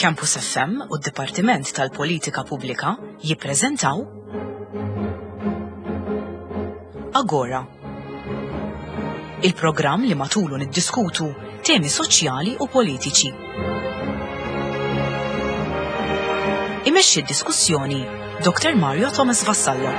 Campus FM u d-Dipartiment tal-Politika Pubblika jippreżentaw Agora. Il-programm li matulu niddiskutu temi soċjali u politiċi. Imexxi d-diskussjoni Dr. Mario Thomas Vassallo.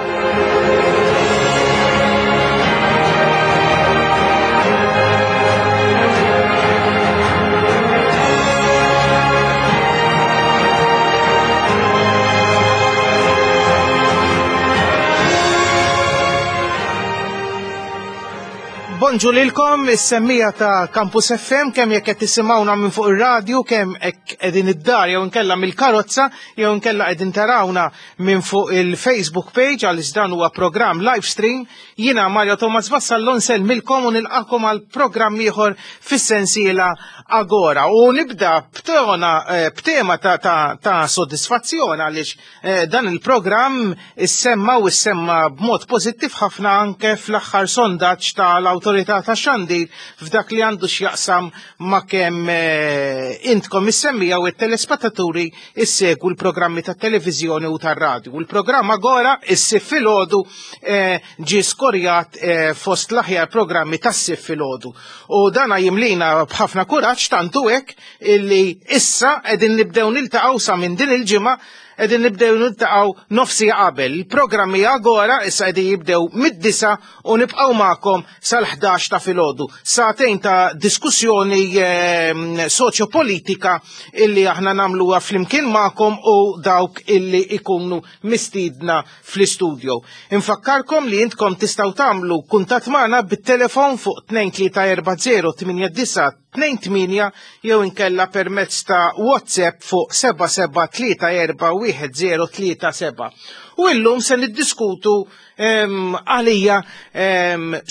Bonġu lilkom, is-semmija ta' Campus FM, kemm jekk qed tisimgħuna minn fuq ir-radju, kemm hekk qegħdin id-dar jew inkella mill-karozza, jew inkella qegħdin tarawna minn fuq il-Facebook page għaliex dan huwa programm live stream. Jiena Mario Thomas Vassallo nsellmilkom u nilqakom għal programm ieħor fis-sensiela Agora. U nibda b'tona eh, b'tema ta', ta, ta sodisfazzjon għaliex eh, dan il-programm issemma u issemma b'mod pożittiv ħafna anke fl-aħħar sondaġġ tal-Awtorità tax-Xandir f'dak li għandu x'jaqsam ma' kemm eh, intkom is-semmija u t-telespettaturi issegwu l-programmi tat-televiżjoni u tar-radju. Il-programm Agora issib filgħodu eh, ġie skorjat eh, fost l-aħjar programmi tas-sif filgħodu. U dana jimlina b'ħafna kuraġġ tantu hekk illi issa qegħdin nibdew niltaqgħu sa minn din il-ġimgħa qegħdin nibdew niltaqgħu nofsi qabel. Il-programmi Agora issa qegħdin jibdew mid-disa u nibqgħu magħkom sal-11 ta' filgħodu. Sagħtejn ta' diskussjoni ehm, soċjopolitika illi aħna nagħmluha flimkien magħkom u dawk illi ikunu mistiedna fl-istudio. Infakkarkom li intkom tistgħu tagħmlu kuntatt magħna bit-telefon fuq 2340 89 jew inkella permezz ta' WhatsApp fuq 77341037. U illum se niddiskutu għalija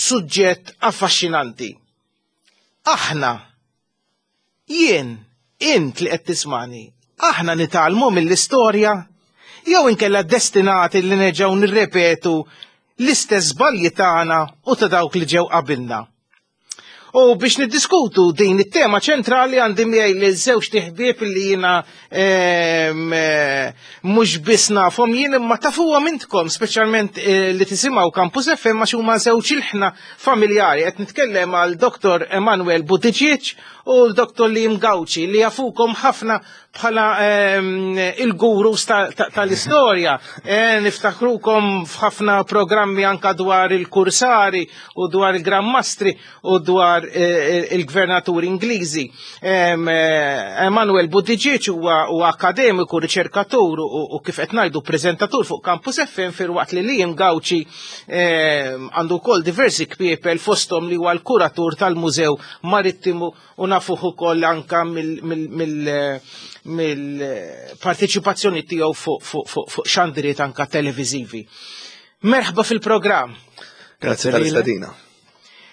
suġġett affaxxinanti. Aħna Jien, int li qed tismani, aħna nitgħallmu mill-istorja jew inkella destinati li nerġgħu nirrepetu l-istess żbalji tagħna u ta' dawk li ġew qabilna. U biex niddiskutu din it-tema ċentrali għandi miegħi li żewġ tiħbieb li jiena ehm, eh, mhux biss nafhom jien imma tafuhom intkom, speċjalment eh, li tisimgħu Campus FM għax huma żewġ ilħna familjari. Qed nitkellem għal Dr. Emanuel Buttigieg u l-Dr. Liam Gauci li jafukom ħafna bħala ehm, il-gurus tal-istorja. Eh, niftakrukom f'ħafna programmi anka dwar il-kursari u dwar il-grammastri u dwar eh, il-gvernaturi Ingliżi. Ehm, eh, Emanuel Buttigieg huwa akademiku, riċerkatur u kif qed ngħidu preżentatur fuq Campus FM filwaqt li Liam Gauci Ehm, għandu wkoll diversi kpiepel fosthom li huwa l-kuratur tal-Mużew Marittimu u nafuh ukoll anka mill-parteċipazzjoni tiegħu fuq xandriet anka televiżivi. Merħba fil-programm. Grazie tal-istadina.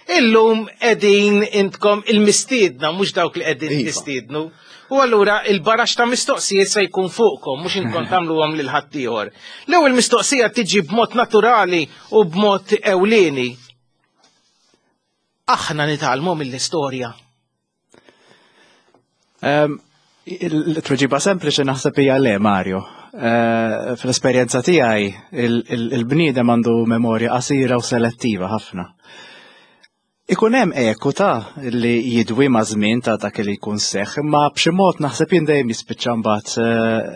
Illum qegħdin intkom il-mistiedna, mhux dawk li qegħdin iva. tistiednu. U allura il-barax ta' mistoqsijiet se jkun fuqkom, mhux inkom tagħmluhom lil ħaddieħor. L-ewwel mistoqsija tiġi b'mod naturali u b'mod ewlieni. Aħna nitgħallmu mill-istorja. Ehm, il-tweġiba sempliċi naħseb hija le, Mario. Eh, fl-esperjenza tiegħi il-bniedem għandu memorja qasira u selettiva ħafna. Ikun hemm eku ta' li jidwi ma' żmien ta' dak li jkun seħħ, imma b'xi mod naħseb jien dejjem jispiċċa mbagħad eh,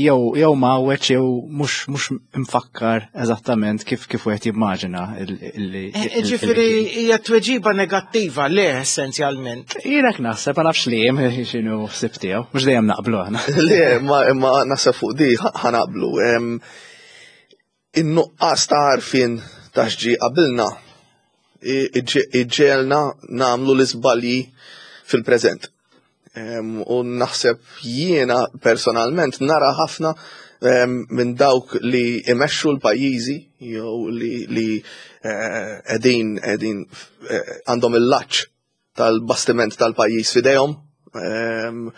jew jew mawweċ jew mhux mhux mfakkar eżattament kif kif wieħed jimmaġina li. Eh, eh, ġifieri hija tweġiba negattiva le essenzjalment. Jiena naħseb ma nafx li hemm x'inhu ħsieb tiegħu, mhux dejjem naqblu aħna. Le, ma imma naħseb fuq di ħanaqblu. In-nuqqas ta' għarfien ta' x'ġie qabilna iġġegħelna nagħmlu l-iżbalji fil-preżent. U naħseb jiena personalment nara ħafna minn dawk li imexxu l-pajjiżi jew li eh, qegħdin qegħdin eh, għandhom il-laċċ tal-bastiment tal-pajjiż f'idejhom. Ehm,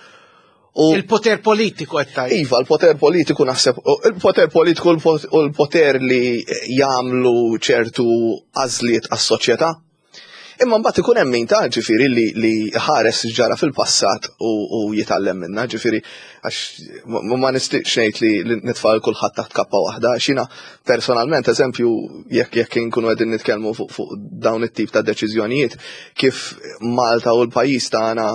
u il-poter politiku qed tgħid. Iva, il-poter politiku naħseb, il-poter politiku u l-poter li jagħmlu ċertu għażliet għas-soċjetà. Imma mbagħad ikun hemm min ta' ġifieri li li ħares ġara fil-passat u, u jitgħallem minnha, ġifieri għax ma nistiqx ngħid li nitfa' kulħadd taħt kappa waħda, għax jiena personalment eżempju jekk jekk inkunu qegħdin nitkellmu fuq fu dawn it-tip ta' deċiżjonijiet kif Malta u l-pajjiż tagħna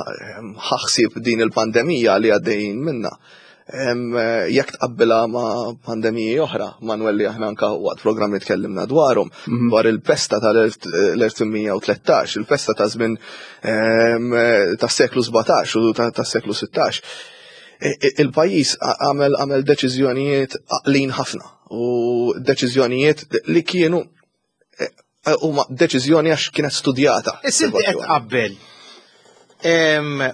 ħaħsib din il-pandemija li għaddejjin minnha. Jekk tqabbilha ma' pandemiji oħra, Manuel li aħna anka waqt programmi tkellimna dwarhom, dwar il-pesta tal-1813, il-pesta ta' żmien tas-seklu 17 u tas-seklu 16. Il-pajjiż għamel għamel deċiżjonijiet għaqlin ħafna u deċiżjonijiet li kienu huma deċiżjoni għax kienet studjata. Issa inti qed tqabbel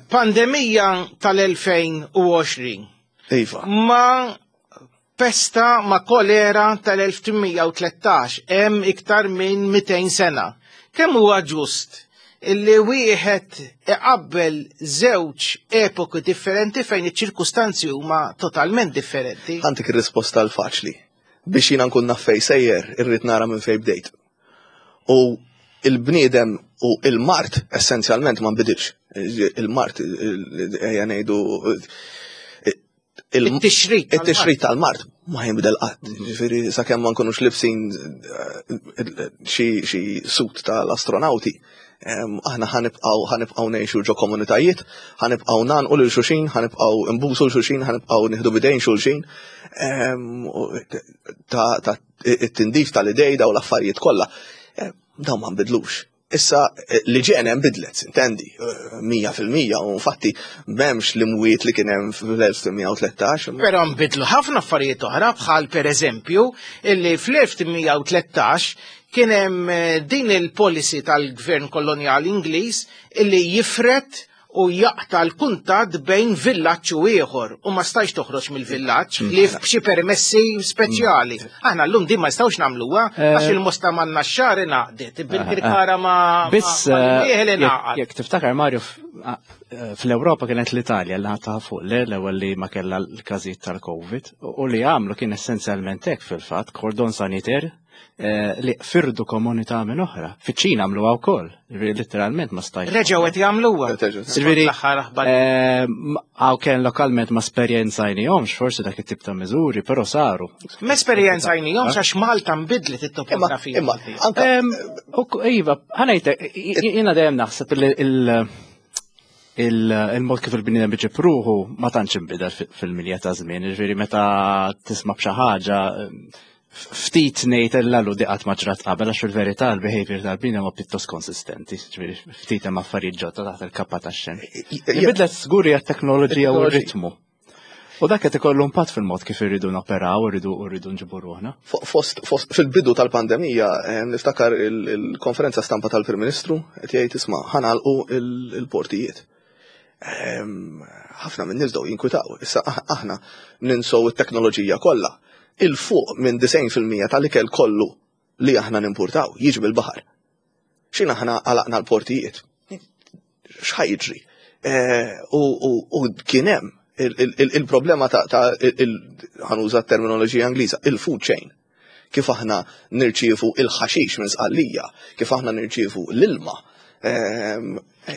pandemija tal-2020 Iva. ma pesta ma kolera tal-1813 hemm iktar minn 200 sena. Kemm huwa ġust illi wieħed iqabbel żewġ epoki differenti fejn iċ-ċirkustanzi huma totalment differenti? Ħa ntik ir-risposta l-faċli. Biex jiena nkun naf fejn sejjer, irrid nara minn fejn bdejt. U il-bniedem u il-mard essenzjalment ma nbidilx. Il-mard, ejja ngħidu it-tixrid it-tixrid tal-mard ma jinbidel qatt. Ġifieri sakemm ma nkunux libsin xi suit tal-astronawti, aħna ħanibqgħu ħanibqgħu ngħixu ġo komunitajiet, ħanibqgħu ngħannqu lil xulxin, ħanibqgħu nbusu lil xulxin, ħanibqgħu nieħdu bidejn xulxin. Ta' it-tindif tal-idej daw l-affarijiet kollha. Dawn ma nbidlux. Issa l-iġene nbidlet, intendi, 100% u infatti m'hemmx l-imwiet li kien hemm fl-1813. Però nbidlu ħafna affarijiet oħra bħal pereżempju illi fl-1813 kien hemm din il-policy tal-gvern kolonjali Ingliż illi jifret u jaqta l-kuntatt bejn villaġġ u ieħor u ma stajx toħroġ mill-villaġġ li b'xi permessi speċjali. Aħna llum din ma nistgħux nagħmluha għax il-Mosta ma Naxxar ingħaqdet, bil-Kirkara ma Biss ma ingħaqad. jekk tiftakar Mario fl-Ewropa kienet l-Italja li ħadtaha fuq le l-ewwel li ma kellha l-każijiet tal-Covid u li għamlu kien essenzjalment hekk fil-fatt cordon sanitaire li firdu komunità minn oħra. Fiċ-Ċina għamluha wkoll, literalment ma stajx. Reġgħu qed jagħmluha. Ġifieri, L-aħħar aħbar. Għaw kien lokalment ma esperjenzajnihomx forsi dak it-tip ta' miżuri, però saru. Ma esperjenzajnihomx għax Malta nbidlet it-topografija. Imma anka Iva, ħa ngħidlek, jiena dejjem naħseb li il-mod kif il-bniedem iġib ruħu ma tantx inbidel fil-milja ta' żmien, ġifieri meta tisma' b'xi ħaġa ftit ngħid illa di qatt ma ġrat qabel għax fil-verità l-behavior tal-bniedem huwa pjuttost konsistenti, ġifieri ftit hemm affarijiet ġodda taħt il-kappa tax-xemx. Inbidlet żgur hija t-teknoloġija u r-ritmu. U dak qed ikollu impatt fil-mod kif irridu noperaw, irridu rridu nġibu ruħna. Fost, fost fil-bidu tal-pandemija, niftakar il-konferenza stampa tal-Prim Ministru qed jgħid isma' ħa nagħlqu il-portijiet. Ħafna minn nies bdew jinkwitaw. Issa aħna ninsow it-teknoloġija kollha. Il-fuq minn 90% tal-ikel kollu li aħna nimpurtaw jiġi bil-baħar. X'in aħna għalaqna l-portijiet? X'ħa jiġri? U kien hemm il-problema ta' ħa nuża terminoloġija Ingliża, il-food chain. Kif aħna nirċievu il-ħaxix minn Sqallija, kif aħna nirċievu l-ilma.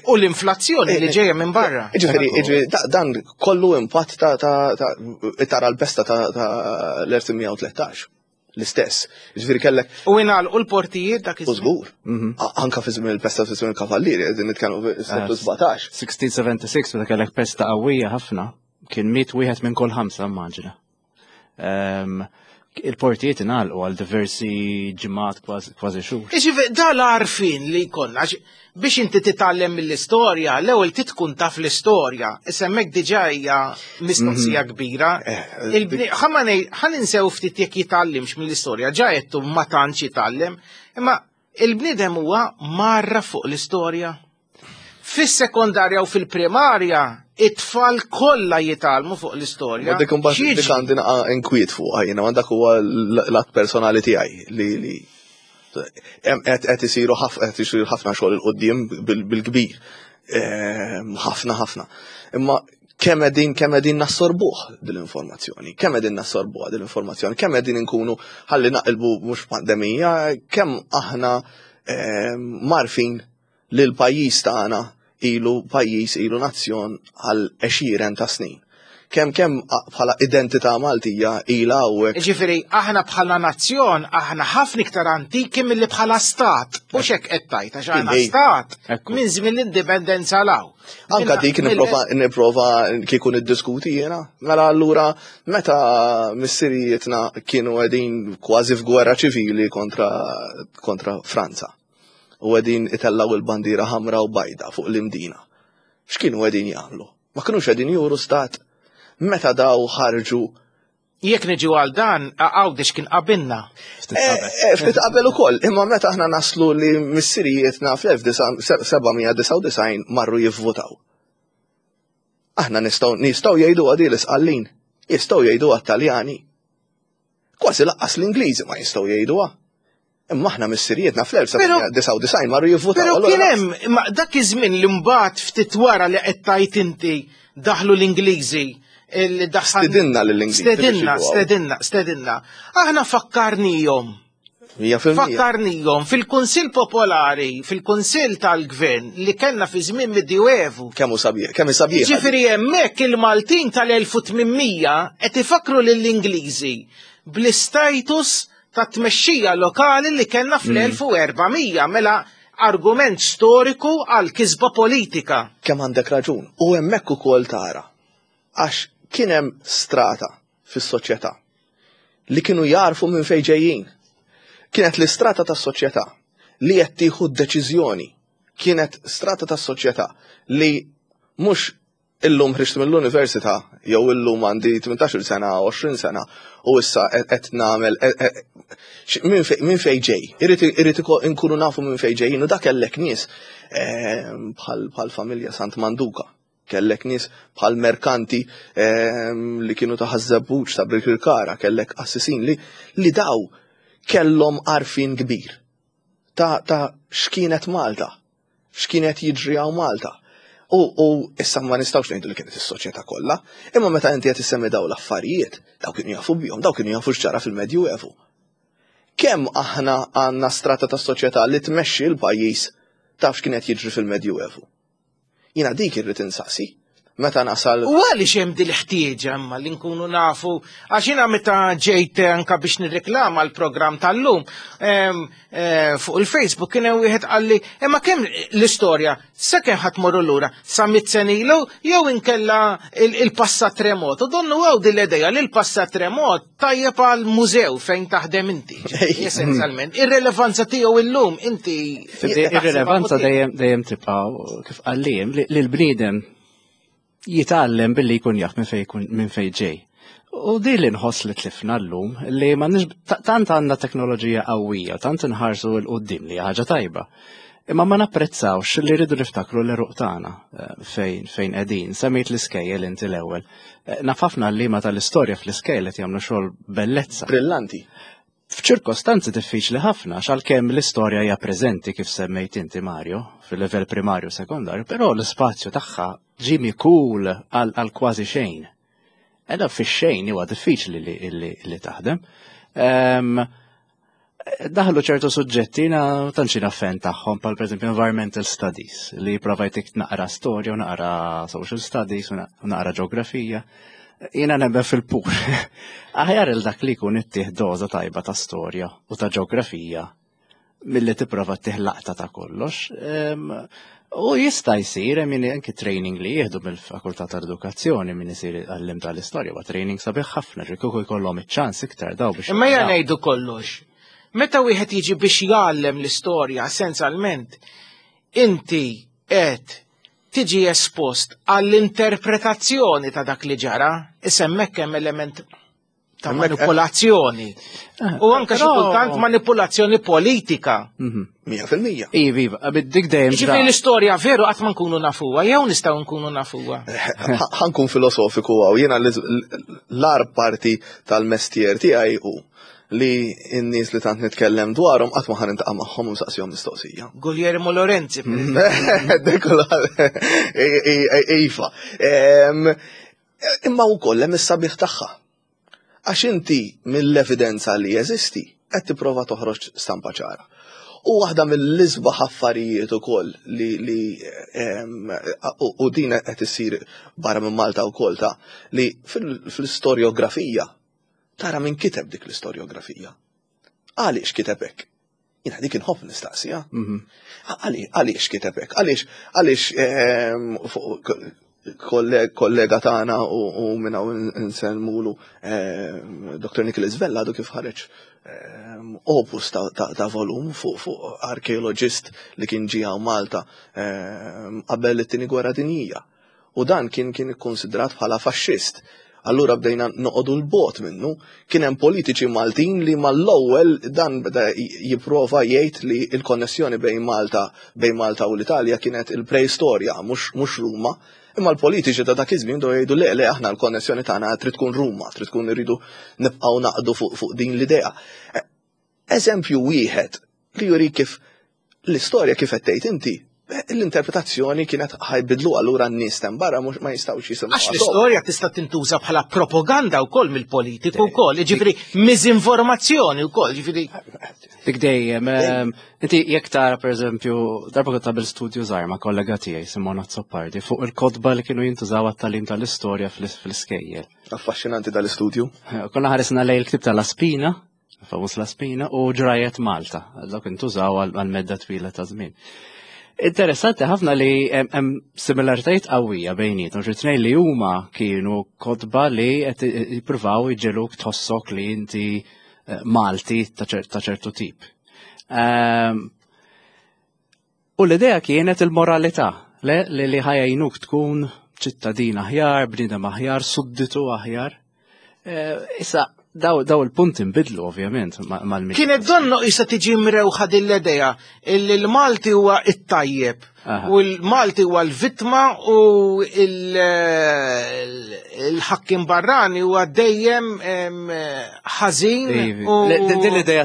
U l-inflazzjoni li ġejja minn barra. Ġifieri, dan kollu impatt ta' tara l-pesta ta' l-1813. L-istess. Ġifieri kellek. U ingħalqu l-portijiet dak iż Żgur. Anka fi żmien il-pesta fi żmien il-kavallieri, qegħdin nitkellmu fis-seklu 17. 1676 meta kellek pesta qawwija ħafna, kien miet wieħed minn kull ħamsa immaġina. Il-portijiet ingħalqu għal diversi ġimgħat kważi xhur. Iġifieri dal-għarfien li jkollna biex inti titgħallem mill-istorja, l-ewwel tkun taf l-istorja. Issa hemmhekk diġà hija mistoqsija kbira. Ħa ninsew ftit jekk jitgħallimx mill-istorja, ġa qed ma tantx jitgħallem, imma il-bniedem huwa marra fuq l-istorja. Fis-sekondarja u fil-primarja, it-tfal kollha jitgħallmu fuq l-istorja. Ma dik imbagħad dik għandi naqa' inkwiet fuqha jiena, ma dak huwa l-att personali tiegħi li qed isiru qed isiru ħafna xogħol 'il quddiem bil-kbir. Ħafna ħafna. Imma kemm qegħdin kemm qegħdin nassorbuh dil-informazzjoni, kemm qegħdin nassorbuha dil-informazzjoni, kemm qegħdin inkunu ħalli naqilbu mhux pandemija, kemm aħna marfin li l-pajjiż tagħna ilu pajjiż ilu nazzjon għal għexieren ta' snin. Kemm kemm bħala identità Maltija ilha hawnhekk. Ġifieri aħna bħala nazzjon aħna ħafna iktar antiki milli bħala stat. Mhux hekk qed tgħid għax aħna stat minn żmien l-indipendenza 'l hawn. Anka dik nipprova nipprova kieku niddiskuti jiena. Mela allura meta missirijietna kienu qegħdin kważi f'gwerra ċivili kontra kontra Franza u qegħdin itellgħu il-bandiera ħamra u bajda fuq l-Imdina. X'kienu qegħdin jagħmlu? Ma kinux qegħdin juru stat. Meta daw ħarġu Jekk niġu għal dan, Għawdex kien qabilna. Ftit eh, qabel. Eh, ftit qabel ukoll, imma meta aħna naslu li missirijietna fl-1799 marru jivvutaw. Aħna nistgħu nistgħu jgħidu għadi l-isqallin, jistgħu jgħidu għat-Taljani. Kważi laqqas l-Ingliżi ma jistgħu jgħiduha. Imma aħna missirijietna fl-1999 marru jivvutaw. Però kien hemm imma dak iż-żmien li mbagħad ftit wara li qed tgħid inti daħlu l-Ingliżi li daħal. Stedinna lill-Ingliżi. Stedinna, stedinna, stedinna. Aħna fakkarnihom. Fakkarnihom fil-Kunsill Popolari, fil-Kunsill tal-Gvern li kellna fi żmien Medjuevu. Kemm hu sabiħ, kemm sabiħ. Ġifieri hemmhekk il-Maltin tal-1800 qed ifakkru lill-Ingliżi bl-istatus ta' tmexxija lokali li kellna fl-1400 mela argument storiku għal kisba politika. Kemm għandek raġun. U hemmhekk ukoll tara għax kien hemm strata fis-soċjetà li kienu jarfu minn fejn ġejjin. Kienet l-istrata tas-soċjetà li qed tieħu d-deċiżjoni. Kienet strata tas-soċjetà li mhux Illum ħriġt mill-università jew illum għandi 18-il sena, 20 sena u issa qed nagħmel minn fejn ġej. Irrid inkunu nafu minn fejn ġejjin u dak kellek nies ehm, bħal familja Sant Manduka. Kellek nies bħal merkanti ehm, li kienu ta' Ħaż-Żebbuġ ta' Birkirkara, kellek qassisin li li daw kellhom għarfien kbir ta' ta' x'kienet Malta. x'kien qed jiġri hawn Malta. U, u issa ma nistgħux ngħidu li kienet is-soċjetà kollha, imma meta inti qed issemmi daw l-affarijiet, daw kienu jafu bihom, daw kienu jafu x'ġara fil-Medjuevu. Kemm aħna għandna strata ta' soċjetà li tmexxi l-pajjiż taf x'kien qed jiġri fil-Medjuevu? Jiena dik irrid insaqsi. Meta nasal. U għaliex hemm din l-ħtieġa imma li nkunu nafu għax jiena meta ġejt anka biex nirreklama l-programm tal-lum eh, fuq il-Facebook kien hemm wieħed qalli imma kemm l-istorja sakemm ħadd morru lura sa mit ilu jew inkella il-passat remot. U donnu għaw din l-idea li l-passat remot tajjeb għal mużew fejn taħdem inti. Essenzjalment, ir-relevanza tiegħu illum inti. Ir-relevanza dejjem dejjem tibqa' kif qallim li l-bniedem jitgħallem billi jkun jaf minn fejn minn fejn ġej. U di li nħoss li tlifna llum li ma tant għandna teknoloġija qawwija, tant inħarsu l qudiem li ħaġa tajba. Imma ma napprezzawx li rridu niftakru l-eruq tagħna eh, fejn fejn qegħdin. Semmejt l-iskejjel inti l-ewwel. Eh, naf ħafna għalliema tal-istorja fl-iskejjel qed jagħmlu xogħol bellezza. Brillanti. F'ċirkostanzi diffiċli ħafna, għalkemm l-istorja hija preżenti kif semmejt inti Mario, fil-livell primarju u sekondarju, però l-ispazju tagħha ġie mikul għal kważi xejn. Eda fix-xejn huwa diffiċli li taħdem. Ehm, daħlu ċertu suġġetti na tantx jiena fan tagħhom bħal pereżempju environmental studies li jipprova jtik naqra storja u naqra social studies u naqra ġeografija. Jiena nemmen fil-pur. Aħjar il dak li jkun ittih doża tajba ta' storja u ta' ġeografija milli tipprova ttih laqta ta' kollox. U jista' jsir hemm min anki training li jieħdu mill-Fakultà tal-Edukazzjoni min isir għallim tal-istorja huwa training sabiħ ħafna ġi kieku jkollhom iċ-ċans iktar daw biex. Imma jgħan ngħidu kollox. Meta wieħed jiġi biex jgħallem l-istorja essenzjalment inti qed tiġi espost għall-interpretazzjoni ta' dak li ġara, isemmek hemm element ta' manipolazzjoni. Eh, U anke xi kultant manipolazzjoni politika. Mhm. 100%. Iva, iva, dik dejjem. Ġifieri l-istorja veru qatt ma nkunu nafuha, jew nistgħu nkunu nafuha. Eh, ħankun filosofiku għaw, jiena l-ar parti tal-mestier tiegħi hu li n-nies li tant nitkellem dwarhom qatt ma ħan intaqa' magħhom u nsaqsihom mistoqsija. Guglielmo Lorenzi. Iva. Imma wkoll hemm is-sabiħ tagħha. Għax inti mill-evidenza li jeżisti qed tipprova toħroġ stampa ċara. U waħda mill-isbaħ affarijiet ukoll li li u din qed issir barra minn Malta wkoll ta' li fil-istorjografija tara min kiteb dik l-istorjografija. Għaliex kiteb hekk? Jiena dik inħobb nistaqsiha. Mhm. Għaliex kiteb hekk? Għaliex għaliex kollega tagħna u minn hawn insellmulu Dr. Nicholas Vella għadu kif ħareġ opus ta' volum fuq arkeologist li kien ġie hawn Malta qabel it-tieni gwerra dinjija. U dan kien kien ikkonsidrat bħala faxxist. Allura bdejna noqogħdu 'l bogħod minnu. Kien hemm politiċi Maltin li mal-ewwel dan beda jipprova jgħid li l-konnessjoni bejn Malta bejn Malta u l-Italja kienet il-preistorja mhux mhux Ruma. Imma l-politiċi ta' dak iż-żmien bdew jgħidu le le aħna l-konnessjoni tagħna trid tkun Ruma, trid tkun irridu nibqgħu naqdu fuq fuq din l-idea. Eżempju wieħed li jurik kif L-istorja kif qed tgħid inti, l-interpretazzjoni kienet ħajbidlu allura n-nies hemm barra mhux ma jistgħux jisimgħu. Għax l-istorja tista' tintuża bħala propaganda wkoll mill-politiku wkoll, jiġifieri miżinformazzjoni wkoll, jiġifieri. Dik dejjem, ehm, inti jekk tara pereżempju, darba kont tagħmel studju żgħar ma' kollega tiegħi Simona Azzopardi fuq il-kotba li kienu jintużaw għat-tagħlim tal-istorja fl-iskejjel. Affaxxinanti dal-istudju. Konna ħaresna lejn il-ktieb tal-Aspina, Famus La Spina u ġrajet Malta, dawk intużaw għal medda twila ta' żmien. Interessanti ħafna li hemm similaritajiet qawwija bejnietom, xi tnejn li huma kienu kotba li qed jippruvaw iġeluk tħossok li inti eh, Malti ta' ċertu tip. Ehm, U l-idea kienet il-moralità, le li li ħajajnuk tkun ċittadin aħjar, bniedem aħjar, sudditu aħjar. Eh, issa, daw, daw il-punt inbidlu ovvjament mal-mit. Kienet donno issa tiġi mrewħa din l-idea illi l-Malti huwa it-tajjeb u l-Malti huwa l-vittma u il-ħakkim barrani huwa dejjem ħażin u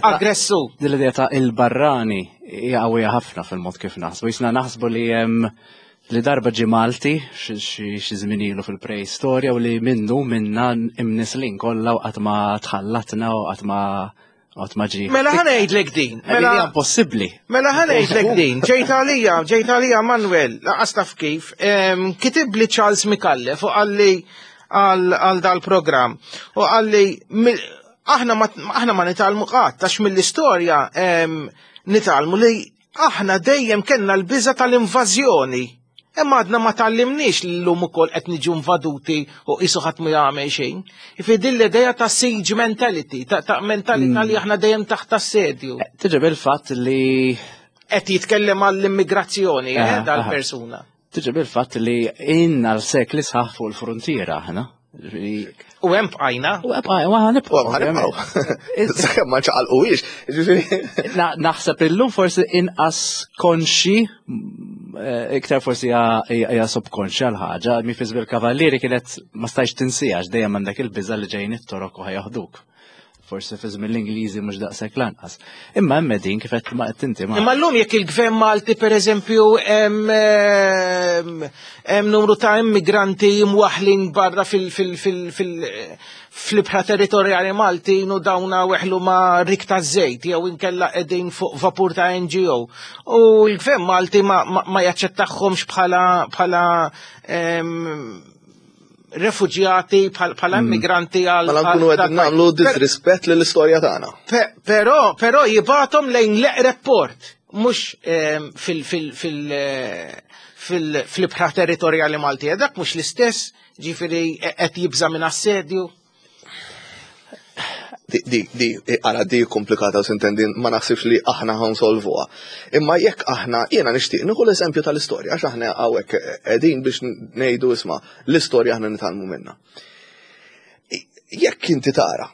aggressur. Din l-idea ta' il-barrani hija qawwija ħafna fil-mod kif naħsbu. Jisna naħsbu li hemm li darba ġi Malti xi żmien ilu fil-preistorja u li minnu minna imnislin kollha u qatt ma tħallatna u qatt ma qatt ma ġi. Mela ħa ngħidlek din. Mela hija impossibbli. Mela ħa ngħidlek din. Ġejt għalija, ġejt għalija Manuel, laqas taf kif, kitibli Charles Micallef u qalli għal dal-programm u qalli aħna ma aħna ma nitgħallmu qatt għax mill-istorja nitgħallmu li aħna dejjem kellna l-biża tal-invażjoni. Imma għadna ma tgħallimniex li llum ukoll qed niġu invaduti u qisu ħadd ma jagħmel xejn. Ifi din l-idea ta' siege mentality, ta', ta mentalità li mm. aħna dejjem taħt assedju. Eh, Tiġi bil-fatt li qed jitkellem għall-immigrazzjoni eh, dal-persuna. Tiġi bil-fatt li inna l-sekli sħaħ fuq il-frontiera aħna. U hemm bqajna. U hemm bqajna, u ħanibqgħu. U ħanibqgħu. Sakemm ma ċaqalquhiex. Naħseb illum forsi inqas konxi, eh, iktar forsi hija subkonxja l-ħaġa, mi fi żmien kavallieri kienet ma stajx tinsijax dejjem għandek il-biża' li ġejjin it-torok u ħajaħduk. Forsi fi żmien l-Ingliżi mhux daqshekk lanqas. Imma hemm din kif qed ma qed inti ma. Imma llum jekk il-gvern Malti pereżempju hemm numru ta' immigranti mwaħlin barra fil-ibħra territorjali Maltin u dawna weħlu ma' rik ta' żejt jew inkella qegħdin fuq vapur ta' NGO. U l-gvern Malti ma jaċċettahomx bħala refuġjati bħala mm. immigranti għal. Mela nkunu qed nagħmlu disrispett lill-istorja tagħna. Però però jibatom lejn l-eqreb port, mhux ehm, fil fil fil eh, fil-ibħra territorjali Malti. Dak mhux l-istess, ġifieri qed jibża' minn assedju. Di, di, di, għara di komplikata sintendi ma naħsibx li aħna ħansolvuha. Imma jekk aħna, jiena nixtieq nieħu l-eżempju tal-istorja, għax aħna hawnhekk qegħdin biex ngħidu isma' l-istorja aħna nitgħallmu minnha. Jekk inti tara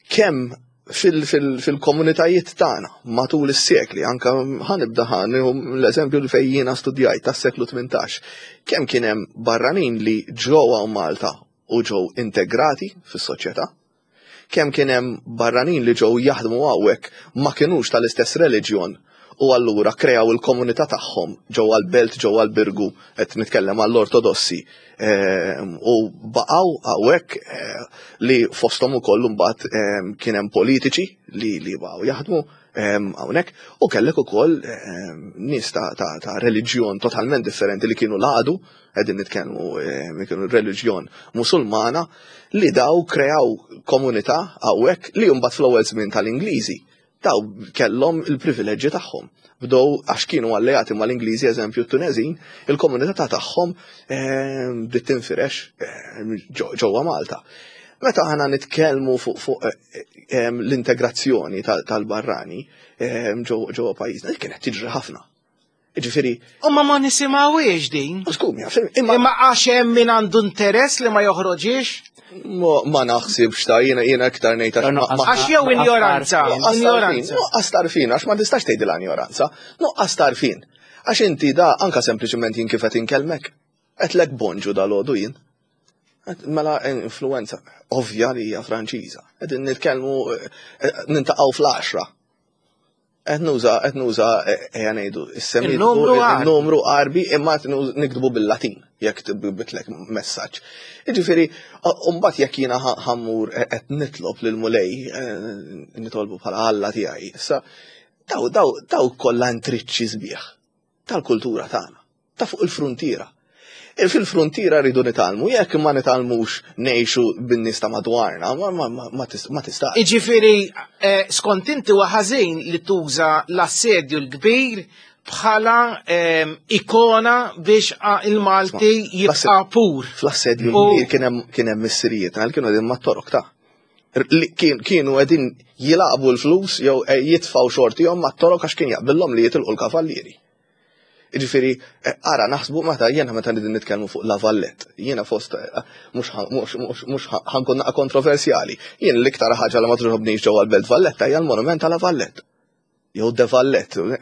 kemm fil-komunitajiet tagħna matul is-sekli, anka ħanibda ħanieħu l-eżempju li fejn jiena studjajt tas-seklu 18, kemm kien hemm barranin li ġew hawn Malta u ġew integrati fis-soċjetà, kemm kien hemm barranin li ġew jaħdmu hawnhekk ma kinux tal-istess reliġjon u allura kreaw il-komunità tagħhom ġewwa l-belt ġewwa l-Birgu qed nitkellem għall-Ortodossi ehm, u baqgħu hawnhekk eh, li fosthom ukoll imbagħad ehm, kien hemm politiċi li li baqgħu jaħdmu. hawnhekk u kellek ukoll nies ta' reliġjon totalment differenti li kienu l-għadu, qegħdin nitkellmu kienu reliġjon Musulmana li daw kreaw komunità hawnhekk li mbagħad fl-ewwel żmien tal-Ingliżi daw kellhom il-privileġġi tagħhom. Bdew għax kienu alleati mal-Ingliżi, eżempju t-Tunezin, il-komunità ta' tagħhom bdiet tinfirex ġewwa Malta. Meta aħna nitkellmu fuq l-integrazzjoni tal-barrani ġewwa pajjiżna, kienet tiġri ħafna. Ġifieri. U ma ma nisimgħuhiex din. Skum, imma għax hemm min għandu interess li ma joħroġiex? Ma naħsibx ta' jiena jiena iktar ngħid għax jew injoranza. Injoranza. Nuqqas tarfin, għax ma tistax tgħidilha injoranza. Nuqqas tarfin. Għax inti da anka sempliċement jien kif qed inkellmek. Qedlek bonġu dal-għodu jien. Mela influenza ovvja li hija Franċiża. Qegħdin nitkellmu eh, eh, nintaqgħu fl-10. Qed nuża qed nuża eh, ejja ngħidu il-numru qarbi imma qed niktbu bil-Latin jekk bitlek messaġġ. Jiġifieri mbagħad jekk jiena ħammur qed nitlob lil Mulej nitolbu bħala Alla tiegħi. Issa daw daw daw kollha intriċċi sbieħ tal-kultura tagħna, ta' fuq il-fruntiera. E fil-fruntiera rridu nitgħallmu, jekk ma nitgħallmux ngħixu bin-nies ta' madwarna, ma tistax. Iġifieri eh, skont inti huwa ħażin li tuża l-assedju l-kbir bħala ehm, ikona biex il-Malti jibqa' pur. Fl-assedju l-kbir kien hemm missirijiet għal kienu qegħdin mat-torok ta' kienu qegħdin jilagħbu l-flus jew eh, jitfgħu xortihom mat-torok għax kien jaqbillhom li jitilqu l-kavallieri. Jiġifieri, eh, ara naħsbu meta jiena meta nidin nitkellmu fuq La Vallette, jiena fost eh, mhux ħankun naqa' kontroversjali, jien l-iktar ħaġa li ma togħġobnix ġewwa l-Belt Valletta hija l-monument ta' La Vallette. Jew De Vallette.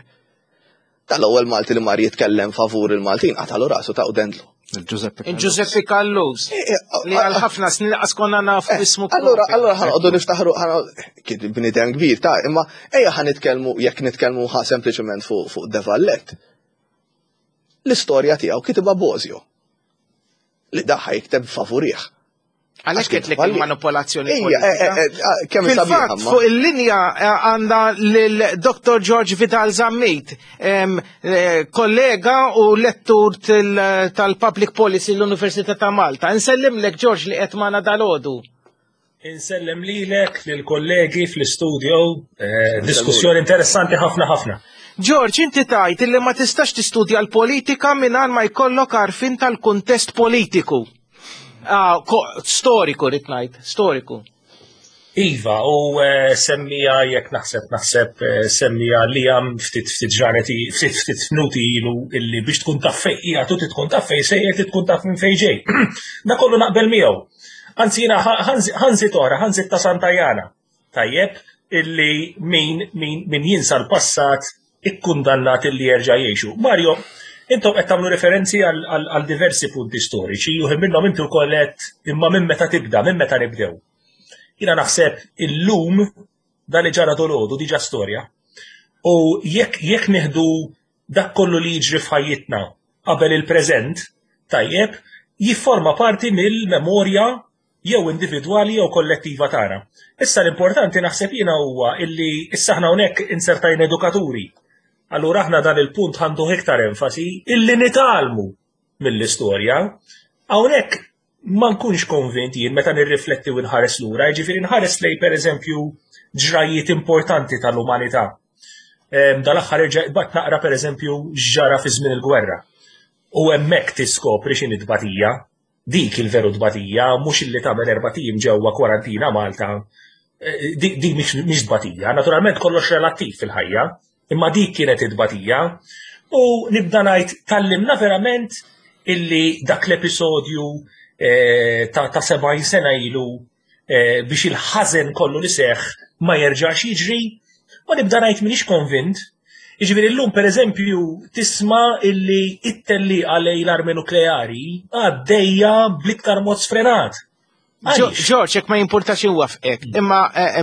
Tal-ewwel Malti li mar jitkellem favur il-Maltin qatalu rasu ta' dendlu. Il-Giuseppe Callus. Eh, eh, li għal ħafna snin laqas konna nafu eh, ismu. Allura, allura ħanqodu niftaħru kien bnidem kbir ta' imma ejja ħan nitkellmu jekk nitkellmu ħa sempliċement fuq De Vallette. L-istorja tiegħu kitibha Bozio. Li daħħa jikteb favurih. Għalhekk qed lek il-manipolazzjoni. Eh, eh, eh, Fil-fatt fuq il-linja għandha lil Dr. George Vidal Zammit, kollega u lettur tal-Public Policy l-Università ta' Malta. Insellimlek George li qed magħna dalodu. Insellem lilek, lill-kollegi fl-istudio, diskussjoni interessanti ħafna ħafna. George, inti tajt illi ma tistax tistudja l-politika mingħajr ma jkollok għarfien tal-kuntest politiku. Ah, storiku rrid ngħid, storiku. Iva, u eh, semmija jekk naħseb naħseb eh, semmija li għam ftit ftit ġranet ftit ftit minuti ilu illi biex tkun taf fej qiegħed u tkun taf fej sejjer tkun taf minn fej ġej. Da kollu naqbel miegħu. Anzi jiena ħanżit oħra, ħanżit ta' Santa Jana. Tajjeb illi min min min jinsa l-passat ikkundannat illi jerġa' jgħixu. Mario, intom qed tagħmlu referenzi għal diversi punti storiċi, uħi minnhom inti wkoll qed imma minn meta tibda, minn meta nibdew. Jiena naħseb illum dan li ġara dolodu diġà storja. U jekk jekk nieħdu dak kollu li jiġri f'ħajjitna qabel il-preżent, tajjeb, jifforma parti mill-memorja jew individwali jew kollettiva tagħna. Issa l-importanti naħseb jiena huwa illi issa aħna hawnhekk insertajna edukaturi. Allura aħna dan il-punt għandu iktar enfasi illi nitgħallmu mill-istorja. Hawnhekk ma nkunx konvint jien meta nirrifletti u nħares lura, jiġifieri nħares lej pereżempju ġrajiet importanti tal-umanità. Dal-aħħar irġa' bat naqra pereżempju x'ġara fi żmien il-gwerra. U hemmhekk tiskopri x'inhi tbatija. Dik il-veru tbatija, mhux illi tagħmel erbat ijiem ġewwa kwarantina Malta. Eh, dik mhix tbatija. Naturalment kollox relattiv fil-ħajja, imma dik kienet it-tbatija. U nibda ngħid tallimna verament illi dak l-episodju eh, ta' 70 sena ilu eh, biex il-ħażen kollu li seħ ma jerġax jiġri, u nibda ngħid m'iniex konvint. Jiġifieri llum pereżempju tisma' illi it-tellieqa lejn l-armi nukleari għaddejja bl-iktar mod sfrenat. George, jekk ma jimpurtax inwafqek, imma eh,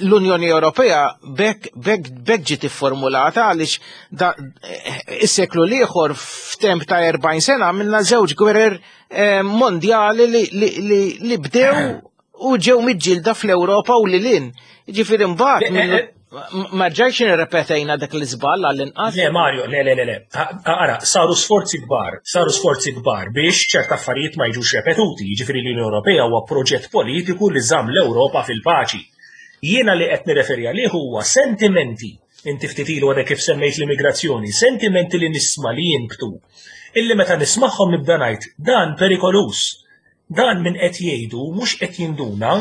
l-Unjoni Ewropea bekk bekk bekk ġiet ifformulata għaliex eh, is-seklu l-ieħor f'temp ta' 40 sena għamilna żewġ gwerer eh, mondjali li bdew u ġew miġġielda fl-Ewropa u lilin. Ġifieri mbagħad eh, eh, Ma rġajx nirrepetejna dak l-iżball għall-inqas. Le Mario, le le le le. Ara, saru sforzi kbar, saru sforzi kbar biex ċerta affarijiet ma jiġux repetuti, jiġifieri l-Unjoni Ewropea huwa proġett politiku li żamm l-Ewropa fil-paċi. Jiena li qed nirreferi għalih huwa sentimenti, inti ftit ilu għadek kif semmejt l-immigrazzjoni, sentimenti li nisma' li jinbtu, illi meta nismagħhom nibda ngħid dan perikoluż. Dan min qed jgħidu mhux qed jinduna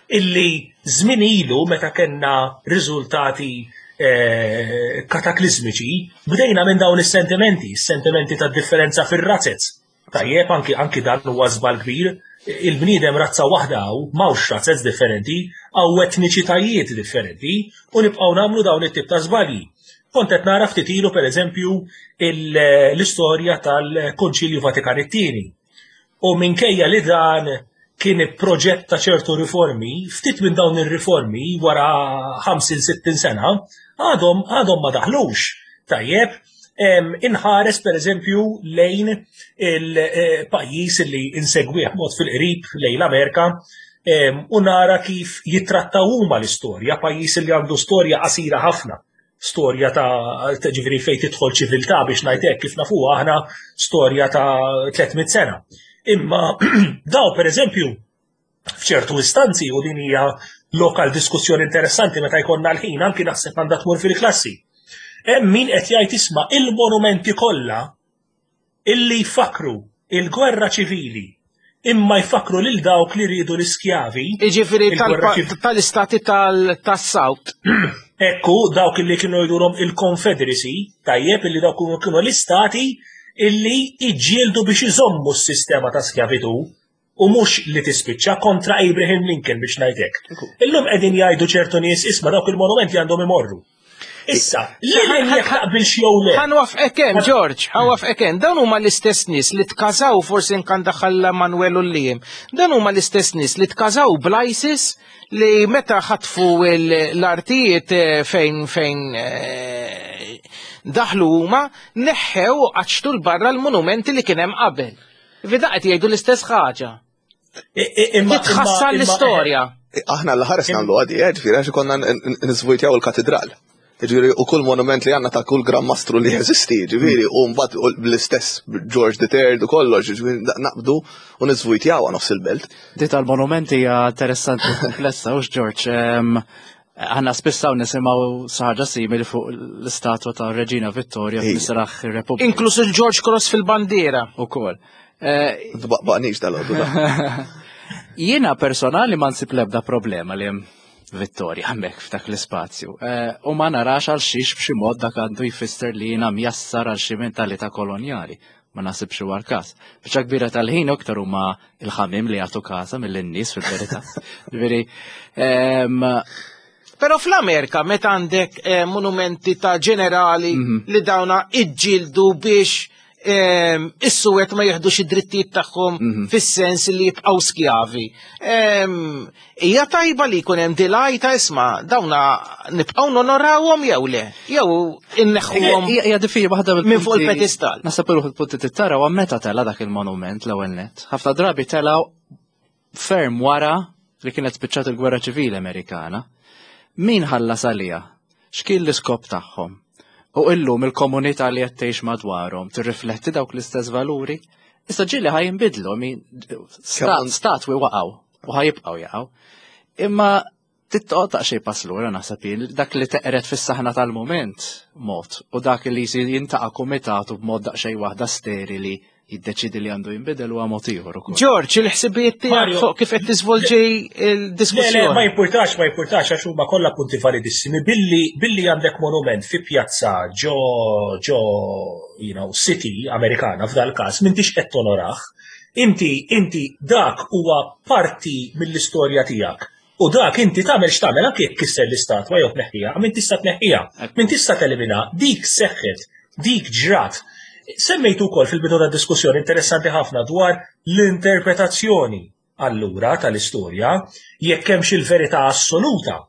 illi żmien ilu meta kellna riżultati eh, kataklizmiċi bdejna minn dawn is-sentimenti, is-sentimenti ta' differenza fir-razzez. Tajjeb anki anki dan huwa żball kbir, il-bniedem razza waħda hawn, m'hawnx razzez differenti, hawn etniċitajiet differenti u nibqgħu nagħmlu dawn it-tip ta' żbalji. Kont qed nara ftit ilu pereżempju l-istorja tal-Konċilju Vatikan it-tieni. U minkejja li dan kien proġett ta' ċertu riformi, ftit minn dawn ir-riformi wara 50-60 sena għadhom għadhom ma daħlux. Tajjeb, inħares per eżempju lejn il-pajjiż li insegwih mod fil-qrib lejn l-Amerika u nara kif jittrattaw huma l-istorja, pajjiż li għandu storja qasira ħafna storja ta' ġifieri fejn tidħol ċiviltà biex ngħid hekk kif nafuha aħna storja ta' 300 sena. Imma daw pereżempju f'ċertu istanzi u din hija lokal diskussjoni interessanti meta jkollna l-ħin anki naħseb għandha tmur fil-klassi. Hemm min qed jgħid isma' il-monumenti kollha illi jfakkru il-gwerra ċivili imma jfakkru lil dawk li riedu l-iskjavi. Jiġifieri tal-istati tas-South. Ekku, dawk illi kienu jgħidulhom il-Confederacy, tajjeb illi dawk kienu l-istati illi iġġieldu biex iżommu s-sistema ta' skjavitu u mhux li tispiċċa kontra Abraham Lincoln biex ngħidlek. Illum qegħdin jgħidu ċertu nies isma' dawk il-monumenti għandhom imorru. Issa, li jekk taqbilx jew le. Ħanwafqek hemm, George, ħanwafqek hemm. Dawn huma l-istess nies li tkażaw forsi nkan daħal Manuel u Liam. Dan huma l-istess nies li tkażaw bl-ISIS li meta ħatfu l-artijiet eh, fejn fejn eh, daħlu huma neħħew u qaċċtu l-barra l-monumenti li kien hemm qabel. Vida qed jgħidu l-istess ħaġa. Titħassar l-istorja. Aħna l-ħares nagħmlu għadi, eh, ġifieri għax konna nizvujtjaw il-katedral. Ġifieri u kull monument li għandna ta' kull Gran Mastru li jeżisti, ġifieri u mbagħad bl-istess George the Third u kollox, ġifieri naqbdu u nizvujtjaw nofs il-belt. Di tal-monumenti hija interessanti u komplessa, u George, Aħna spiss hawn nisimgħu xi ħaġa simili fuq l-istatwa ta' Reġina Vittoria f'Misraħ ir-Repubblika. Inkluż il-George Cross fil-bandiera. Ukoll. Eh, Tbaqbaqnix dal-għodu. Jiena personali ma nsib l-ebda problema li hemm Vittoria hemmhekk f'dak l-ispazju. Eh, u ma narax għal xiex b'xi mod dak għandu jfisser li jiena mjassar għal xi mentalità kolonjali. Ma nasibx huwa l-każ. Biċċa kbira tal-ħin aktar huma il-ħamim li jagħtu każa mill-nies fil-verità. Ġifieri, ehm, Però fl-Amerika meta għandek eh, monumenti ta' ġenerali mhm. li dawna iġġildu biex ehm, is-suwed ma jieħdux id-drittijiet tagħhom mhm. fis-sens li jibqgħu skjavi. Ehm, Hija tajba li jkun hemm dilaj ta' isma' dawna nibqgħu nonorawhom jew le, jew inneħħuhom. Hija diffiċli waħda minn fuq il-pedestal. Naħseb il punti tittara u meta tela dak il-monument l-ewwel nett. Ħafna drabi telgħu ferm wara li kienet spiċċat il-Gwerra Ċivili Amerikana. Min ħallas għaliha? X'kien l-iskop tagħhom? U illum il-komunità li qed tgħix madwarhom tirrifletti dawk l-istess valuri? Issa ġieli ħa jinbidlu, statwi waqgħu u ħajibqgħu jaqgħu. Imma tittoqgħod daqsxejn pass lura naħseb jien dak li teqret fis-saħna tal-mument mod u dak li jsir jintaqa' kumitat u b'mod daqsxejn waħda sterili jiddeċidi li għandu jinbidel huwa mod ieħor ukoll. George, il-ħsibijiet tiegħek fuq kif qed tiżvolġi l-diskussjoni. Le, ma jimpurtax, ma jimpurtax għax huma kollha punti validissimi billi billi għandek monument fi pjazza ġo ġo you know, city Amerikana f'dal każ m'intix qed tonorah. Inti inti dak huwa parti mill-istorja tiegħek. U dak inti tagħmel x'tagħmel anke jekk kisser l-istatwa jew tneħħiha, min tista' tneħħiha, min tista' telimina, dik seħħet, dik ġrat. Semmejtu wkoll fil-bidu tad-diskussjoni interessanti ħafna dwar l-interpretazzjoni allura tal-istorja jekk hemmx il-verità assoluta.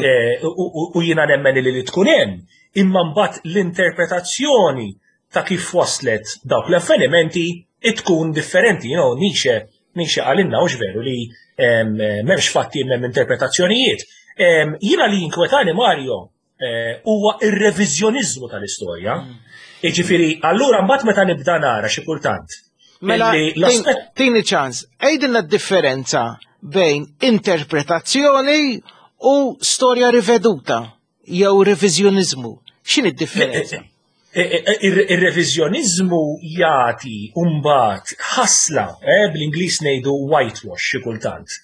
Eh, u jiena nemmen li li tkun hemm, imma mbagħad l-interpretazzjoni ta' kif waslet dawk l-avvenimenti tkun differenti, you know, Nietzsche Nietzsche qalilna hux veru li m'hemmx fatti m'hemm interpretazzjonijiet. Jiena li jinkwetani Mario. eh, huwa ir-reviżjoniżmu tal-istorja. Jiġifieri, allura mbagħad meta nibda nara xi kultant. Mela, tini ċans, għidilna d-differenza bejn interpretazzjoni u storja riveduta jew reviżjoniżmu. X'inhi d-differenza? Eh, eh, ir-reviżjoniżmu jagħti mbagħad ħasla, bl-Ingliż ngħidu whitewash xi kultant,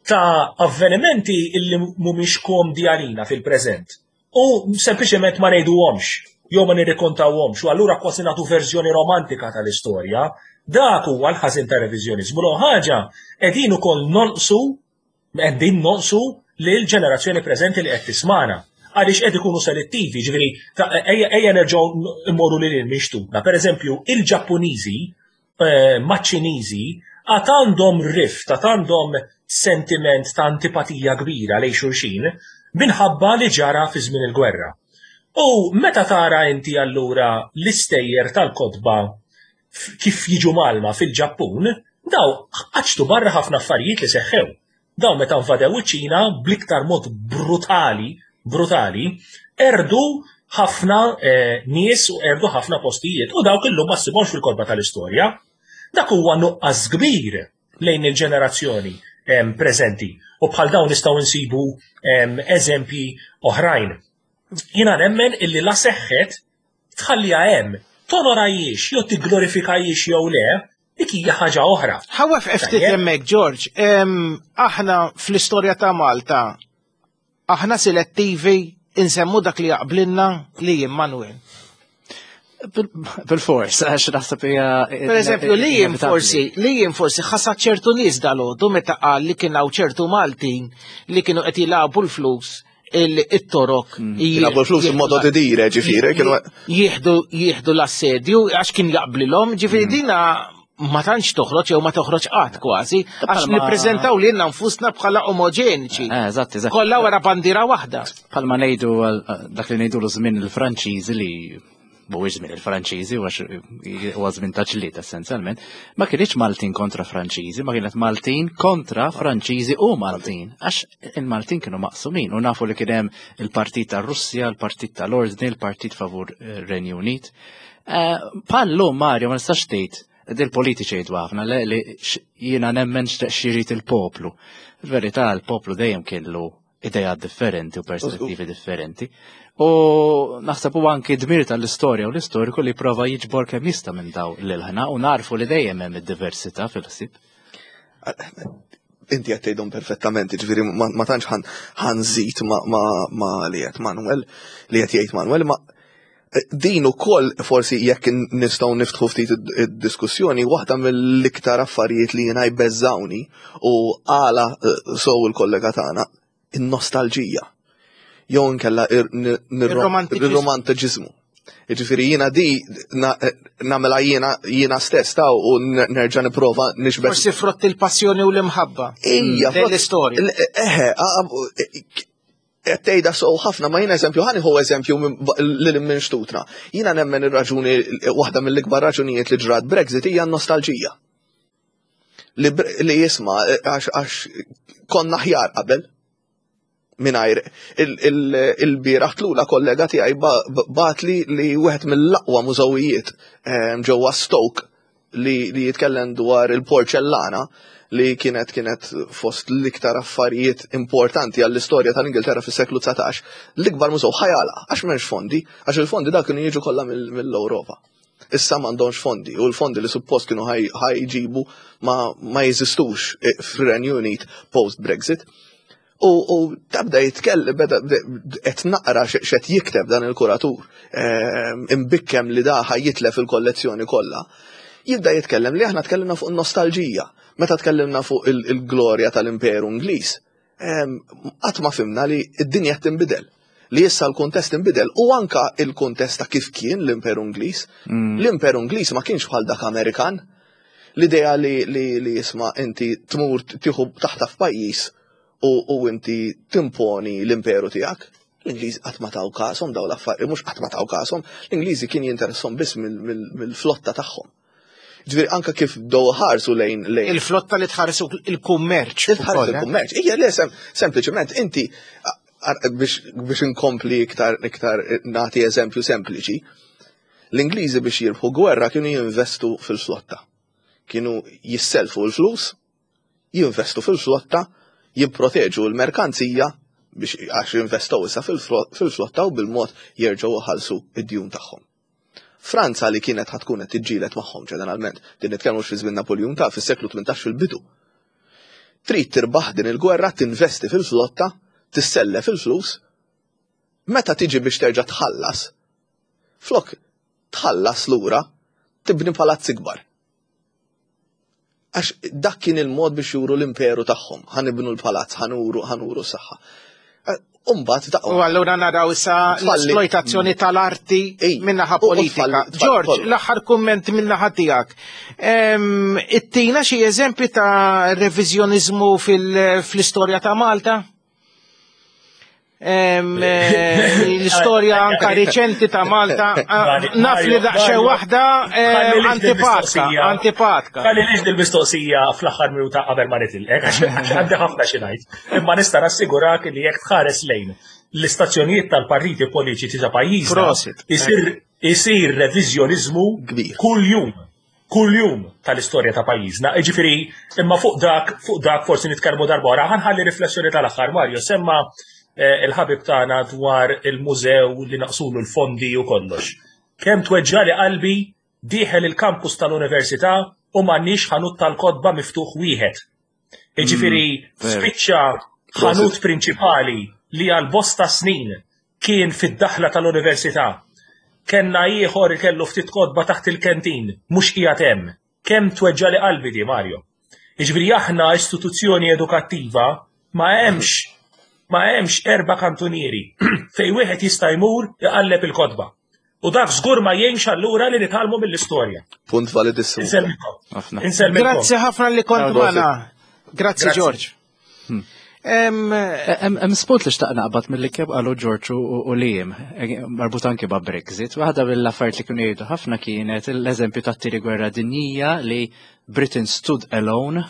ta' avvenimenti illi mhumiex komdi għalina fil-preżent. U sempliċement ma ngħiduhomx jew ma nirrikontawhomx u allura kważi nagħtu verżjoni romantika tal-istorja. Dak huwa l-ħażin ta' reviżjoniżmu. L ħaġa qegħdin ukoll nonqsu qegħdin nonqsu lil ġenerazzjoni preżenti li qed tismana għaliex qed ikunu selettivi, ġifieri ejja nerġgħu mmorru lil minn xtutna. Pereżempju, il-Ġappuniżi eh, maċ-Ċiniżi għad għandhom rift, għad għandhom sentiment ta' antipatija kbira lejn xulxin minħabba li ġara fi żmien il-gwerra. U meta tara inti allura l-istejjer tal-kotba kif jiġu malma fil-Ġappun, daw qaċtu barra ħafna affarijiet li seħħew. Dawn meta nvadew iċ-Ċina bl-iktar mod brutali, brutali, erdu ħafna eh, nies u erdu ħafna postijiet u dawk illum ma ssibhomx fil-korba tal-istorja. Dak huwa nuqqas kbir lejn il-ġenerazzjoni preżenti u bħal dawn nistgħu nsibu eżempji oħrajn. Jiena nemmen illi la seħħet tħalliha hemm, tonorajiex jew tigglorifikajiex jew le, dik hija ħaġa oħra. Ħawef ftit hemmhekk, George, aħna fl-istorja ta' Malta aħna selettivi insemmu dak li jaqblinna li jien Manuel. Bil-fors, għax naħseb hija. Per eżempju, li jien forsi, li jien forsi ħasad ċertu nies dal-għodu meta qal li kien hawn ċertu Maltin li kienu qed jilagħbu l-flus il-torok. Mm. Jilagħbu l-flus modo di dire, ġifieri, kienu. Jieħdu jieħdu l-assedju għax kien jaqblilhom, ġifieri mm. dina ma tantx toħroġ jew ma toħroġ qatt kważi, għax nippreżentaw lilna nfusna bħala omoġeniċi. Eh, eżatt, eżatt. Kollha wara bandiera waħda. Bħalma ngħidu dak li ngħidu żmien il-Franċiżi li mhuwiex żmien il-Franċiżi huwa żmien ta' ġlied essenzjalment, ma kienx Maltin kontra Franċiżi, ma kienet Maltin kontra Franċiżi u Maltin, għax il-Maltin kienu maqsumin u nafu li kien hemm il-Partit tar-Russja, il-Partit tal-Ordni, il-Partit favur eh, Renju Unit. Eh, Pallu Mario ma nistax tgħid dil-politiċi jgħidu ħafna li jiena nemmen x'irid il-poplu. Il-verità l-poplu dejjem kellu idejat differenti u perspettivi differenti. U naħseb huwa anki dmir tal-istorja u l-istoriku li prova jiġbor kemm jista' minn daw l-ilħna u narfu li dejjem hemm id-diversità fil-ħsieb. Inti qed tgħidhom perfettament, ġifieri ma tantx ħanżid ma li qed Manuel li qed jgħid Manuel, ma Din ukoll forsi jekk nistgħu niftħu ftit id-diskussjoni, waħda mill-iktar affarijiet li jiena jbeżżawni u għala eh, sow il-kollega tagħna, in-nostalġija. Jew inkella ir-romantiċiżmu. Jiġifieri jiena di eh, nagħmilha jiena jiena stess ta' u nerġa' nipprova nixbet. Forsi frott il-passjoni u l-imħabba. Ija, l-istorja. Eħe, qed tgħidha sew ħafna ma jiena eżempju ħa nieħu eżempju lil minn xtutna. Jiena nemmen ir-raġuni waħda mill-ikbar raġunijiet li ġrat Brexit hija n-nostalġija. Li, li jisma' għax konna aħjar qabel mingħajr il-bieraħ tlula kollega tiegħi batli li wieħed mill-aqwa mużewijiet ehm, ġewwa Stoke li, li jitkellem dwar il-porċellana li kienet kienet fost l-iktar affarijiet importanti għall-istorja tal-Ingilterra fis-seklu 19, l-ikbar mużew ħajala għax m'hemmx fondi, għax il-fondi dak kienu jiġu kollha mill-Ewropa. Issa m'għandhomx fondi u l-fondi li suppost kienu ħajġibu ma, ma jeżistux eh, fir-Renju Unit post-Brexit. U, u tabda jitkellem, beda qed naqra x'qed jikteb dan il-kuratur, ehm, imbikkem li da jitlef il-kollezzjoni kollha. Jibda jitkellem li aħna tkellimna fuq nostalġija, meta tkellimna fuq il-glorja tal-Imperu Ingliż. Ehm, qatt ma fimna li d-dinja tinbidel li issa l-kuntest inbidel u anka il-kuntest ta' kif kien l-Imperu Ingliż. Mm. L-Imperu Ingliż ma kienx bħal dak Amerikan. L-idea li, li, li jisma' inti tmur tieħu taħta f'pajjiż u, u inti timponi l-imperu tiegħek. L-Ingliżi qatt ma taw kasom daw l-affarijiet, mhux qatt ma taw kasom, l-Ingliżi kien jinteressom biss mill-flotta tagħhom. Ġifieri anka kif bdew ħarsu lejn lejn. Il-flotta li tħarsu il-kummerċ. Li tħarsu il-kummerċ. Ija le sempliċement inti. Biex inkompli iktar iktar nagħti eżempju sempliċi, l-Ingliżi biex jirbħu gwerra kienu jinvestu fil-flotta. Kienu jisselfu l-flus, jinvestu fil-flotta, jipproteġu l-merkanzija biex għax jinvestow issa fil-flotta u bil-mod jerġgħu ħalsu id-djun tagħhom. Franza li kienet ħa tkun qed tiġġieled magħhom ġeneralment, din nitkellmu fi żmien Napoleon ta' fis-seklu 18 fil-bidu. Trid tirbaħ din il-gwerra, tinvesti fil-flotta, tissellef il-flus, meta tiġi biex terġa' tħallas, flok tħallas lura, tibni palazz ikbar. Għax dak kien il-mod biex juru l-imperu tagħhom, ħa nibnu l-palazz, ħa nuru, ħa nuru s-saħħa. Umbat ta' U allura naraw issa l-esploitazzjoni tal-arti minnaħa politika. George, l-aħħar kumment minnaħa tiegħek. Ittina xi eżempji ta' reviżjoniżmu fl-istorja ta' Malta? Eh, l-istorja anka riċenti ta' Malta, ah, naf li daqxie waħda eh, antipatka, antipatka. Għalli liġ dil-mistoqsija fl-aħħar minuta qabel ma nitilqek, għax għandi ħafna xi ngħid. Imma nista' nassigurak li jekk tħares lejn l-istazzjonijiet tal-partiti politiċi ta' pajjiżna isir isir reviżjoniżmu kbir kull jum kull-jum tal-istorja ta' pajjiżna. Jiġifieri, imma fuq dak, fuq dak forsi nitkellmu darba oħra, ħa nħalli riflessjoni tal-aħħar Mario, semma eh, il-ħabib tagħna dwar il-mużew li naqsulu l-fondi u kollox. Kemm tweġġali qalbi dieħel il-kampus tal-università u m'għandniex ħanut tal-kotba miftuħ wieħed. Jiġifieri spiċċa ħanut prinċipali li għal bosta snin kien fid-daħla tal-università. Kenna ieħor kellu ftit kotba taħt il-kentin, mhux qiegħed hemm. Kemm tweġġali qalbi di, Mario. Jiġifieri aħna istituzzjoni edukattiva ma hemmx erba' kantunieri fejn wieħed jista' jmur iqalleb il-kotba. U dak żgur ma jgħinx allura li nitgħallmu mill-istorja. Punt validissimu. Insellmilkom. Grazzi ħafna li kont magħna. Grazzi George. Hemm spunt li xtaq naqbad mill-li kemm qalu George u Liam, marbut anki ma' Brexit. Waħda mill-affarijiet li kienu jgħidu ħafna kienet l-eżempju tat-tieni gwerra dinjija li Britain stood alone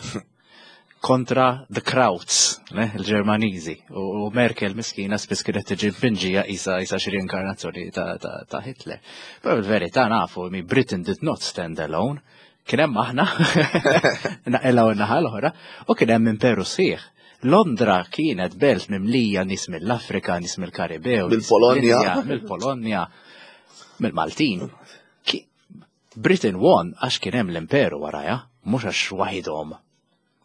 kontra the Krauts, il-Ġermaniżi. U Merkel miskina spiss kienet tiġi mpinġija isa xi reinkarnazzjoni ta' Hitler. Però il-verità nafu mi Britain did not stand alone. Kien hemm aħna, naqilgħu n-naħa l-oħra, u kien hemm imperu sħiħ. Londra kienet belt mimlija nies mill-Afrika, nies mill-Karibew, mill-Polonja, mill-Polonja, mill-Maltin. Britain won għax kien hemm l-imperu waraja, mhux għax waħidhom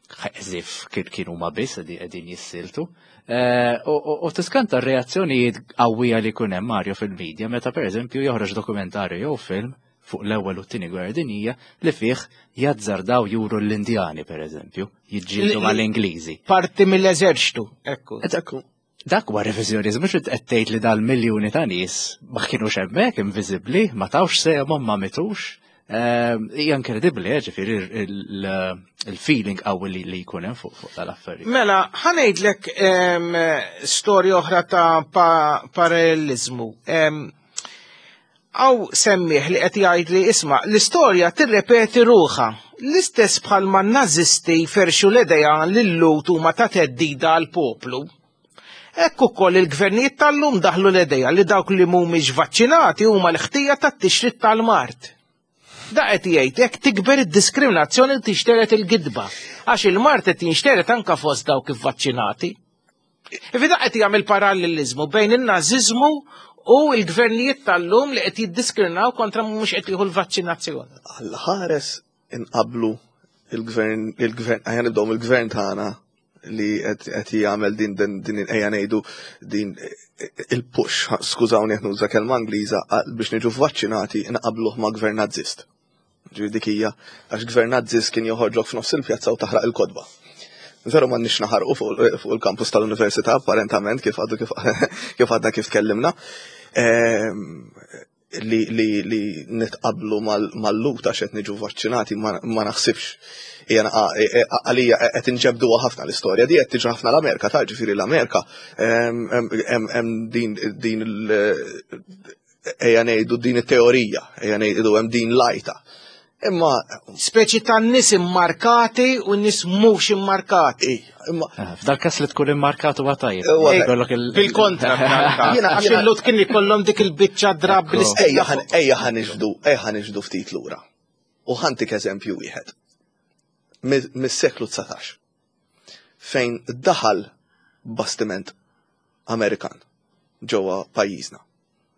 ħeżif kienu ma biss qegħdin jissiltu. U tiskanta r-reazzjonijiet qawwija li jkun hemm Mario fil-medja meta pereżempju joħroġ dokumentarju jew film fuq l-ewwel u t-tieni gwerra dinjija li fih jazzardaw juru l-Indjani pereżempju, jiġġieldu mal-Ingliżi. Parti mill-eżerċtu, ekku. Ekku. Dak huwa reviżjonizmu mhux qed tgħid li dal-miljuni ta' nies ma kienux hemmhekk inviżibbli, ma tawx sehemhom ma mitux. Hija inkredibbli, ġifieri il-feeling qawwi li jkun hemm fuq tal-affarijiet. Mela, ħa ngħidlek storja oħra ta' parallelizmu. Hawn semmiegħ li qed jgħid li isma' l-istorja tirrepeti ruħha. L-istess bħalma n-nazisti ferxu l-idea li l-Lhud huma ta' theddida għall-poplu. Hekk ukoll il-gvernijiet tal-lum daħlu l-idea li dawk li mhumiex vaċċinati huma l-ħtija tat-tixrid tal-mard. Da qed jgħid hekk tikber id-diskriminazzjoni li tixteret il-gidba għax il-mard qed jinxteret anka fost dawk ivvaċċinati. Ifi da qed jagħmel parallelizmu bejn in-nażiżmu u l-gvernijiet tal-lum li qed jiddiskriminaw kontra mhux qed jieħu l-vaċċinazzjoni. Alla ħares inqablu il-gvern, il-gvern, ejja nibdew mill-gvern tagħna li qed jagħmel din din ejja ngħidu din il-push, skużawni qed nuża kelma Ingliża biex niġu vaċċinati nqabluh ma' gvern nazzist. Ġifieri dik hija għax gvern nazzist kien joħorġok f'nofs il-pjazza u taħraq il-kotba. Veru m'għandniex naħarqu fuq il-kampus tal-università apparentament kif għadu kif għadna kif tkellimna. Li nitqablu mal-Lhud għax qed niġu vaċċinati ma naħsibx. Għalija qed inġebduha ħafna l-istorja di qed tiġi ħafna l-Amerika, ta' ġifieri l-Amerika hemm din ejja ngħidu din it-teorija, ejja ngħidu hemm din lajta. Imma. Speċi ta' nis immarkati u nis mhux immarkati. Imma. Eh, f'dal każ li tkun immarkat huwa tajjeb. Bil-kontra. Għax il-lut kien ikollhom dik il-biċċa drab Ejja ejja ħaniġdu, ejja ħaniġdu ftit lura. U ħantik eżempju wieħed. Mis-seklu 19. Fejn daħal bastiment Amerikan ġewwa pajjiżna.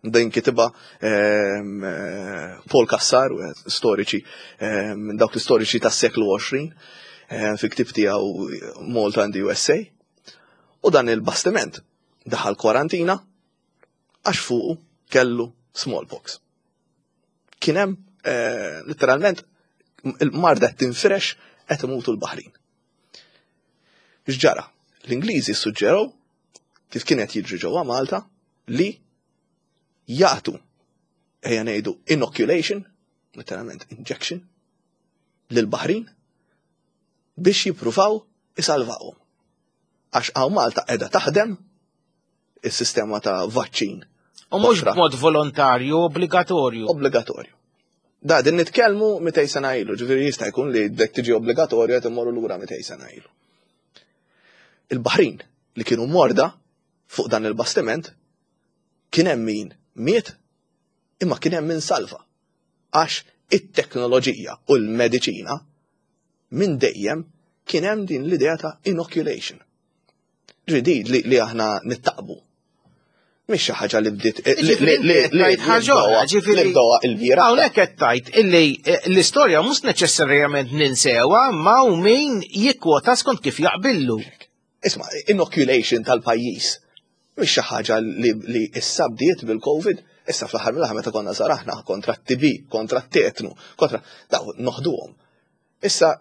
Din kitibha ehm, eh, Paul Cassar, storiċi, ehm, dawk l-istoriċi tas-seklu 20, ehm, fi ktib tiegħu Malta and the USA. U dan il-bastiment daħal kwarantina għax fuqu kellu smallpox. Kien hemm eh, letteralment il-marda tinfirex qed imutu l-baħrin. X'ġara? L-Ingliżi suġġerew kif kien qed jiġri ġewwa Malta li jagħtu ejja ngħidu inoculation, letteralment injection, lil baħrin biex jippruvaw isalvawhom. Għax hawn Malta qiegħda taħdem is-sistema ta' vaċċin. U mhux b'mod volontarju, obbligatorju. Obbligatorju. Da, din nitkellmu 200 sena ilu, ġifieri jista' jkun li dek tiġi obbligatorju qed immorru lura 200 sena ilu. Il-Baħrin li kienu morda fuq dan il-bastiment kien hemm min miet imma kien hemm min salva. Għax it-teknoloġija u l-mediċina minn dejjem kien hemm din l-idea ta' inoculation. Ġidi li, li aħna nittaqbu. Mhix xi ħaġa li bdiet eh, li li li ġifieri bdewha il-bira. Hawnhekk qed tgħid illi eh, l-istorja mhux neċessarjament ninsewha ma u min jikkwota skont kif jaqbillu. Isma' inoculation tal-pajjiż mhix xi ħaġa li, li issa bdiet bil-COVID, issa fl-aħħar mill-aħħar meta konna żaraħna kontra t-TB, kontra t-tetnu, kontra daw noħduhom. Issa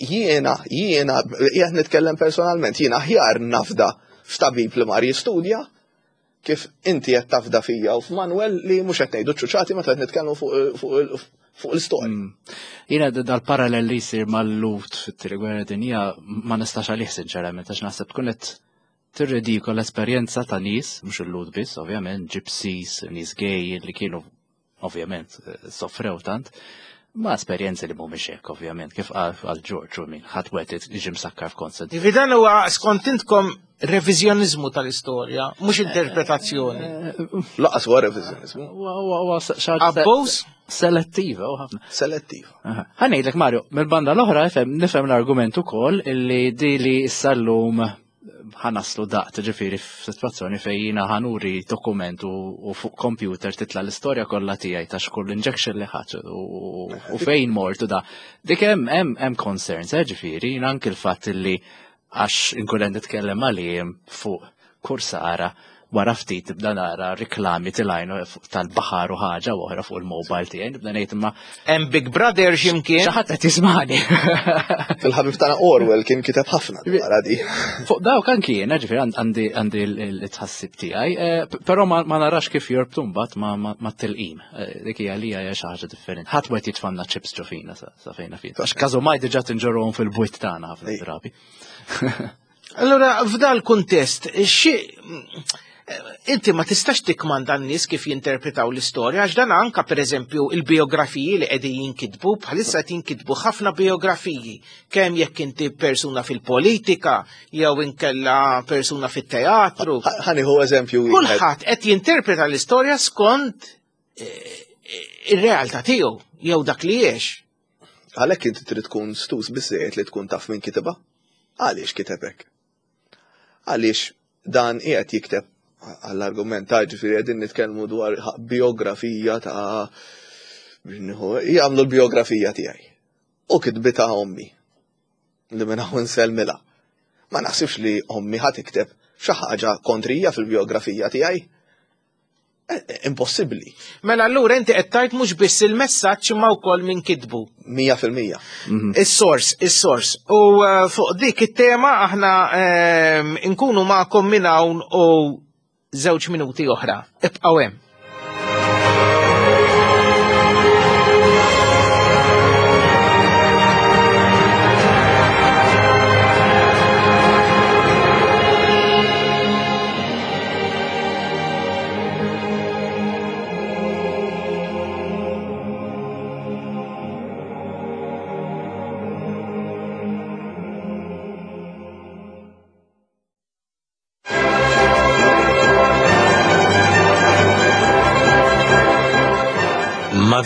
jiena, jiena, qiegħed nitkellem personalment, jiena aħjar nafda f'tabib li mar jistudja kif inti qed tafda fija u f'Manuel li mhux qed ngħidu ċuċati meta qed nitkellmu fuq l-istorja. Mm. Jiena dal-parallel li jsir mal-lut fit-tieni gwerra dinja ma nistax għalih sinċerament għax naħseb tkun qed tirridikola l-esperjenza ta' nies, mhux il-lut biss, ovvjament, gypsies, nies gay li kienu ovvjament soffrew tant, ma esperjenzi li mhumiex hekk ovvjament, kif qal George u min ħadd wieħed jiġi msakkar f'konsent. Jiġifieri dan huwa skont intkom reviżjoniżmu tal-istorja, mhux interpretazzjoni. Eh, Laqas huwa reviżjoniżmu. Huwa Abbuż? Selettiva u ħafna. Selettiva. Ħa ngħidlek Mario, mill-banda l-oħra nifhem l-argument ukoll illi di li issa llum ħanaslu daqt, ġifiri f'sitwazzjoni fejn jiena ħanuri dokument u fuq computer titla l-istorja kollha tiegħi ta' xkull injection li ħadd u fejn mort u da. Dik hemm hemm hemm concerns, eh, ġifieri, jiena anki l-fatt li għax inkun qed nitkellem għalihom fuq kursara wara ftit tibda nara riklami tilajn tal-baħar u ħaġa oħra fuq il-mobile tiegħi, nibda ngħid imma. Hemm Big Brother x'imkien. Xi ħadd qed jismani. Il-ħabib tagħna Orwell kien kiteb ħafna dwar di. Fuq dawk anki jiena ġifieri għandi għandi l-tħassib tiegħi, eh, però ma narax kif jorbtu mbagħad ma tilqim. Eh, dik hija li hija xi ħaġa differenti. Ħadd wieħed jitfanna ċips ġo fina sa fejna fin. Għax każu ma diġà tinġorhom fil-bwiet tagħna ħafna drabi. Allora, f'dal kuntest, xi inti ma tistax tikmanda n-nies kif jinterpretaw l-istorja, għax dan anka pereżempju il-biografiji li qegħdin jinkitbu, bħalissa qed jinkitbu ħafna biografiji, kemm jekk inti persuna fil-politika jew inkella persuna fit-teatru. Ħaniħu eżempju. Kulħadd qed jinterpreta l-istorja skont eh, ir-realtà tiegħu jew dak li jiex. Għalhekk inti trid tkun stus biżżejjed li tkun taf min kitibha. Għaliex kiteb hekk? Għaliex dan qiegħed jikteb għall-argument ta' ġifieri qegħdin nitkellmu dwar biografija ta' jagħmlu l-biografija tiegħi. U kitbitha ommi li minn hawn insellmilha. Ma naħsibx li ommi ħa tikteb xi ħaġa kontrija fil-biografija tiegħi. Eh, eh, impossibbli. Mela allura inti qed tgħid mhux biss il-messaġġ imma wkoll min kitbu. 100%. Mhm. Is-sors, is-sors. U eh, fuq dik it-tema aħna ehm, nkunu magħkom minn hawn u żewġ minuti oħra. Ibqgħu hemm.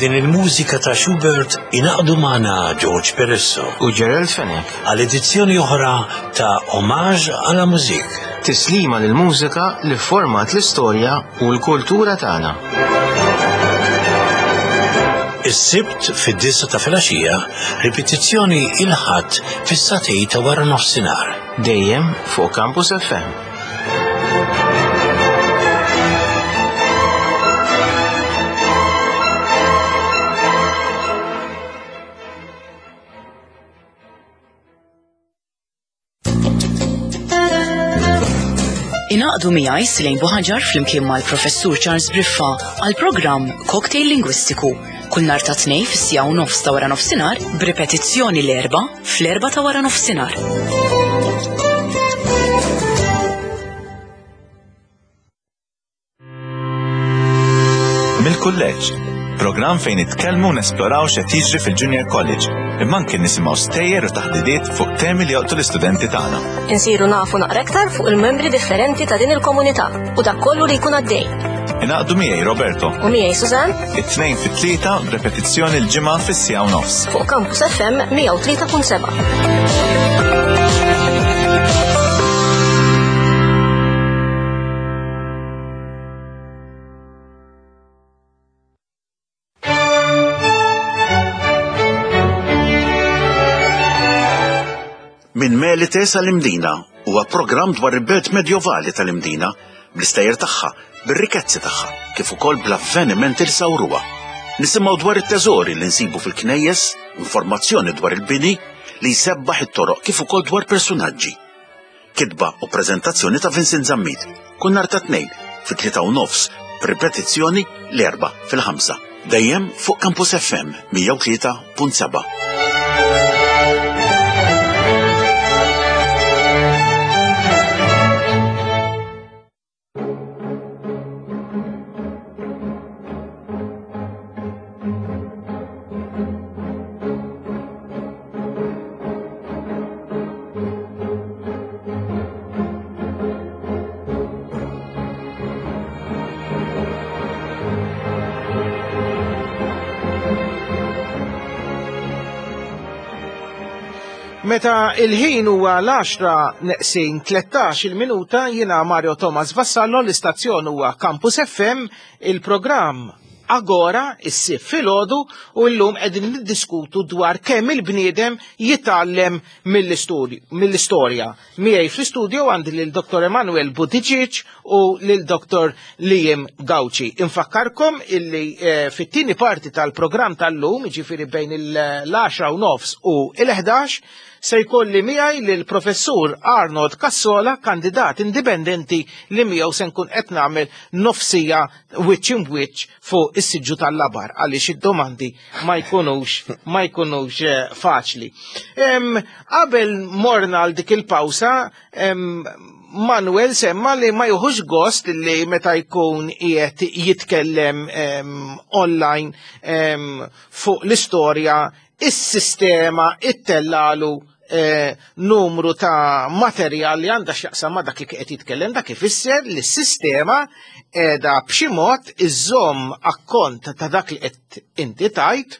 din il-mużika ta' Schubert ingħaqdu magħna George Peresso u Gerald Fenech għal edizzjoni oħra ta' Hommage à la Musique. Tislima lil mużika li format l-istorja u l-kultura tagħna. Is-Sibt fid-disa ta' filgħaxija, ripetizzjoni il-Ħadd fis-sagħtej ta' wara nofsinhar. Dejjem fuq Campus FM. Inaqdu miegħi Silejn Buħaġar flimkien mal-Professur Charles Briffa għal programm Cocktail Lingwistiku kull nhar ta' tnej fis-sija u nofs ta' wara nofsinhar b'ripetizzjoni l-erba' fl-erba' ta' wara nofsinhar. Mill-kulleġġ, programm fejn nitkellmu u nesploraw x'qed jiġri fil-Junior College, imma anke nisimgħu stejjer u taħdidiet fuq temi li jolqtu l-istudenti tagħna. Insiru nafu naqra iktar fuq il-membri differenti ta' din il-komunità u dak kollu li jkun għaddej. Ingħaqdu miegħi Roberto. U miegħi Susan. It-tnejn fit-tlieta b'repetizzjoni l-ġimgħa fis-siegħa u nofs. Fuq Campus FM 103.7. Minn Melite sal-Imdina huwa programm dwar il-belt medjovali tal-Imdina, bl-istejjer tagħha, bir-rikezzi tagħha, kif ukoll bl-avvenimenti li sawruha. Nisimgħu dwar it-teżori li nsibu fil-knejjes, informazzjoni dwar il-bini li jsebbaħ it-toroq kif ukoll dwar persunaġġi. Kitba u preżentazzjoni ta' Vincent Zammit, kull nhar ta' Tnejn fit-tlieta u nofs, b'ripetizzjoni l-Erbgħa fil-ħamsa. Dejjem fuq Campus FM 103.7. Meta il-ħin huwa l-10 neqsin 13 il-minuta jiena Mario Thomas Vassallo l-istazzjon huwa Campus FM il-programm Agora is-Sibt filgħodu u llum qegħdin niddiskutu dwar kemm il-bniedem jitgħallem mill-istorja. Miegħi fl-istudio għandi lil Dr. Emanuel Buttigieg u lil Dr. Liam Gauci. Infakkarkom illi eh, fit-tieni parti tal-programm tal-lum, jiġifieri bejn il-10 u nofs u il-11, Se jkolli miegħi lill-Professur Arnold Cassola, kandidat indipendenti li miegħu se nkun qed nagħmel nofsija wiċċ imb'wiċċ fuq is-siġġu tal-labar għaliex id-domandi ma jkunux ma jkunux eh, faċli. Qabel morna għal dik il-pawsa, Manuel semma li ma juħux gost li meta jkun qiegħed jitkellem online fuq l-istorja is-sistema ittellalu eh, numru ta' materjal li għandha x'jaqsam ma' dak li qed jitkellem dak ifisser li s-sistema qiegħda b'xi mod iżżomm akkont ta' dak li qed inti tajt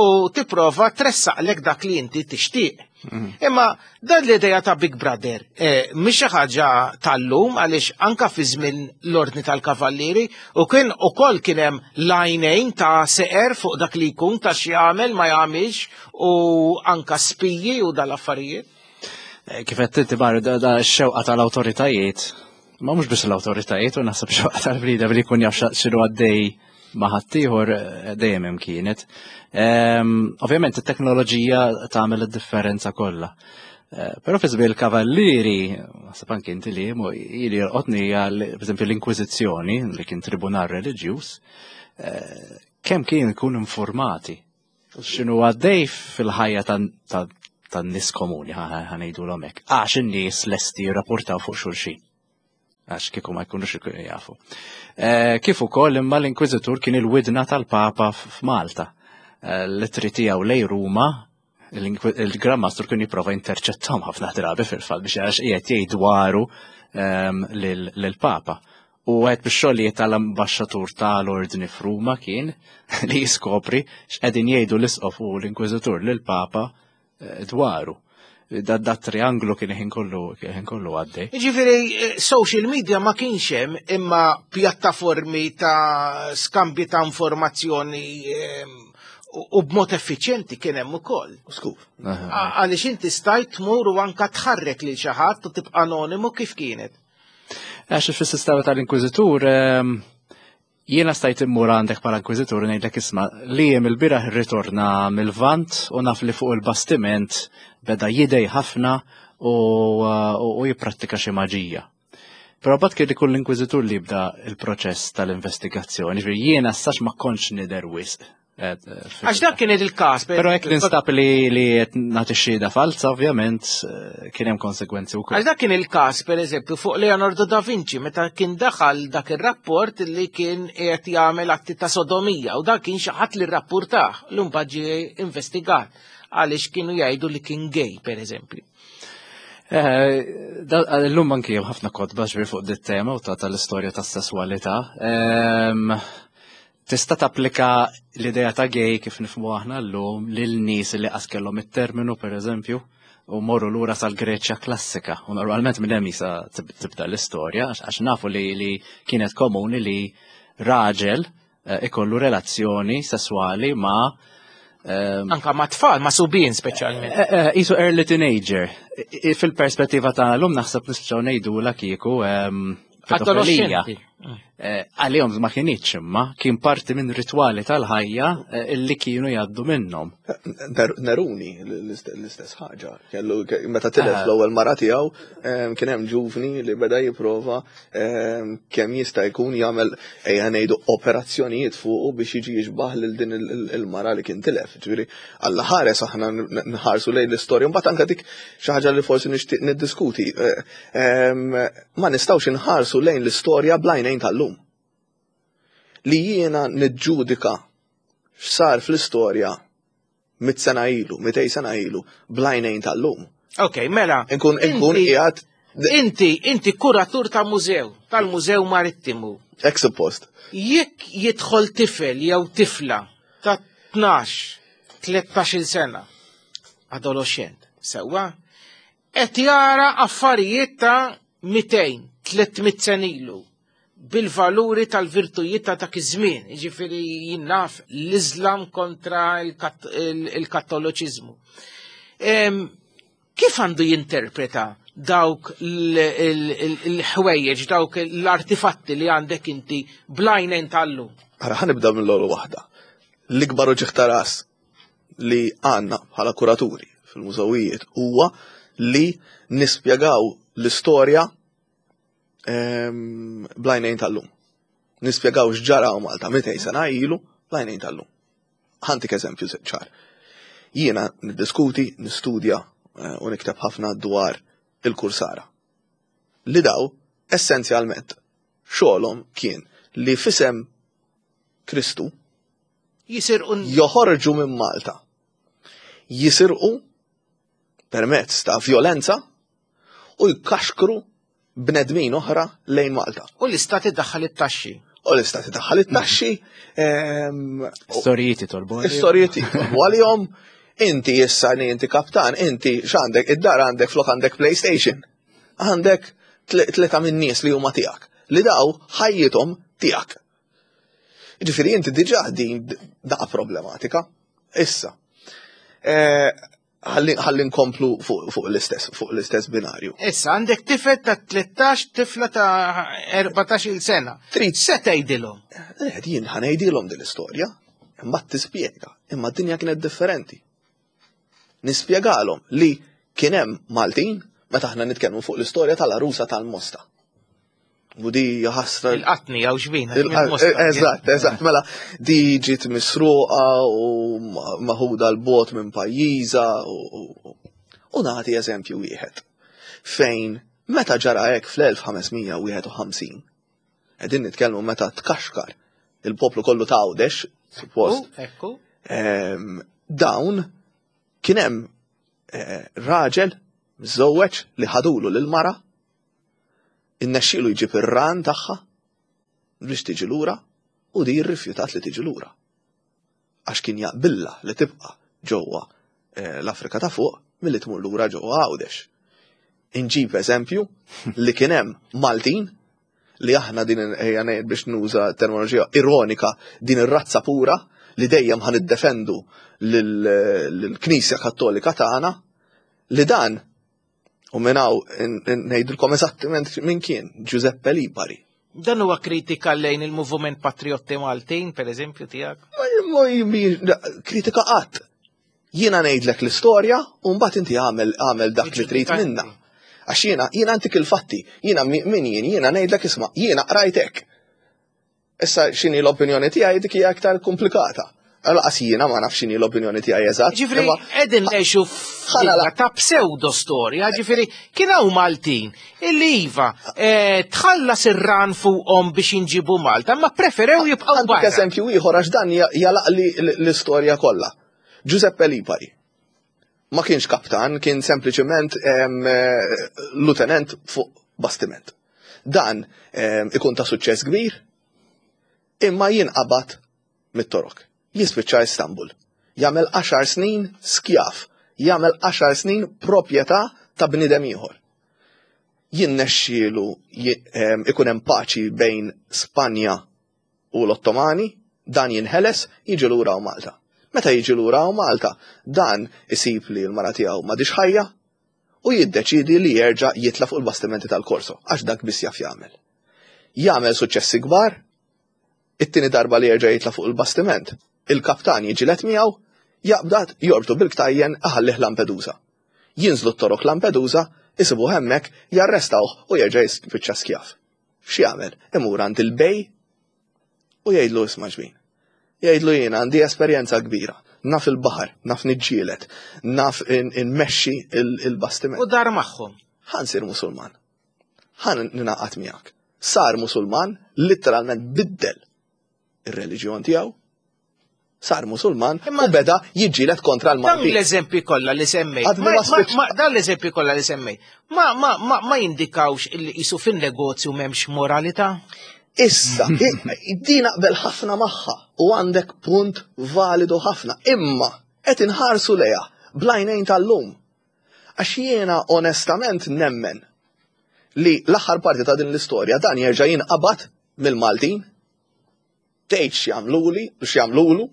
u tipprova tressaqlek dak li inti tixtieq. Mm. Imma Dan l-idea ta' Big Brother eh, mhix xi ħaġa tal-lum għaliex anka fi żmien l-Ordni tal-Kavallieri u kien ukoll kien hemm lajnejn ta' seqer fuq dak li jkun ta' x'jagħmel ma jagħmilx u anka spiji u dal-affarijiet. Eh, kif qed inti Mario, da x-xewqa tal-awtoritajiet, ma mhux biss l-awtoritajiet u naħseb xewqa tal-bniedem li jkun jaf x'inhu għaddej ma' ħaddieħor eh, dejjem hemm kienet. Ehm, ovvjament it-teknoloġija tagħmel id-differenza kollha. Eh, però fi żmien il-kavallieri, naħseb anke inti li ili jolqotni hija pereżempju l-Inkwiżizzjoni li kien tribunal reliġjuż, eh, kemm kien ikun informati x'inhu għaddej fil-ħajja tan-nies komuni ħanejdu hekk, għax in-nies lesti jirrapportaw fuq xulxin. Għax kieku ma jkunux ikunu jafu. Eh, kif ukoll imma l-Inkwiżitur kien il-widna tal-Papa f'Malta. Eh, l-ittri tiegħu lej Ruma il-Gran Mastru kien jipprova jinterċettahom ħafna drabi fil-fatt biex għax qiegħed jgħid dwaru ehm, lill-Papa. U għed biex xogħlijiet tal-ambaxxatur tal-ordni f'Ruma kien li jiskopri x'qegħdin jgħidu l-isqof u l-inkwiżitur lill-Papa eh, dwaru. Da, da trianglu kien ħin kollu ħin kollu għaddej. Jiġifieri eh, social media ma kienx hemm imma pjattaformi ta' skambji ta' informazzjoni ehm, u b'mod effiċjenti kien hemm ukoll. Skur. Għaliex inti stajt tmur u anka tħarrek lil xi ħadd u tibqa' anonimu kif kienet. Għax fis-sistema tal-Inkwiżitur ehm, jiena stajt immur għandek bħala inkwiżitur ngħidlek isma' li jem il-bieraħ irritorna mill-Vant u naf li fuq il-bastiment beda jidej ħafna u, u jipprattika xi maġija. Però bad kien ikun l-inkwiżitur li jibda il-proċess tal-investigazzjoni, ġifieri jiena sax ma kontx nidher wisq Eh, Għax dak kien il-każ. Però jekk ninstab li li qed nagħti xhieda falsa, ovvjament eh, kien hemm konsegwenzi wkoll. Għax dak kien il-każ pereżempju fuq Leonardo da Vinci meta kien daħal dak ir-rapport li kien qed jagħmel atti ta' sodomija u dak kien xi ħadd li rrappurtah l mbagħad ġie investigat għaliex kienu jgħidu li kien gay pereżempju. Eh, l-lum anki hemm ħafna kotba ġbir fuq dit tema u ta' tal-istorja tas-sesswalità. Ehm, Tista' tapplika l-idea ta' gay kif nifhmu aħna llum lil nies li qas kellhom it-terminu pereżempju u morru lura sal-Greċja klassika. U normalment minn hemm jisa tibda l-istorja għax nafu li, li kienet komuni li raġel eh, ikollu relazzjoni sesswali ma' ehm, Anka ma' tfal, ma' subien speċjalment. Eh, eh, isu early teenager. Fil-perspettiva ta' l-lum naħseb nispiċaw ngħidu la kieku ehm, pedofilija. Eh, għalihom ma kienx imma kien parti minn ritwali tal-ħajja eh, illi kienu jgħaddu minnhom. Neruni l-istess ħaġa. Kellu meta tilef eh. l-ewwel mara tiegħu kien hemm ġuvni li beda jipprova kemm jista' jkun jagħmel ejja ngħidu operazzjonijiet fuqu biex jiġi jixbaħ lil din il-mara li kien tilef. Ġifieri Alla ħares aħna nħarsu lejn l-istorja, mbagħad anke dik xi ħaġa li forsi nixtieq niddiskuti. Ma nistgħux inħarsu lejn l-istorja bl-għajnejn tal-lum. Li jiena niġġudika x'sar fl-istorja mit sena ilu, mitej sena ilu, bl-għajnejn tal-lum. Ok, mela. Inkun inkun qiegħed Inti, inti kuratur ta' mużew, tal-Mużew Marittimu. Ek suppost. Jekk jidħol tifel jew tifla ta' 12, 13 sena, adolescent, sewwa, qed jara affarijiet ta' 200, 300 sena ilu bil-valuri tal-virtujiet ta' dak iż-żmien, jiġifieri jien naf l-Iżlam kontra il-Kattoliċiżmu. Kif għandu jinterpreta dawk l-ħwejjeġ, dawk l-artifatti li għandek inti blajnejn tal-lum? Ara ħa nibda mill-ewwel waħda. L-ikbar uġigħ ta' ras li għandna bħala kuraturi fil-mużewijiet huwa li nispjegaw l-istorja ehm, blajnejn tal-lum. Nispjegaw x'ġara Malta 200 sena ilu blajnejn tal-lum. Ħantik eżempju ċar. Jiena niddiskuti, nistudja eh, u nikteb ħafna dwar il-kursara. Li daw, essenzjalment, xogħolhom kien li fisem Kristu jisirqu joħorġu minn Malta. Jisirqu permezz ta' violenza u jkaxkru bnedmin oħra lejn Malta. U l-istat iddaħħal it-taxxi. U l-istat iddaħħal it-taxxi. Ehm, Istorijiet jitolbu. Istorijiet jitolbu għalihom. Inti issa li inti kaptan, inti x'għandek id-dar għandek flok għandek PlayStation. Għandek tleta minn nies li huma tiegħek. Li daw ħajjithom tiegħek. Ġifieri inti diġà din daqa problematika. Issa. Eh, ħalli nkomplu fuq l-istess fuq l-istess binarju. Issa għandek tifel ta' 13 tifla ta' 14 il sena. Trid se tgħidilhom? Eh, jien ħanejdilhom din l-istorja, imma tispjega, imma d-dinja kienet differenti. Nispjegalhom li kien hemm Maltin meta aħna nitkellmu fuq l-istorja tal-arusa tal-Mosta. U di ħasra. Il-qatni għaw xbina. Eżatt, eżatt, mela di ġiet misruqa u maħuda l-bot minn pajjiża u nagħti eżempju wieħed. Fejn meta ġara hekk fl-1551, qegħdin nitkellmu meta tkaxkar il-poplu kollu ta' Għawdex, suppost. Ekku. Ehm, dawn kien hemm eh, raġel miżżewweġ li ħadulu lil mara innexxielu jġib ir-ran tagħha. biex tiġi lura u di rrifjutat li tiġi lura. Għax kien jaqbilla li tibqa' ġewwa eh, l-Afrika ta' fuq milli tmur lura ġewwa Għawdex. Inġib eżempju li kien hemm Maltin li aħna din ejja ngħid biex nuża terminoloġija ironika din ir-razza pura li dejjem ħan iddefendu lill-Knisja Kattolika tagħna li dan u minn hawn ngħidilkom eżattament min kien Giuseppe Lipari. Dan huwa kritika lejn il-Moviment Patriotti Maltin, per eżempju, tiegħek? Kritika qatt. Jiena ngħidlek l-istorja u mbagħad inti għamel għamel dak li trid minna. Għax jiena jiena antik il-fatti, jiena min jien, jiena ngħidlek isma' jiena qrajt hekk. Issa x'inhi l-opinjoni tiegħi dik hija aktar komplikata. Laqas jiena ma nafx x'inhi l-opinjoni tiegħi eżatt. Ġifieri qegħdin ngħixu f'dinja ta' pseudo storja, ġifieri kien hawn Maltin illi iva eh, tħallas ir-ran fuqhom biex jinġibu Malta, ma preferew jibqgħu barra. Eżempju ieħor għax dan jalaqli l-istorja kollha. Giuseppe Lipari ma kienx kaptan, kien sempliċement eh, lutenent fuq bastiment. Dan ikun ta' suċċess kbir, imma jinqabad mit-Torok. Jispiċċa Istanbul. Jagħmel għaxar snin skjav. Jagħmel għaxar snin proprjetà ta' bniedem ieħor. Jinnexxielu ikun hemm paċi bejn Spanja u l-Ottomani, dan jinħeles, jiġi lura hawn Malta. Meta jiġi lura hawn Malta, dan isib li l-mara tiegħu m'għadhiex ħajja u jiddeċiedi li jerġa' jitla' fuq il-bastimenti tal-Korso għax dak biss jaf jagħmel. Jagħmel suċċessi kbar, It-tieni darba li jerġa' jitla' fuq il-bastiment, il-kaptan jiġġieled miegħu, jaqbdad, jorbtu bil-ktajjen, iħallih Lampedusa. Jinżlu t-Torok Lampedusa, isibuh hemmhekk, jarrestawh u jerġa' jispiċċa skjav. X'jagħmel? Imur għand il-bej u jgħidlu isma' ġbin. Jgħidlu jiena għandi esperjenza kbira, naf il-baħar, naf niġġieled, naf inmexxi il-bastiment. U dar magħhom. Ħa nsir Musulman. Ħa ningħaqad miegħek. Sar Musulman, litteralment biddel ir-reliġjon tiegħu, sar Musulman u beda jiġġieled kontra l-Maltin. Dawn l-eżempji kollha li semmejt. Dawn l-eżempji kollha li semmejt. Ma, ma, ma, ma jindikawx illi qisu fin-negozju m'hemmx moralità? Issa, din naqbel ħafna magħha u għandek punt validu ħafna, imma qed inħarsu lejha bl-għajnejn tal-lum. Għax jiena onestament nemmen li l-aħħar parti ta' din l-istorja dan jerġa' jinqabad mill-Maltin, tgħid x'jagħmluli, x'jagħmlulu,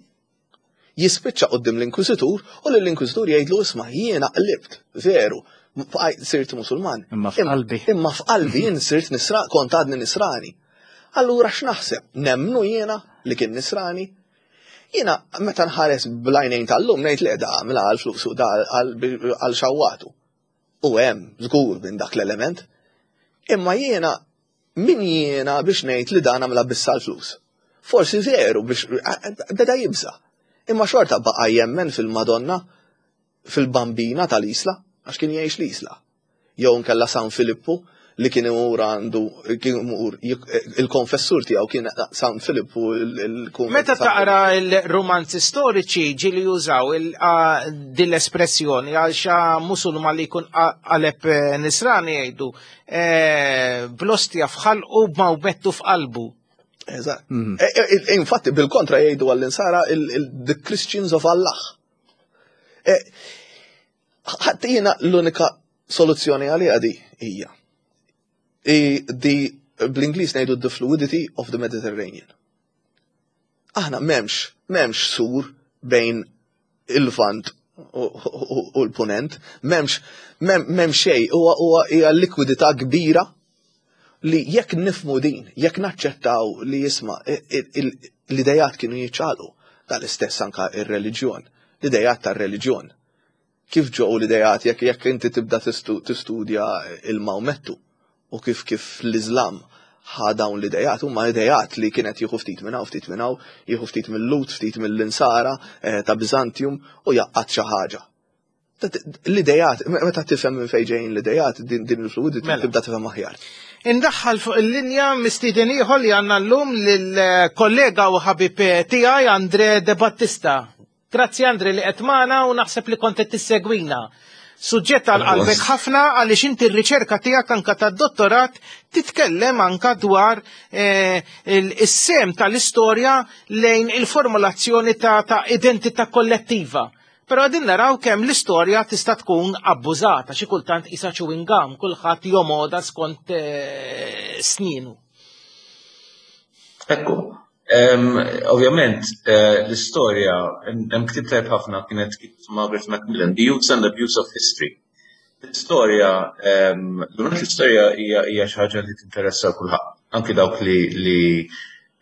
jispiċċa quddiem l-Inkwiżitur u lill-Inkwiżitur jgħidlu isma' jiena qlibt, veru, bqajt sirt Musulman. Imma f'qalbi. Imma f'qalbi jien sirt nisra, kont għadni nisrani. Allura x'naħseb? Nemmnu jiena li kien nisrani? Jiena meta nħares bl-għajnejn tal-lum ngħid le da għamilha għal flusu da għal xawwatu. U hemm żgur minn dak l-element. Imma jiena min jiena biex ngħid li dan għamilha biss għall-flus. Forsi veru biex beda jibża. Imma xorta baqa' jemmen fil-Madonna fil-Bambina tal-Isla għax kien jgħix l-Isla. jew inkella San Filippu li kien imur għandu kien imur il-konfessur tiegħu kien San Filippu il-kunvent. Meta taqra l-rumanzi storiċi ġieli jużaw din l-espressjoni għal xa musulman li jkun qaleb eh, nisrani jgħidu eh, blostja f'ħalqu b'mawmettu f'qalbu. Eżatt. Mhm. E, e, infatti bil-kontra jgħidu għall-insara the Christians of Allah. E, Ħadd jiena l-unika soluzzjoni għaliha di hija. Di bl-Ingliż ngħidu the fluidity of the Mediterranean. Aħna m'hemmx, m'hemmx sur bejn il-Lvant u l-Punent, m'hemmx m'hemm xejn, huwa hija likwidità kbira li jekk nifmu din, jekk naċċettaw li jisma' l-idejat kienu jiċċaqalqu, dal-istess anka ir-reliġjon, l-idejat tar-reliġjon. Kif ġew l-ideat jekk jekk inti tibda tistudja il-Mawmettu u kif kif l-Iżlam ħa dawn l-idejat, huma idejat li kienet jieħu ftit minn hawn, ftit minn hawn, jieħu ftit mill-Lut, ftit mill-Insara eh, ta' Byzantium u jaqqat xi ħaġa. L-idejat, meta tifhem minn fejn ġejjin l-idejat, din il-fluidity mela. tibda tifhem aħjar. Indaħħal fuq il-linja mistieden ieħor li għandna llum lill-kollega u ħabib tiegħi Andre De Battista. Grazzi Andre li qed magħna u naħseb li kont qed tissegwina. Suġġett għal qalbek ħafna għaliex inti r-riċerka tiegħek anka tad-dottorat titkellem anka dwar eh, is-sem tal-istorja lejn il-formulazzjoni ta', ta identità kollettiva. Però għadin naraw kemm l-istorja tista' tkun abbużata, xi kultant isa chewing gum, kulħadd jomoda skont eh, sninu. Ekku, Ovvjament, eh, l-istorja, hemm ktieb tajb ħafna kienet Margaret Macmillan, The Use and Abuse of History. L-istorja, l-istorja hija xi ħaġa li tinteressa kulħadd, anki dawk li li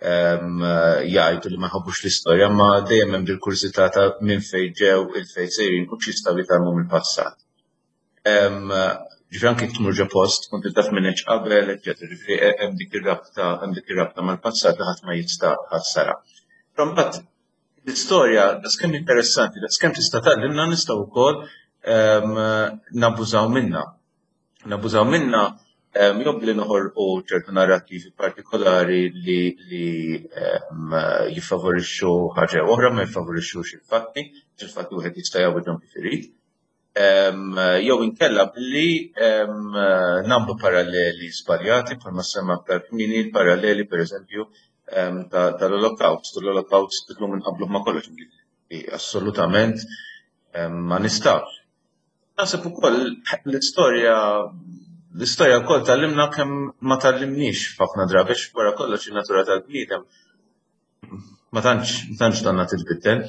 jgħidu li ma jħobbux l-istorja, ma dejjem hemm dil-kurżità ta' minn fejn ġew il-fejn sejrin u x'jistgħu jitgħallmu mill-passat. Ġifieri anki tmur ġo post, tkun taf minn hekk qabel, eċċetera. Ġifieri hemm dik ir-rabta, hemm dik ir-rabta mal-passat li ħadd ma jista' ħassara. Però mbagħad l-istorja daqskemm interessanti, daqskemm tista' tgħallimna nistgħu wkoll nabbużaw minnha. Nabbużaw minnha jew billi noħolqu ċertu narrattivi partikolari li li jiffavorixxu ħaġa oħra ma jiffavorixxux il-fatti, il-fatti wieħed jista' jgħawwiġhom kif irid. Jew inkella billi nagħmlu paralleli żbaljati bħalma semma aktar kmieni l-paralleli pereżempju tal-Olokawst. L-Olokawst illum inqabbluh ma' kollox assolutament ma nistgħux. Naħseb ukoll l-istorja l-istorja wkoll tgħallimna kemm ma tgħallimniex f'ħafna drabi wara kollox in-natura tal-bniedem Ma tantx, ma tantx donna titbiddel.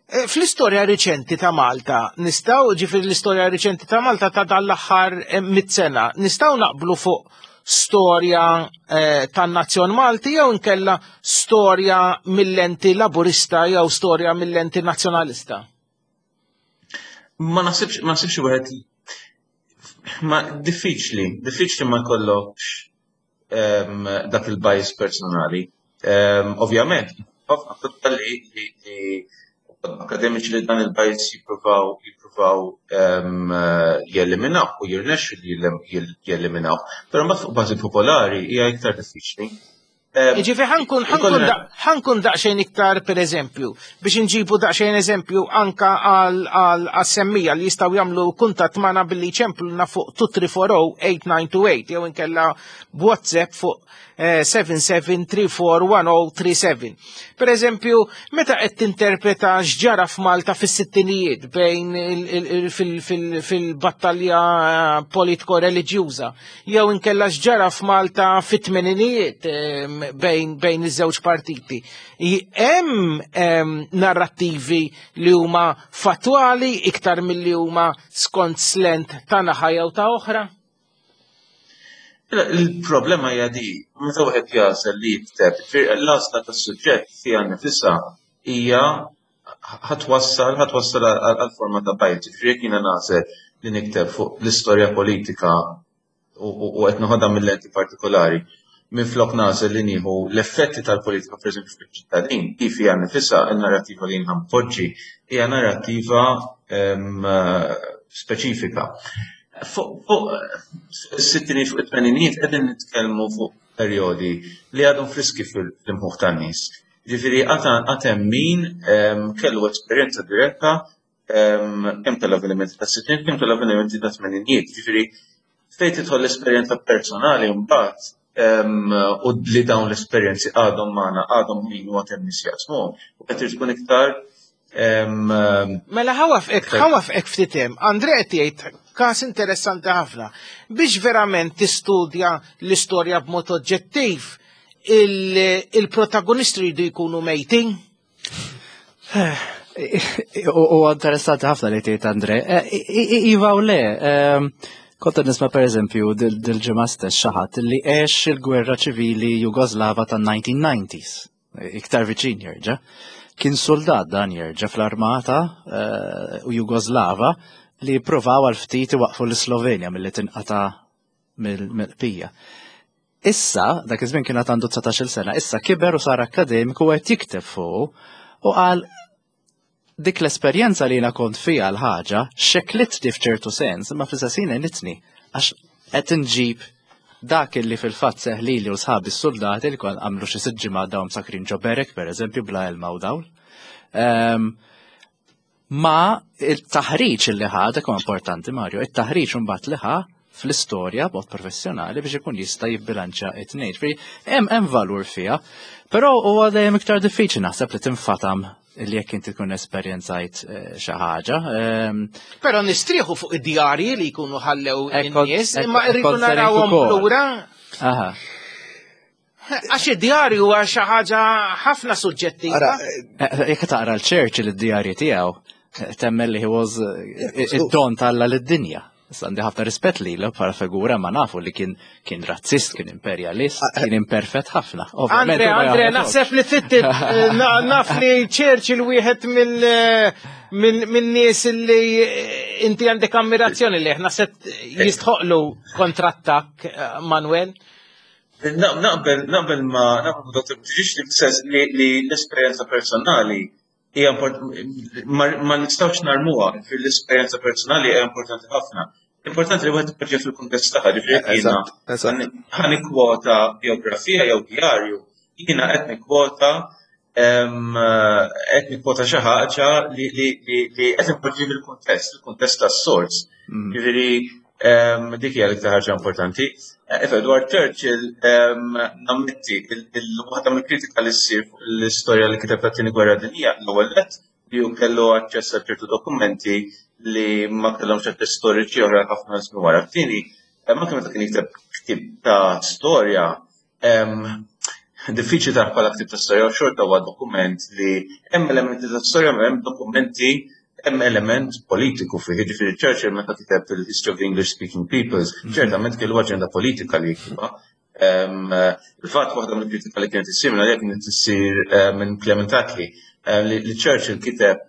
Eh, fl-istorja riċenti ta' Malta, nistaw, ġifir l-istorja riċenti ta' Malta ta' dal-aħħar eh, mit-sena, nistaw naqblu fuq storja eh, tan-nazzjon Malti jew inkella storja mill-lenti laburista jew storja mill-lenti nazzjonalista? Ma naħsibx, ma naħsibx wieħed ma diffiċli, diffiċli ma jkollokx dak il-bias personali. Ovvjament, ħafna kotba li akademiċi li dan il-bias jippruvaw jippruvaw jeliminaw u jirnexxu li jeliminaw. Però mbagħad fuq bażi popolari hija iktar diffiċli. Ġifi ħankun ħankun daqsxejn iktar per eżempju, biex inġibu daqsxejn eżempju anka għal semmija li jistgħu jagħmlu kuntatt magħna billi ċempluna fuq 23408928 jew inkella b'WhatsApp fuq 77341037. Eh, per eżempju, meta qed tinterpreta x'ġara f'Malta fis-sittinijiet bejn fil-battalja politiko-reliġjuża, jew inkella x'ġara f'Malta fit-tmeninijiet bejn bejn iż-żewġ partiti. Hemm narrattivi li huma fattwali iktar milli huma skont slent ta' naħa jew ta' oħra? Il-problema hija di, meta wieħed jagħżel li jikteb, l-għażla tas-suġġett fiha nifisha hija ħatwassal ħatwassal għal forma ta' bajt. Ġifieri jekk jiena nagħżel li nikteb fuq l-istorja politika u qed noħodha mill-lenti partikolari, minflok nagħżel li nieħu l-effetti tal-politika pereżempju fuq iċ-ċittadin, hi fiha nifisha n-narrattiva li jien ħanpoġġi hija narrattiva ehm, speċifika. Fuq is-sittinijiet fuq it-tmeninijiet qegħdin nitkellmu fuq perjodi li għadhom friski fil-imħuħ tan-nies. Ġifieri għad hemm min ehm, kellu esperjenza diretta ehm, kemm tal-avvenimenti ta' sittin, kemm tal-avvenimenti ta' tmeninijiet. Ġifieri fejn tidħol l-esperjenza personali mbagħad ehm, u li dawn l-esperjenzi għadhom magħna, għadhom min u għad hemm nies jaqsmuhom, u qed tkun iktar Mela ħawafqek, ħawafqek ftit hemm. Andre qed jgħid każ interessanti ħafna. Biex verament tistudja l-istorja b'mod oġġettiv, il-protagonisti jridu jkunu mejtin? U interessanti ħafna li tgħid Andre. Eh, iva u le, ehm, kont nisma' pereżempju dil-ġimgħa stess xi ħadd li għex il-gwerra ċivili Jugoslava tan-1990s, iktar viċin jerġa'. Kien soldat dan jerġa' fl-armata eh, u Jugoslava li provaw għal ftit iwaqfu l-Slovenja milli tinqata' mill-qpija. Issa, dak iż-żmien kien għad għandu 19-il sena, issa kiber u sar akkademiku u qed jikteb fuq u qal dik l-esperjenza li jiena kont fiha l-ħaġa xeklitni f'ċertu sens, imma fl-istess ħin għenitni għax qed inġib dak li fil-fatt seħ lili u sħabi s-soldati li kon għamlu xi sitt ġimgħat dawn sakrin ġo berek pereżempju bla ilma u dawl. Ehm, Ma il-taħriġ li ħa, dak huwa importanti Mario, it-taħriġ imbagħad li ħa fl-istorja b'mod professjonali biex ikun jista' jibbilanċa it-tnejn. Ġifieri hemm hemm valur fiha, però huwa dejjem iktar diffiċli naħseb li tinfatam li jekk inti tkun esperjenzajt eh, xi ħaġa. Ehm, però nistrieħu fuq id-djarji li jkunu ħallew in-nies, imma rridu narawhom lura. Aha. Għax id-djarju huwa xi ħaġa ħafna suġġettiva. Eh, eh, jekk taqra l-Churchill id-djarji tiegħu, eh, temmen li he was id-don talla lid-dinja. Issa għandi ħafna rispett li bħala figura ma nafu li kien kien razzist, kien imperjalist, ah, kien imperfett ħafna. Andre, Andre, naħseb li tittit naf li Churchill wieħed mill nies li inti għandek ammirazzjoni li naħseb jistħoqlu kontrattak Manuel. Naqbel, naqbel ma naqbel ma Dr. Buttigieg li sens li l-esperjenza personali hija ma nistgħux narmuha fil-esperjenza personali hija importanti ħafna. Importanti li wieħed ipoġġi fil-kuntest tagħha, ġifieri jiena ħa nikkwota biografija jew djarju, jiena qed nikkwota qed nikkwota xi ħaġa li qed inpoġġi fil-kuntest, il-kuntest tas-sors. Mm. Ġifieri dik hija l-iktar ħaġa importanti. Eh, Edward Churchill nammetti il-waħda mill-kritika li ssir fuq l-istorja li kiteb tat-tieni gwerra dinjija l-ewwel nett li hu kellu aċċess għal ċertu dokumenti li ma kellhomx aċċess storiċi oħra ħafna żmien wara. Tieni, anke meta kien jikteb ktieb ta' storja, Diffiċli tara bħala ktieb ta' storja u xorta huwa dokument li hemm elementi ta' storja ma hemm dokumenti hemm element politiku fih. Jiġifieri Churchill meta kiteb il-History of the English Speaking Peoples, mhm. ċertament kellu aġenda politika li jiktibha. Il-fatt waħda mill-kritika li kienet issir minn għalija kienet issir eh, minn Clement Attlee eh, li Churchill kiteb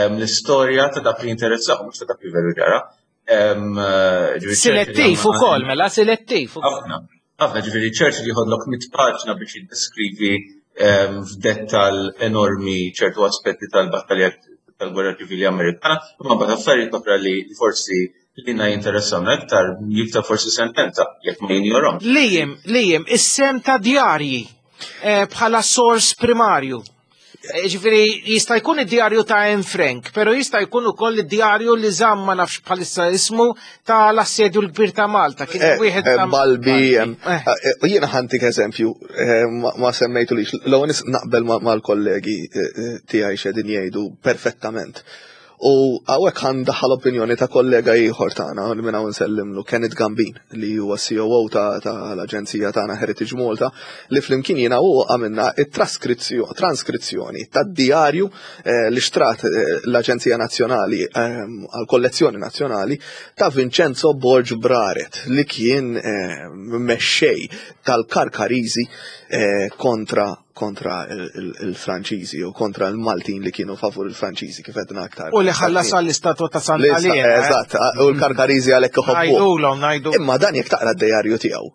l-istorja ta' dak li jinteressah mhux ta' dak li veru ġara. Eh, selettiv ukoll, mela selettiv. Ħafna, ħafna ġifieri Churchill jieħodlok mit paġna biex jiddeskrivi f'dettal enormi ċertu aspetti tal-battalja tal-Gwerra Ċivili Amerikana, imma mbagħad affarijiet oħra li forsi li na jinteressawna iktar jiktar forsi sentenza jekk ma jinjorhom. Lijem, lijem, is-sem ta' djarji eh, bħala sors primarju. Eh, ġifieri jista' jkun id-djarju ta' Anne Frank, però jista' jkun ukoll id-djarju li żamm ma nafx bħalissa ismu ta' l-assedju l-kbir ta' Malta. Kien eh, wieħed eh, Balbi, jiena ħantik eżempju, ma semmejtu lix, l-ewwel naqbel mal-kollegi tiegħi x'qegħdin jgħidu perfettament. U hawnhekk ħa ndaħħal opinjoni ta' kollega ieħor tagħna li minn hawn nsellimlu, Kenneth Gambin, li huwa COO ta' l-aġenzija tagħna Heritage Malta, li flimkien jiena u għamilna it-traskrizzjoni tad-dijarju eh, li xtrat eh, l-Aġenzija Nazzjonali eh, għall-Kollezzjoni Nazzjonali ta' Vincenzo Borg Braret li kien mexxej tal-Karkariżi kontra kontra il-Franċiżi u kontra l-Maltin li kienu favur il-Franċiżi kif għedna aktar. U li ħallas għall-istatwa ta' Santa Lena. Eh? Eżatt, u l-Karkariżi għalhekk iħobbu. Ngħidulhom, ngħidu. Imma dan jekk taqra d-dejarju tiegħu.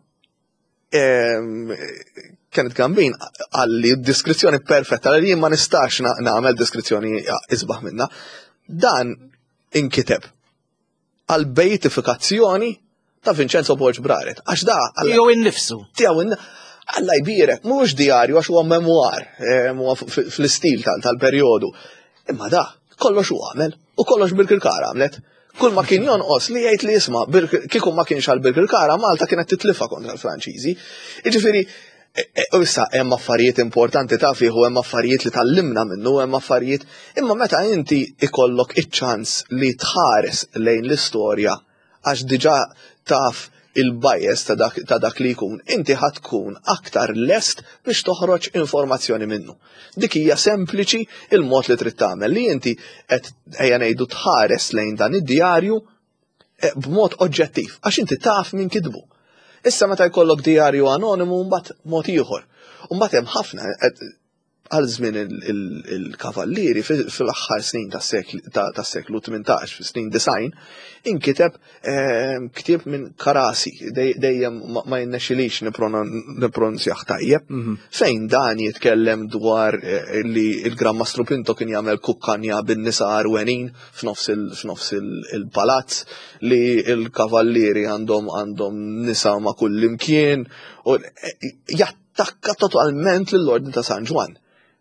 Kenneth Gambin għalli diskrizzjoni perfetta li jien ma nistax nagħmel diskrizzjoni isbaħ minna. Dan inkiteb għal beitifikazzjoni ta' Vincenzo Borg Braret. Għax da. Tiegħu innifsu. Tiegħu Alla jbierek, mhux djarju għax huwa memoir, eh, huwa fl-istil tal-perjodu. Imma da, kollox u għamel, u kollox Birkirkara għamlet. Kull ma kien jonqos li jgħid li jisma' kieku ma kienx għal Birkirkara, Malta kienet titlifa kontra l-Franċiżi. Jiġifieri, E, e, u issa hemm affarijiet importanti ta' fih u hemm affarijiet li tallimna minnu, hemm affarijiet imma meta inti ikollok iċ-ċans li tħares lejn l-istorja għax diġà taf il-bias ta' dak, ta' dak li jkun, inti ħa tkun aktar lest biex toħroġ informazzjoni minnu. Dik hija sempliċi il-mod li trid tagħmel li inti qed ejja ngħidu tħares lejn dan id-djarju Eh, b'mod oġġettiv, għax inti taf min kitbu. Issa meta jkollok dijarju anonimu mbagħad mod ieħor. Mbagħad hemm ħafna eh, għal żmien il-kavallieri fil-aħħar snin tas-seklu 18, fis-snin design, inkiteb ehm, ktieb minn Karasi, dejjem ma jinnexxilix nipronunzjah tajjeb, mhm. fejn dan jitkellem dwar eh, li il-Gran Mastru Pinto kien jagħmel kukkanja bin-nisa arwenin f'nofs il-palazz li l-kavallieri għandhom għandhom nisa ma' kull imkien u eh, jattakka totalment lill-Ordni ta' San Ġwann.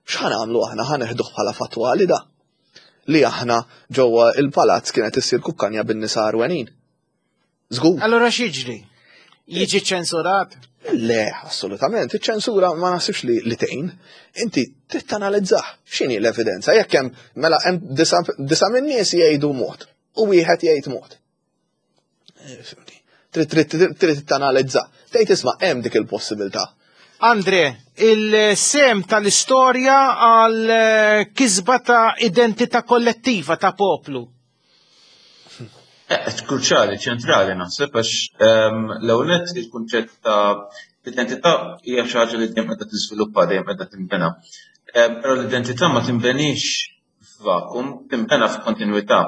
X'ħan għamlu aħna ħa neħduh bħala fattwali da? li aħna ġewwa il-palazz kienet issir kukkanja bin-nisa għarwenin. Żgur. Allura x'jiġri? Jiġi ċensurat? Le, assolutament. Iċ-ċensura ma naħsibx li, li tgħin. Inti trid tanalizzah x'inhi l-evidenza. Jekk hemm mela hemm disa' min-nies jgħidu mod u wieħed jgħid mod. Eh, trid trid tanalizza. Tgħid isma' hemm dik il-possibilità. Andre, il-sem tal-istorja għal eh, kisba ta' identità kollettiva ta' poplu. Eh, kruċjali, ċentrali naħseb għax ehm, l-ewwel nett il-kunċett ta' identità hija xi ħaġa li dejjem qiegħda tiżviluppa, dejjem qiegħda tinbena. Ehm, però l-identità ma tinbenix f'vakum, tinbena f'kontinwità.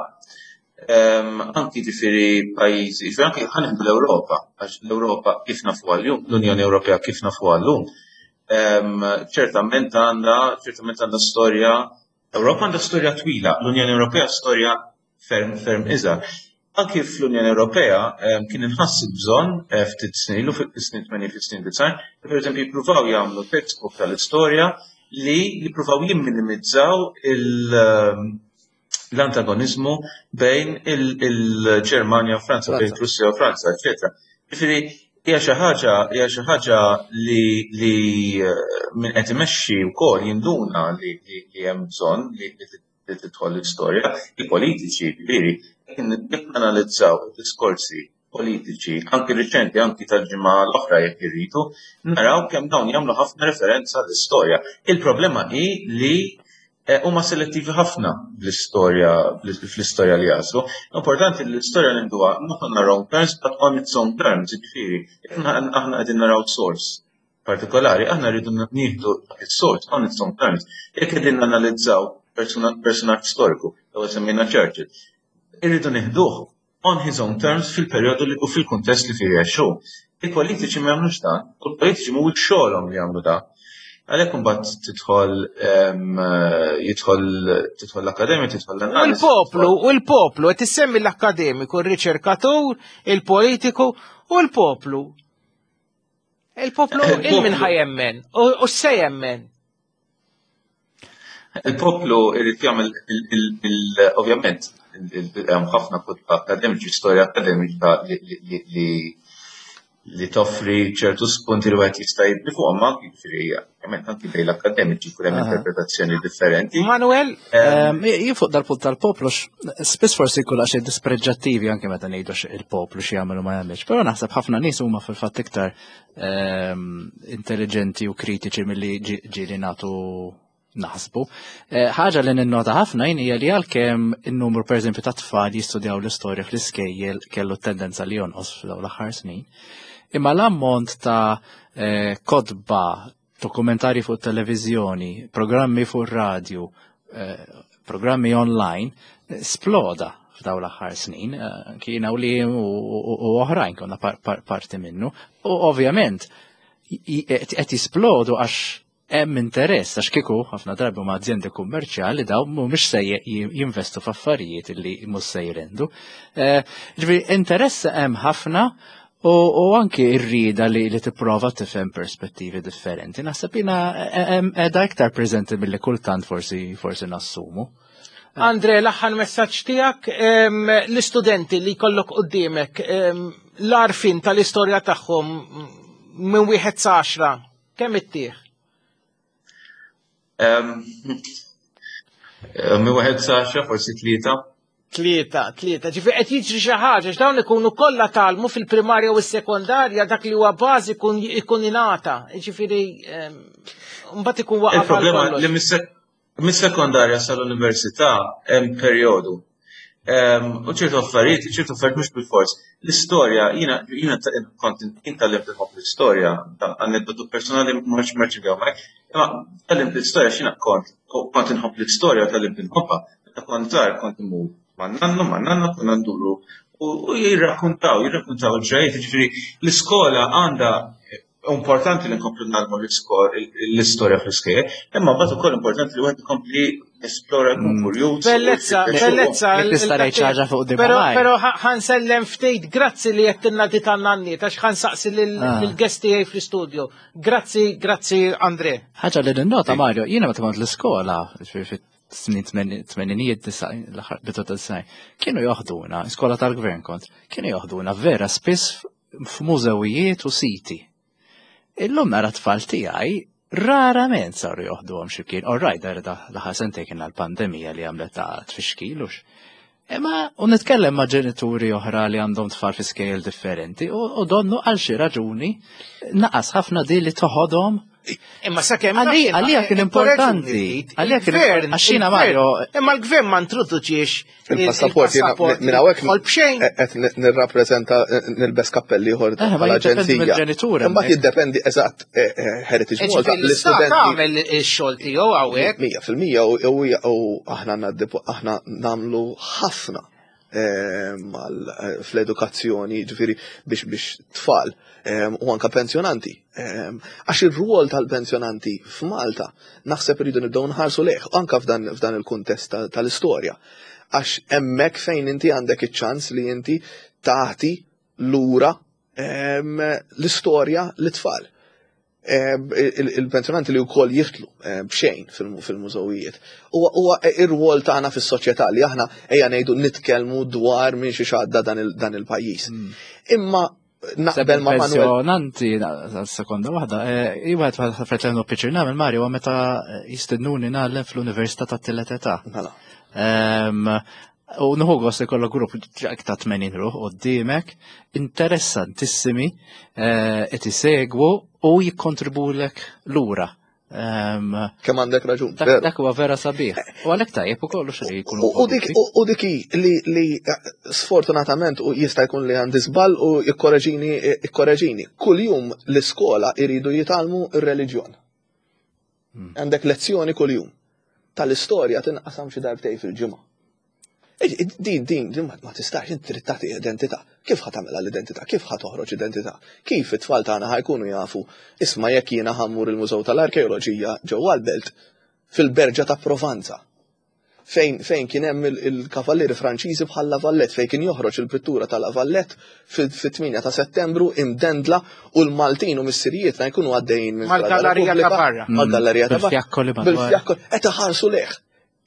Ehm, anki ġifieri pajjiżi, ġifieri anki ħanieħdu l-Ewropa, għax l-Ewropa kif nafu għal-jum, l-Unjoni Ewropea kif nafu għal-lum, ċertament għandha ċertament għandha storja Ewropa għandha storja twila, l-Unjoni Ewropea storja ferm ferm iżgħar. Anki fl-Unjoni Ewropea kien inħass il-bżonn eh, ftit snin ilu fis-snin 80 fis-snin 90, li pereżempju jippruvaw jagħmlu textbook tal-istorja li jippruvaw jimminimizzaw l-antagonizmu bejn il-Ġermanja u Franza, bejn Russja u Franza, eċetera. Ġifieri hija xi ħaġa hija xi ħaġa li li eh, min qed imexxi wkoll jinduna li hemm bżonn li li tidħol l-istorja, il-politiċi, ġifieri, jekk nanalizzaw id-diskorsi politiċi, anki riċenti, anki tal-ġimgħa l-oħra jekk irridu, naraw kemm dawn jagħmlu ħafna referenza l-istorja. Il-problema hi li eh, huma selettivi ħafna bl-istorja fl-istorja li jagħżlu. Importanti li l-istorja ninduha not on our own terms but on its own terms, jiġifieri, aħna qegħdin naraw source partikolari, aħna rridu nieħdu dak is-sors on its own terms. Jekk qegħdin nanalizzaw personaġġ storiku, jew semmejna Churchill, irridu nieħduh on his own terms fil-perjodu u fil-kuntest li fih jgħixu. Il-politiċi ma jagħmlux dan, u l-politiċi mhuwiex xogħolhom li jagħmlu dan. Għalhekk imbagħad tidħol jidħol tidħol l-akkademja, tidħol l-analiżi. U l-poplu, u l-poplu qed issemmi l-akkademiku, r-riċerkatur, il-politiku u l-poplu. Il-poplu il-min ħajemmen u se jemmen. Il-poplu irrid jagħmel ovvjament hemm ħafna kotba akademiċi, storja akademika li li toffri ċertu spunti li wieħed jista' jibni fuqhom anki jiġifieri ovvjament anki bejn l-akademiċi jkun hemm interpretazzjoni differenti. Manuel, jien fuq dal-punt tal-poplu spiss forsi jkun xi dispreġġattivi anke meta ngħidu il-poplu xi jagħmel u ma jagħmilx, però naħseb ħafna nies huma fil-fatt iktar intelligenti u kritiċi milli ġieli nagħtu naħsbu. Eh, ħaġa li ninnota ħafna jien hija li għalkemm in-numru pereżempju ta' tfal jistudjaw l-istorja fl-iskejjel kellu tendenza li jonqos f'dawn l-aħħar snin. Imma l-ammont ta' eh, kotba, dokumentari fuq televiżjoni, programmi fuq radju, eh, programmi online, sploda f'daw l-aħħar snin, kiena u li u oħrajn konna parti minnu. U ovvjament, qed jisplodu għax hemm interess għax kieku ħafna drabi huma azjendi kummerċjali daw mhumiex se jinvestu f'affarijiet li mhux se jrendu. Eh, ġifieri interess hemm ħafna u anki r-rieda li li tipprova tifhem perspettivi differenti. Naħseb jiena qiegħda iktar preżenti milli kultant forsi forsi nassumu. Andre, l-aħħar messaġġ tiegħek l-istudenti li jkollok quddiemek l-arfin tal-istorja tagħhom minn wieħed sa għaxra Kemm ittieħ? Minn wieħed sa forsi tlieta. Tlieta, tlieta. Ġifi qed jiġri xi ħaġa x'dawn ikunu kollha talmu fil-primarja u s-sekondarja dak li huwa bażi ikun ingħata. Ġifieri mbagħad ikun waqa' Il-problema li Mis-sekondarja sal-università hemm perjodu. Ehm, u ċertu affarijiet, ċertu affarijiet mhux bil-fors. L-istorja, jiena jiena kont jien tgħallimt inħobb l-istorja, aneddotu personali mhux merċi imma tgħallimt l-istorja x'jiena kont kont inħobb l-istorja u tgħallimt inħobbha. Meta kont żgħar kont imur man-nannu, man-nanna konna nduru u jirrakkuntaw, jirrakkuntaw il-ġrajiet, ġifieri l-iskola għandha importanti li nkomplu nagħmlu l-istorja fl-iskejjel, imma mbagħad ukoll importanti li wieħed ikompli esplora jkun mm. kurjuż. Bellezza, bellezza. Tista' ngħid ħaġa fuq din. Però però ħansellem ftit, grazzi li qed tilna di tan-nanniet għax ħansaqsi ah. lill-guest tiegħi fl-istudio. Grazzi, grazzi Andre. Ħaġa li ninnota Mario, jiena meta kont l-iskola, snin tmeninijiet, l-aħħar bidu ta' disgħin, kienu joħduna, skola tal-gvern kont, kienu joħduna vera spiss f'mużewijiet u siti. Illum nara tfal tiegħi rarament saru joħduhom xi kien. All right, dar l-aħħar sentejn kien l-pandemija li għamlet ta' tfixkil hux. Imma u nitkellem ma' ġenituri oħra li għandhom tfal fi skejjel differenti u donnu għal xi raġuni naqas ħafna di li toħodhom. Imma sakemm Għalija kien importanti. Għalija kien għax jiena Mario. Imma l-gvern ma introduċiex Il-passaport jiena minn hawnhekk qed nirrappreżenta nilbes kappelli ieħor eh, tal-aġenzija. Imbagħad jiddependi eżatt eh, eh, Heritage Malta l-istudenti. Tagħmel ix-xogħol tiegħu hawnhekk. 100% u aħna aħna nagħmlu ħafna fl-edukazzjoni, ġifieri biex biex tfal u anka pensjonanti. Għax ir-rwol tal-pensjonanti f'Malta naħseb irridu nibdew nħarsu lejh anka f'dan il-kuntest tal-istorja. Għax hemmhekk fejn inti għandek iċ-ċans li inti tagħti lura l-istorja lit-tfal. Il-pensjonanti li wkoll jiftlu b'xejn fil-mużewijiet. Huwa ir-rwol tagħna fis-soċjetà li aħna ejja ngħidu nitkellmu dwar minn xi għadda dan il-pajjiż. Imma naqbel ma' Manuel. Pensjonanti, sekonda waħda, iwa għed għed pjaċir nagħmel Mario meta jistednuni nagħlem fl-Università tat-Tielet Età. Mela. U nħu gost li kollok grupp ta' 80 ruħ qoddimek, interessantissimi, qed isegwu u jikkontribulek lura. Kemm għandek raġun. Dak huwa vera sabiħ. U għalhekk tajjeb ukoll xi jkunu. U dik li sfortunatament u jista' jkun li għandi żball u jikkoreġini ikkoreġini. Kuljum l-iskola jridu jitgħallmu r-reliġjon. Għandek lezzjoni kuljum. Tal-istorja tinqasam xi darbtej fil-ġimgħa. Din, din, din ma tistax, inti trid tagħti identità. Kif ħa tagħmilha l-identità? Kif ħa toħroġ identità? Kif it-tfal tagħna ħa jkunu jafu isma' jekk jiena ħa mmur il-Mużew tal-Arkeoloġija ġewwa l-Belt fil-Berġa ta' Provanza fejn fejn kien hemm il-kavallieri Franċiżi bħal La Valette fejn kien joħroġ il-pittura ta' La Valette fit-8 ta' Settembru imdendla u l-Maltin u missirijietna jkunu għaddejjin minn Mal-gallerija ta' barra. Mal-gallerija ta' barra. Bil-fjakkoli madwar. Bil-fjakkoli. Qed iħarsu lejh.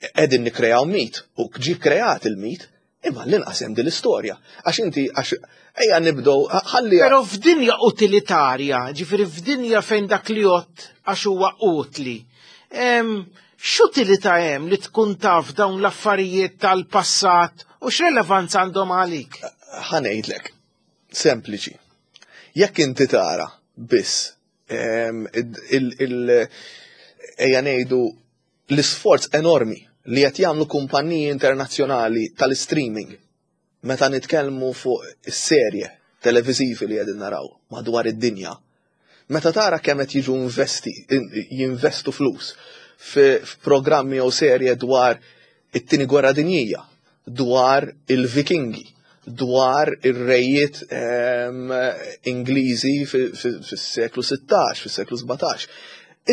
Qegħdin nikkreaw mit u ġie kreat il-mit, imma l-inqas hemm din l-istorja. Għax inti għax ejja nibdew ħalli Però f'dinja utilitarja, ġifieri f'dinja fejn dak li jgħodd għax huwa utli, x'utilità hemm li tkun taf dawn l-affarijiet tal-passat u x'relevanza għandhom għalik? Ħa ngħidlek, sempliċi. Jekk inti tara biss il ejja ngħidu l-isforz enormi li qed jagħmlu kumpanniji internazzjonali tal-streaming meta nitkellmu fuq is-serje televiżivi li qegħdin naraw madwar id-dinja. Meta tara kemm qed jiġu investi, jinvestu flus f'programmi jew serje dwar it-tieni gwerra dinjija, dwar il-Vikingi, dwar ir-rejiet ehm, Ingliżi fis-seklu 16, fis-seklu 17.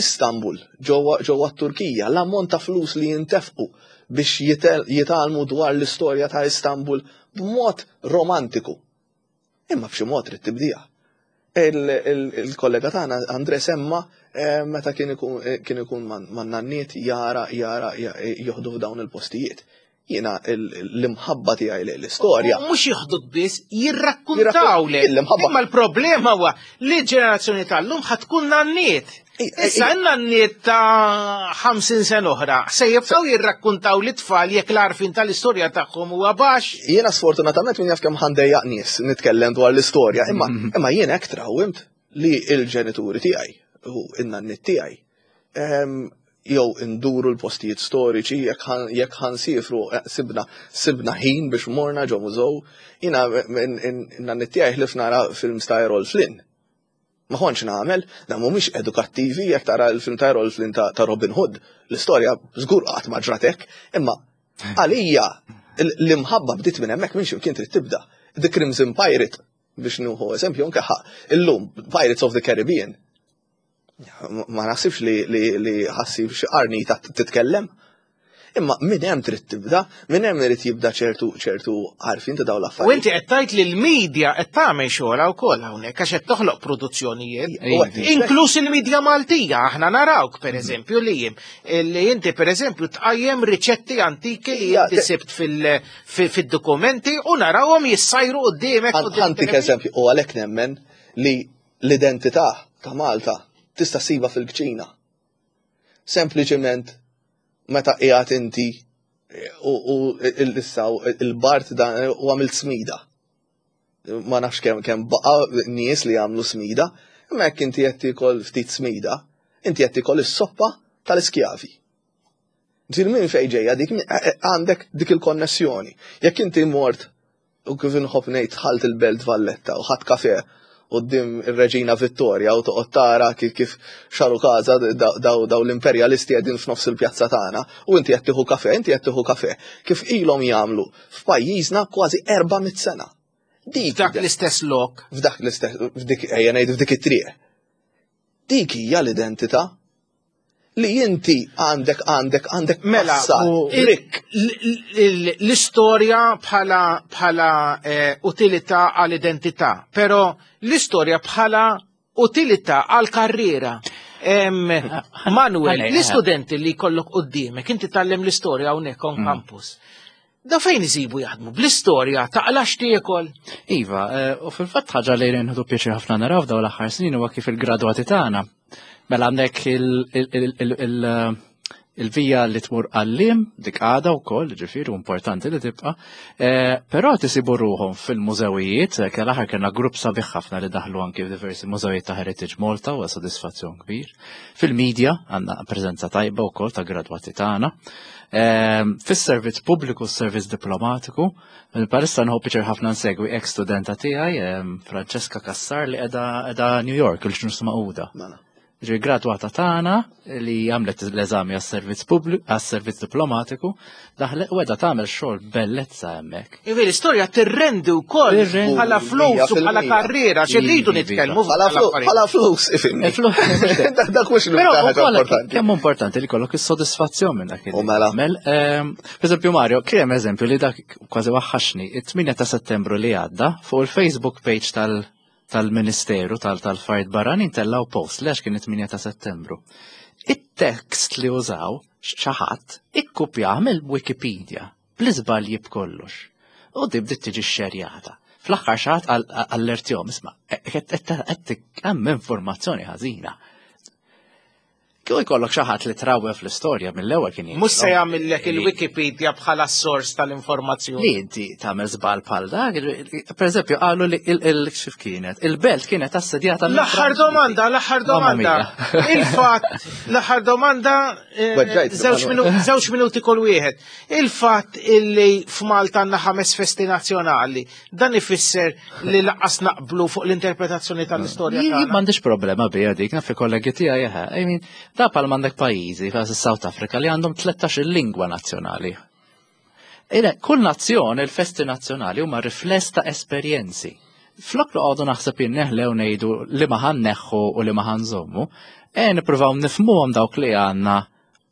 Istanbul, ġewwa t-Turkija, l-ammont ta' flus li jintefqu biex jitgħallmu dwar l-istorja ta' Istanbul b'mod romantiku. Imma b'xi mod trid tibdija. Il-kollega tagħna Andre semma eh, meta kien ikun eh, man-nanniet jara jara joħdu f'dawn il-postijiet. Jiena l-imħabba tiegħi lejn l-istorja. Mhux joħduk biss, jirrakkuntaw le. Imma l-problema huwa li l-ġenerazzjoni tal-lum ħa tkun nanniet. Issa n-nanniet ta' 50 sena oħra se jibqgħu jirrakkuntaw li tfal jekk l-arfin tal-istorja tagħhom huwa baxx. Jiena sfortunatament min jaf kemm ħandejjaq nies nitkellem dwar l-istorja, imma imma jien hekk trawwimt li l-ġenituri tiegħi u n-nanniet tiegħi ehm, jew induru l-postijiet storiċi jekk ħansifru eh, sibna sibna ħin biex morna ġo mużew. Jiena n-nanniet tiegħi ħlif nara films ta' Errol Flynn. Ma kontx nagħmel, dan mhumiex edukattivi jekk tara l-film ta' Errol Flynn ta' Robin Hood. L-istorja żgur qatt ma ġrat hekk, imma għalija l-imħabba bdiet minn hemmhekk minn x'imkien trid tibda. The Crimson Pirate biex nieħu eżempju anke illum Pirates of the Caribbean. Ma naħsibx li li ħassib xi qarnita titkellem. Imma minn hemm trid tibda, minn hemm irid jibda ċertu ċertu għarfien ta' dawn U l-affarijiet. inti qed tgħid li l-medja qed tagħmel xogħolha wkoll hawnhekk għax qed toħloq produzzjonijiet. Inkluż il-medja Maltija, aħna narawk pereżempju li jiem li inti pereżempju tqajjem riċetti antiki li Ja, inti te- sibt fil-dokumenti u narawhom jissajru quddiemek. quddiem Ħantik it-television. eżempju, u għalhekk nemmen li l-identità ta' Malta tista' ssiba fil-kċina. Sempliċement meta qiegħed inti u u il-issaw il-bart dan u għamilt smida. Ma nafx kemm kemm baqa' nies li jagħmlu smida, imma jekk inti qed tiekol ftit smida, inti qed tiekol is-soppa tal-iskjavi. Ġifieri minn fejn ġejja dik għandek dik il-konnessjoni. Jekk inti mort u kif inħobb ngħid dħalt il-Belt Valletta u ħadt kafe quddiem ir-Reġina Vittoria u toqgħod tara kif kif xaru każa daw daw l-imperjalisti qegħdin f'nofs il-pjazza tagħna u inti qed tieħu kafe, inti qed tieħu kafe kif ilhom jagħmlu f'pajjiżna kważi 400 sena. Dik F'dak l-istess lok. F'dak l-istess f'dik ejja ngħid f'dik it-triq. Dik hija l-identità li inti għandek għandek għandek Mela, passat rikk. L-istorja bħala bħala eh, utilità għall-identità, però l-istorja bħala utilità għall-karriera. Em, Manuel, ħalli, l-istudenti li jkollok quddiemek, inti tgħallem l-istorja hawnhekk on campus. Da fejn isibu jaħdmu? Bl-istorja taqlax tiekol. Iva, eh, u fil-fatt ħaġa li nħdu pjaċir ħafna naraw f'dawn l-aħħar snin huwa kif il-gradwati tagħna. Mela għandek il- il- il- il- il- il-vija li tmur għallim, dik għada wkoll, ġifieri u importanti li tibqa', eh, però tisibu ruħhom fil-mużewijiet, eh, kell aħħar kellna grupp sabiħ ħafna li daħlu anki f'diversi mużewijiet ta' Heritage Malta u sodisfazzjon kbir. Fil-medja għandna preżenza tajba wkoll ta' gradwati tagħna. Eh, Fis-servizz pubbliku, s-servizz diplomatiku, Palissa nħobb pjaċir ħafna nsegwi ex studenta tiegħi, em, Francesca Cassar li qiegħda qiegħda New York, il-ġnus Magħquda. Mela. Ġi gradwata tagħna li għamlet l-eżami għas-servizz pubbliku, għas-servizz diplomatiku, daħlet u qiegħda tagħmel xogħol bellezza hemmhekk. Ivi, l-istorja tirrendi wkoll Tirrendi. bħala flus u bħala 100%. karriera, xi rridu Iva. nitkellmu Bħala fuq flu- l-affarijiet. bħala flus, ifimni. Il-flus, Dak dak mhux Però l-iktar ħaġa ukoll importanti. kemm importanti li kollok is-sodisfazzjon minn dak U mela. Mel, per eżempju Mario, kien hemm eżempju li dak kważi waħħaxni, it-8 ta' Settembru li għadda fuq il-Facebook page tal- tal-Ministeru tal-Affarijiet Barranin tellaw post li għax kien it-8 ta' Settembru. It-tekst li użaw xi ħadd ikkupjah mill-Wikipedia bl-iżbalji b'kollox. U di bdiet tiġi xerjata. Fl-aħħar xi ħadd allertjhom, isma' qed hemm informazzjoni ħażina. Kieku jkollok xi ħadd li trawwe fl-istorja mill-ewwel kien Mhux se jgħidlok jagħmillek li- il-Wikipedia bħala s-sors tal-informazzjoni. Li inti tagħmel żball bħal dak, per eżempju qalu li il xif kienet, il-belt kienet assedjata mill- L-aħħar domanda, l-aħħar Mamma domanda. mia. Il-fatt, l-aħħar domanda, eh, Weġġajt, żewġ Manuel. minu- żewġ minuti kull wieħed. Il-fatt illi f'Malta għandna ħames festi nazzjonali, dan ifisser li laqqas naqblu fuq l-interpretazzjoni tal-istorja Jien tagħna. m'għandix problema bija dik, naf il-kollegi tiegħi eħe. I mean, da pal m'għandek pajjiżi bħal South Africa li għandhom 13 lingwa nazzjonali. Ile, kull nazzjon, il-festi nazzjonali huma rifless ta' esperjenzi. Flok li għodu naħseb jinneħlew ngħidu li ma ħanneħħu u li ma ħanżommu, e nippruvaw nifhmuhom dawk li għandna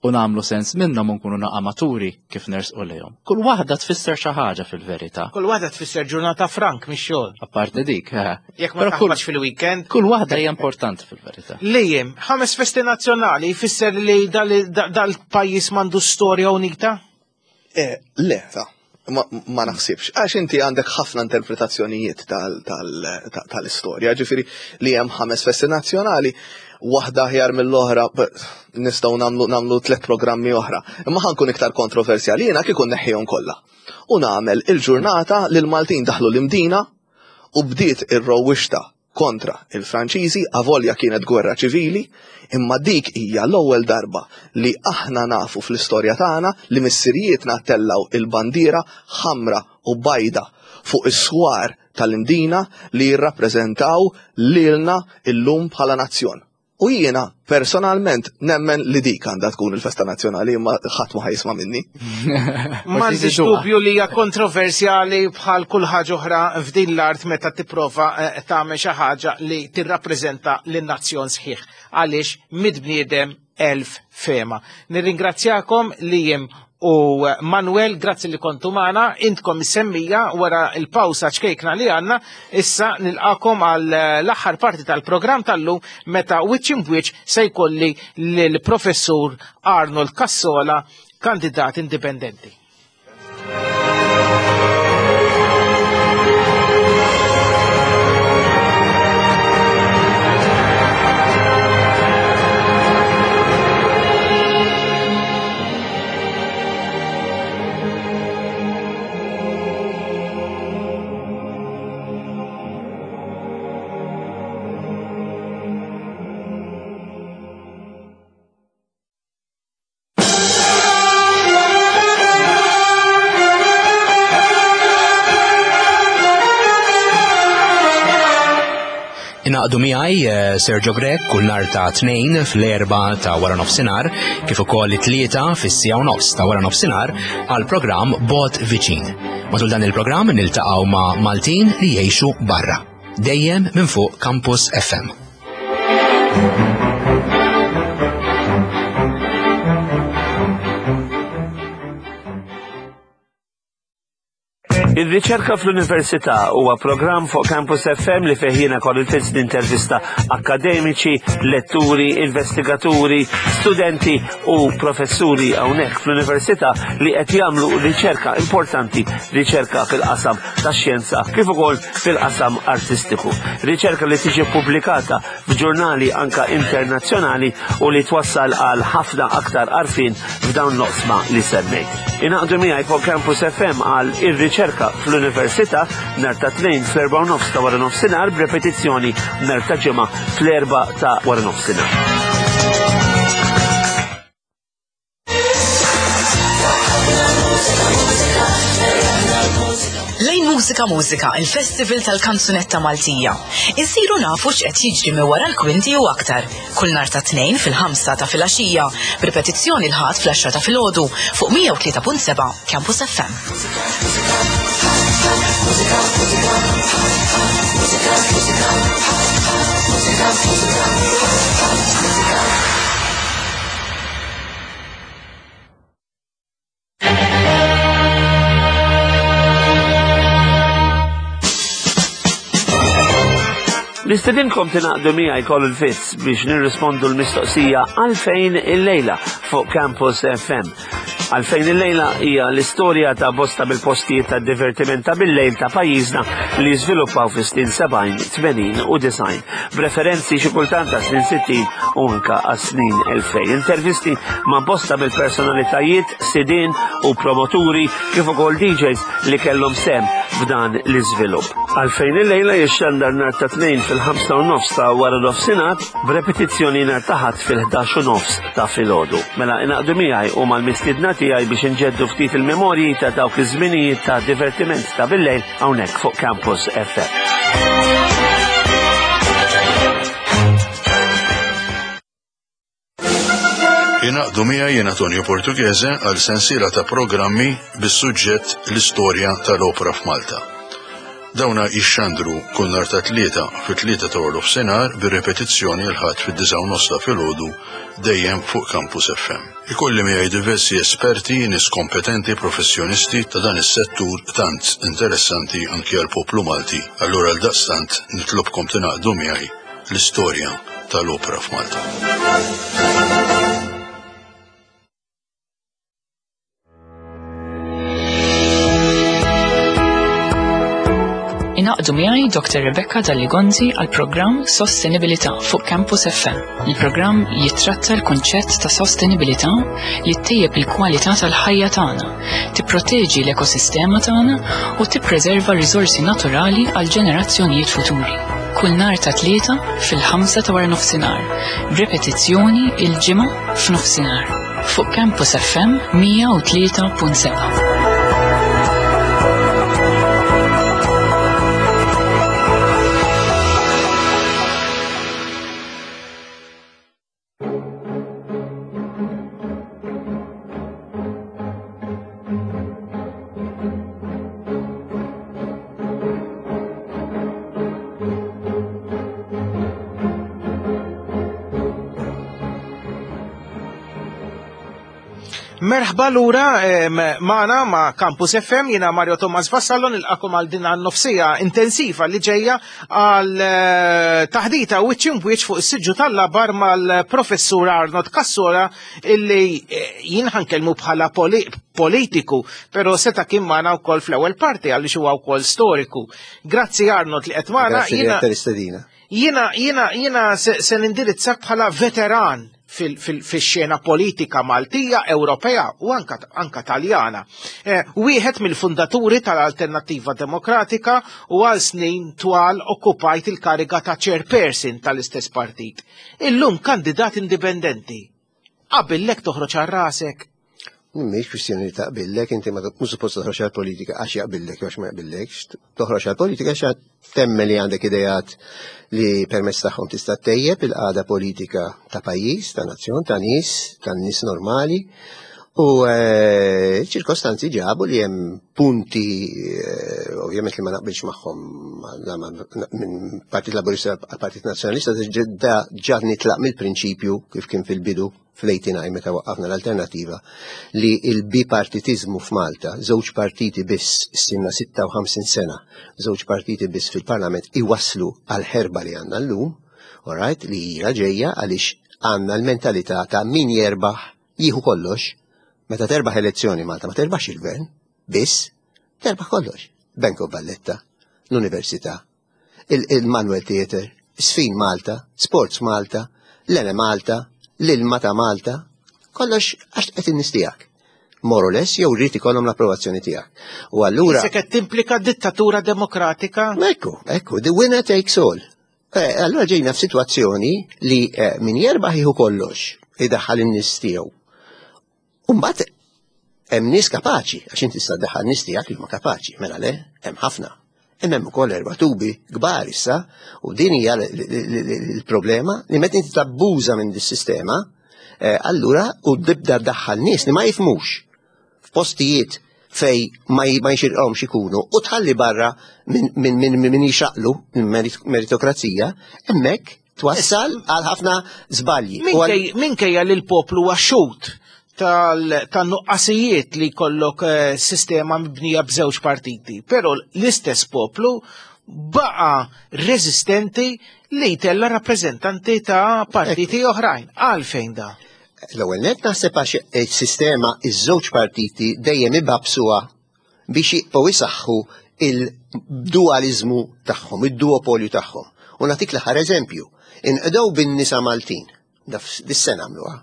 u nagħmlu sens minnhom u nkunu naqa' maturi kif nersqu lejhom. Kull waħda tfisser xi ħaġa fil-verità. Kull waħda tfisser ġurnata frank mix-xogħol. Apparti dik, eh. Jekk ma Però kull- taħbatx fil-weekend. Kull waħda hija importanti fil-verità. Lejjem, ħames festi nazzjonali jfisser li dal- dal-pajjiż m'għandu storja unita? Eh, Le, ta' ma, ma naħsibx. Għax inti għandek ħafna interpretazzjonijiet tal-istorja, ġifiri li hemm ħames festi nazzjonali, waħda aħjar mill-oħra, nistgħu nagħmlu nagħmlu tliet programmi oħra. Imma ħankun iktar kontroversjali jiena kieku neħħihom kollha. U nagħmel il-ġurnata li l-Maltin daħlu l-Imdina u bdiet ir-rowwixta kontra il-Franċiżi, avolja kienet gwerra ċivili, imma dik hija l-ewwel darba li aħna nafu fl-istorja tagħna li missirijietna tellaw il-bandiera ħamra u bajda fuq is-swar tal-Imdina li jirrappreżentaw lilna illum bħala nazzjon. U jiena personalment nemmen li dik għandha tkun il-festa nazzjonali imma ħadd ma ħajsma' minni. M'għandix dubju li hija kontroversjali bħal kull ħaġa oħra f'din l-art meta tipprova eh, tagħmel xi ħaġa li tirrappreżenta lin-nazzjon sħiħ għaliex mid bniedem elf fema. Nirringrazzjakom li jem u Manuel, grazzi li kontu magħna, intkom is-semmija wara l-pawsa ċkejkna li għandna, issa nilqakom għal l-aħħar parti tal-programm tal-lum meta wiċċ imbwiċċ se jkolli lill-Professur Arnold Cassola, kandidat indipendenti. Ingħaqdu miegħi eh, Sergio Grech kull nhar ta' tnejn fl-erba ta' wara nofsinhar kif ukoll it-tlieta fis-sija u nofs ta' wara nofsinhar għal programm Bot Viċin. Matul dan il-programm niltaqgħu ma' Maltin li jgħixu barra. Dejjem minn fuq Campus FM. Ir-riċerka fl-Università huwa programm fuq Campus FM li fih jiena Colin Fitz nintervista akademiċi, letturi, investigaturi, studenti u professuri hawnhekk fl-Università li qed jagħmlu riċerka importanti, riċerka fil-qasam tax-xjenza kif ukoll fil-qasam artistiku. Riċerka li tiġi pubblikata f'ġurnali anka internazzjonali u li twassal għal ħafna aktar għarfien f'dawn l-oqsma li semmejt. Ingħaqdu miegħi fuq Campus FM għal ir-riċerka fl-Università nhar ta' tnejn fl-erba' nofs ta' wara nofsinhar b'repetizzjoni nhar ta' ġimgħa fl-erba' ta' wara nofsinhar. Lejn Mużika Mużika, il-Festival tal-Kanzunetta Maltija. Insiru nafu x'qed jiġri minn wara l-kwinti u aktar. Kull nhar ta' tnejn fil-ħamsa ta' filgħaxija, b'ripetizzjoni l-Ħadd fl-għaxra ta' filgħodu fuq 103.7 Campus FM. Nistedinkom tingħaqdu miegħi Colin Fitz biex nirrispondu l-mistoqsija għalfejn il-lejla fuq Campus FM. Għalfejn il-lejla hija l-istorja ta' bosta mill-postijiet ta' divertiment ta' bil-lejl ta' pajjiżna li żviluppaw fis-snin 70, 80 u 90, b'referenzi xi kultant ta' snin 60 u anka għas-snin 2000. Intervisti ma' bosta mill-personalitajiet, sidien u promoturi kif ukoll DJs li kellhom sehem f'dan l-iżvilupp. Għalfejn il-lejla jixxandar nhar ta' tnejn fil-5 u nofs ta' wara nofsinhar b'repetizzjoni nhar ta' ħadd fil-11 u nofs ta' filgħodu. Mela ingħaqdu miegħi u mal-mistiedna tiegħi biex inġeddu ftit il-memorji ta' dawk iż-żminijiet ta' divertiment ta' bil-lejl hawnhekk fuq Campus FM. Ingħaqdu miegħi jien Antonio Portughese għal sensiela ta' programmi bis-suġġett l-istorja tal-opra f'Malta. Dawna jixxandru kull nhar ta' tlieta fit-tlieta ta' nofsinhar bir-repetizzjoni l-Ħadd fid-disgħa u nofs ta' filgħodu dejjem fuq Campus FM. Ikolli miegħi diversi esperti, nies kompetenti, professjonisti ta' dan is-settur tant interessanti anki għall-poplu Malti. Allura għaldaqstant nitlobkom tingħaqdu miegħi l-istorja tal-opra f'Malta. Ingħaqdu miegħi Dr. Rebecca Dalli-Gonzi għal programm Sostenibilità fuq Campus FM. Il-programm jittratta l-kunċett ta' sostenibilità li ttejjeb il-kwalità tal-ħajja tagħna, tipproteġi l-ekosistema tagħna u tippreserva r-riżorsi naturali għal ġenerazzjonijiet futuri. Kull nhar ta' tlieta fil-ħamsa ta' wara nofsinhar, b'repetizzjoni il-ġimgħa f'nofsinhar fuq Campus FM 103.7. Merħba lura magħna ma' Campus FM, jiena Mario Thomas Vassallo nilqakom għal din nofsija intensiva li ġejja għal eh, taħdita wiċċ imbwiċċ fuq is-siġġu tal-labar mal-professur Arnold Cassora illi eh, jien ħankellmu bħala politiku, però seta' kien magħna wkoll fl-ewwel parti għaliex huwa wkoll storiku. Grazzi Arnold li qed magħna. Grazzi Jiena jiena jiena se nindirizzak bħala veteran fil-xena politika Maltija, Ewropea u anka, anka Taljana. Eh, wieħed mill-fundaturi tal-Alternattiva Demokratika u għal snin twal okkupajt il-kariga ta' chairperson tal-istess partit. Illum kandidat indipendenti. Qabillek toħroġ għal rasek. Mhix kwistjoni li taqbillek, inti ma mhux suppost toħroġ għal politika għax jaqbillek jew għax ma jaqbillekx. Toħroġ għal politika għax temmen li għandek idejat li permezz tagħhom tista' tejjeb il-qagħda politika ta' pajjiż, ta' nazzjon, ta' nies, ta' nies normali. U eh, ċirkostanzi ġabu li hemm punti eh, ovvjament li ma naqbilx magħhom minn Partit Laburista għal Partit Nazzjonalista ġa nitlaq mill-prinċipju kif kien fil-bidu fl-89 meta waqqafna l-Alternattiva li il-bipartitiżmu f'Malta, żewġ partiti biss stinna 56 sena, żewġ partiti biss fil-Parlament iwasslu għal ħerba li għandna llum, alright, li hija ġejja għaliex għandna l-mentalità ta' min jerbaħ jieħu kollox. Meta terbaħ elezzjoni Malta ma terbaħx il-gvern, biss terbaħ kollox. Bank of Valletta, l-Università, il-Manuel Theatre, Sfin Malta, Sports Malta, l-Ene Malta, l-ilma ta' Malta, kollox għax qed in-nies tiegħek. More or less, jew rrid ikollhom l-approvazzjoni tiegħek. U allura. Se qed timplika dittatura demokratika? Ekku, ekku, the winner takes all. Eh, allura ġejna f'sitwazzjoni li eh, min jerbaħ jieħu kollox, idaħħal in-nies tiegħu. U mbagħad hemm nies kapaċi, għax inti tista' ddaħħal nies tiegħek li huma kapaċi, mela le, hemm ħafna. Imma hemm ukoll erba' tubi kbar issa, u din hija l-problema li meta inti tabbuża minn dis-sistema, eh, allura u tibda ddaħħal nies li ma jifmux f'postijiet fej ma jxirqhomx ikunu u tħalli barra minn jixaqlu meritokrazija, hemmhekk twassal għal ħafna żbalji. Minkejja li l-poplu huwa xhud tan-nuqqasijiet li jkollok eh, sistema mibnija b'żewġ partiti, però l-istess poplu baqa rezistenti li jtella rappreżentanti ta' partiti oħrajn. Għalfejn da? L-ewwel net naħseb għax is-sistema iż-żewġ partiti dejjem ibabsuha biex jibqgħu jsaħħu il-dualiżmu tagħhom, id-duopolju tagħhom. U nagħtik l-aħħar eżempju. Inqdew bin-nisa Maltin, dis-sena għamluha.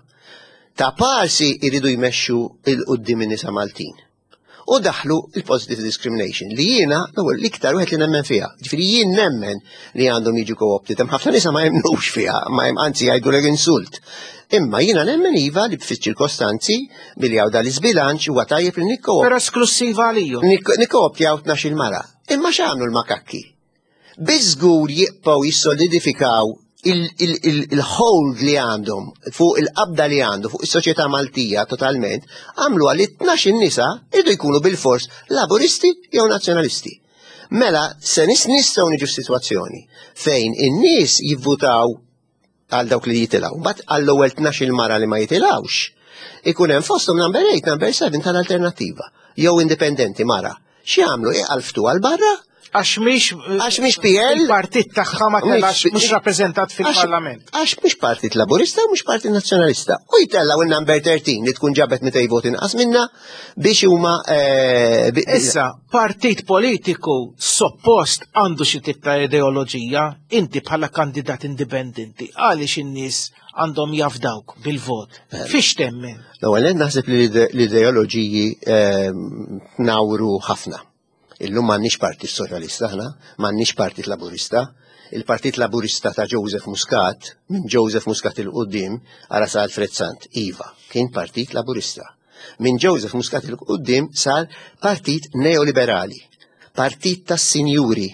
Ta' parsi jridu jmexxu il qudiem in-nisa Maltin. U daħlu il-positive discrimination li jiena l-ewwel l-iktar wieħed li nemmen fiha. Ġifieri jien nemmen li għandhom jiġu co-opted. Hemm ħafna nisa ma jemnux fiha, ma hemm anzi jgħidu insult. Imma jiena nemmen iva li fis-ċirkostanzi billi hawn dal-iżbilanċ huwa tajjeb li nikko. Però esklussiva għaliju. Nikkooptjaw 12 mara. Imma x'għamlu l-makakki? Biżgur jibqgħu jissolidifikaw il-hold li għandhom fuq il-qabda li għandu fuq is-soċjetà Maltija totalment, għamlu għal 12 nisa irdu jkunu bil-fors laburisti jew nazzjonalisti. Mela se nistgħu niġu f'sitwazzjoni fejn in-nies jivvutaw għal dawk li jitilgħu. Mbagħad għall-ewwel 12 mara li ma jitilgħux, ikun hemm fosthom number 8, number 7 tal-alternattiva jew indipendenti mara. X'jagħmlu iqalftu għal barra? Għax mhix għax mhix PL il-partit tagħha ma telax mhux rappreżentat fil-Parlament. Għax mhix Partit Laburista u mhux Partit Nazzjonalista. U jtellgħu in-number 13 li tkun ġabet 200 voti inqas minna biex huma eh, Issa, partit politiku suppost għandu xi tip ta' ideoloġija, inti bħala kandidat indipendenti, għaliex in-nies għandhom jafdawk bil-vot? Eh. Fiex temmen? L-ewwel naħseb li l-ideoloġiji ehm, nawru ħafna. Illum m'għandniex Partit Soċjalista aħna, m'għandniex Partit Laburista. Il-Partit Laburista ta' Joseph Muscat, minn Joseph Muscat il-qudiem, ara sa Alfred Sant, iva, kien Partit Laburista. Minn Joseph Muscat il-qudiem sar partit neoliberali, partit tas-sinjuri,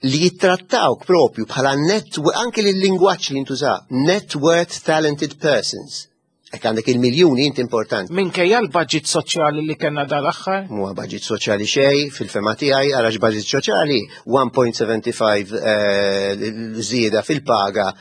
li jittrattawk propju bħala net, anke l-lingwaġġ li jintuża, net worth talented persons. Hekk għandek il-miljuni inti importanti. Minkejja l-budget soċjali li kellna dal-aħħar? Mhuwa budget soċjali xejn, fil-fema tiegħi għarax budget soċjali 1.75 eh, żieda fil-paga,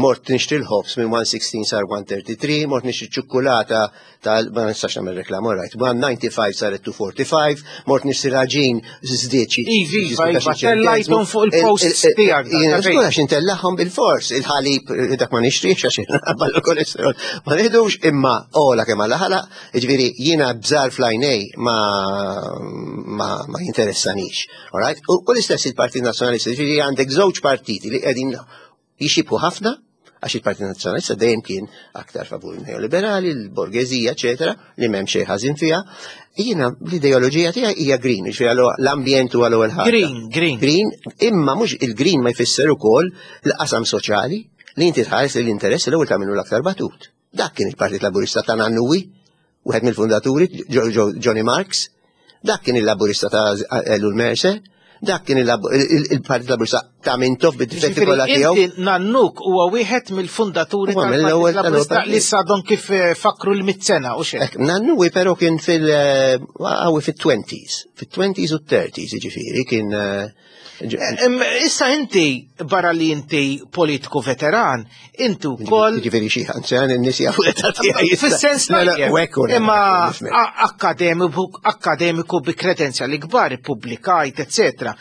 mort nixtri l-ħobż minn 116 sar 133, mort nixtri ċukkulata tal ma nistax nagħmel reklam, all right, 195 saret 245, mort nixtri raġin żdied xi. Ivi, iva, iva, tellajthom fuq il-posts tiegħek. Jiena żgur għax intellahom bil-fors, il-ħalib eh, dak ma nixtrix għax minħabba l-kolesterol. Ma nieħdux imma ola kemm alla ħalaq, jiġifieri jiena bżar fl-għajnej ma ma ma jinteressanix. All right? U l-istess il-Partit Nazzjonalista, jiġifieri għandek żewġ partiti li qegħdin jixibħu ħafna, għax il-Partit Nazzjonalista dejjem kien aktar favur neoliberali, l-borgeżija, eċetera, li m'hemm xejn ħażin fiha. Jiena l-ideoloġija tiegħi hija green, jiġifieri l-ambjent huwa l-ewwel ħaġa. Green, green. Green, imma mhux il-green ma jfisser ukoll l-qasam soċjali li inti tħares l-interess l-ewwel tagħmlu l-aktar batut. Dak kien il-Partit Laburista ta' Nannuwi, wieħed mill-fundaturi, Johnny Marks, dak kien il-Laburista ta' Ellul Mercer, dak kien il-Partit Laburista ta' Mintoff bid-difetti kollha tiegħu. Inti Nannuk huwa wieħed mill-fundaturi tal-Partit Laburista li sadhom kif eh, fakru l-mit sena u xejn. Nannuwi però kien fil- eh, fil-20s, fil-20s u 30s, jiġifieri kien eh, Issa inti, barra li inti politiku veteran, inti wkoll. Ġifieri xi anzjan in-nies jafu l-età tiegħi. Fis-sens imma akademiku akademiku bi kredenzjali kbar, ippubblikajt, eċetera.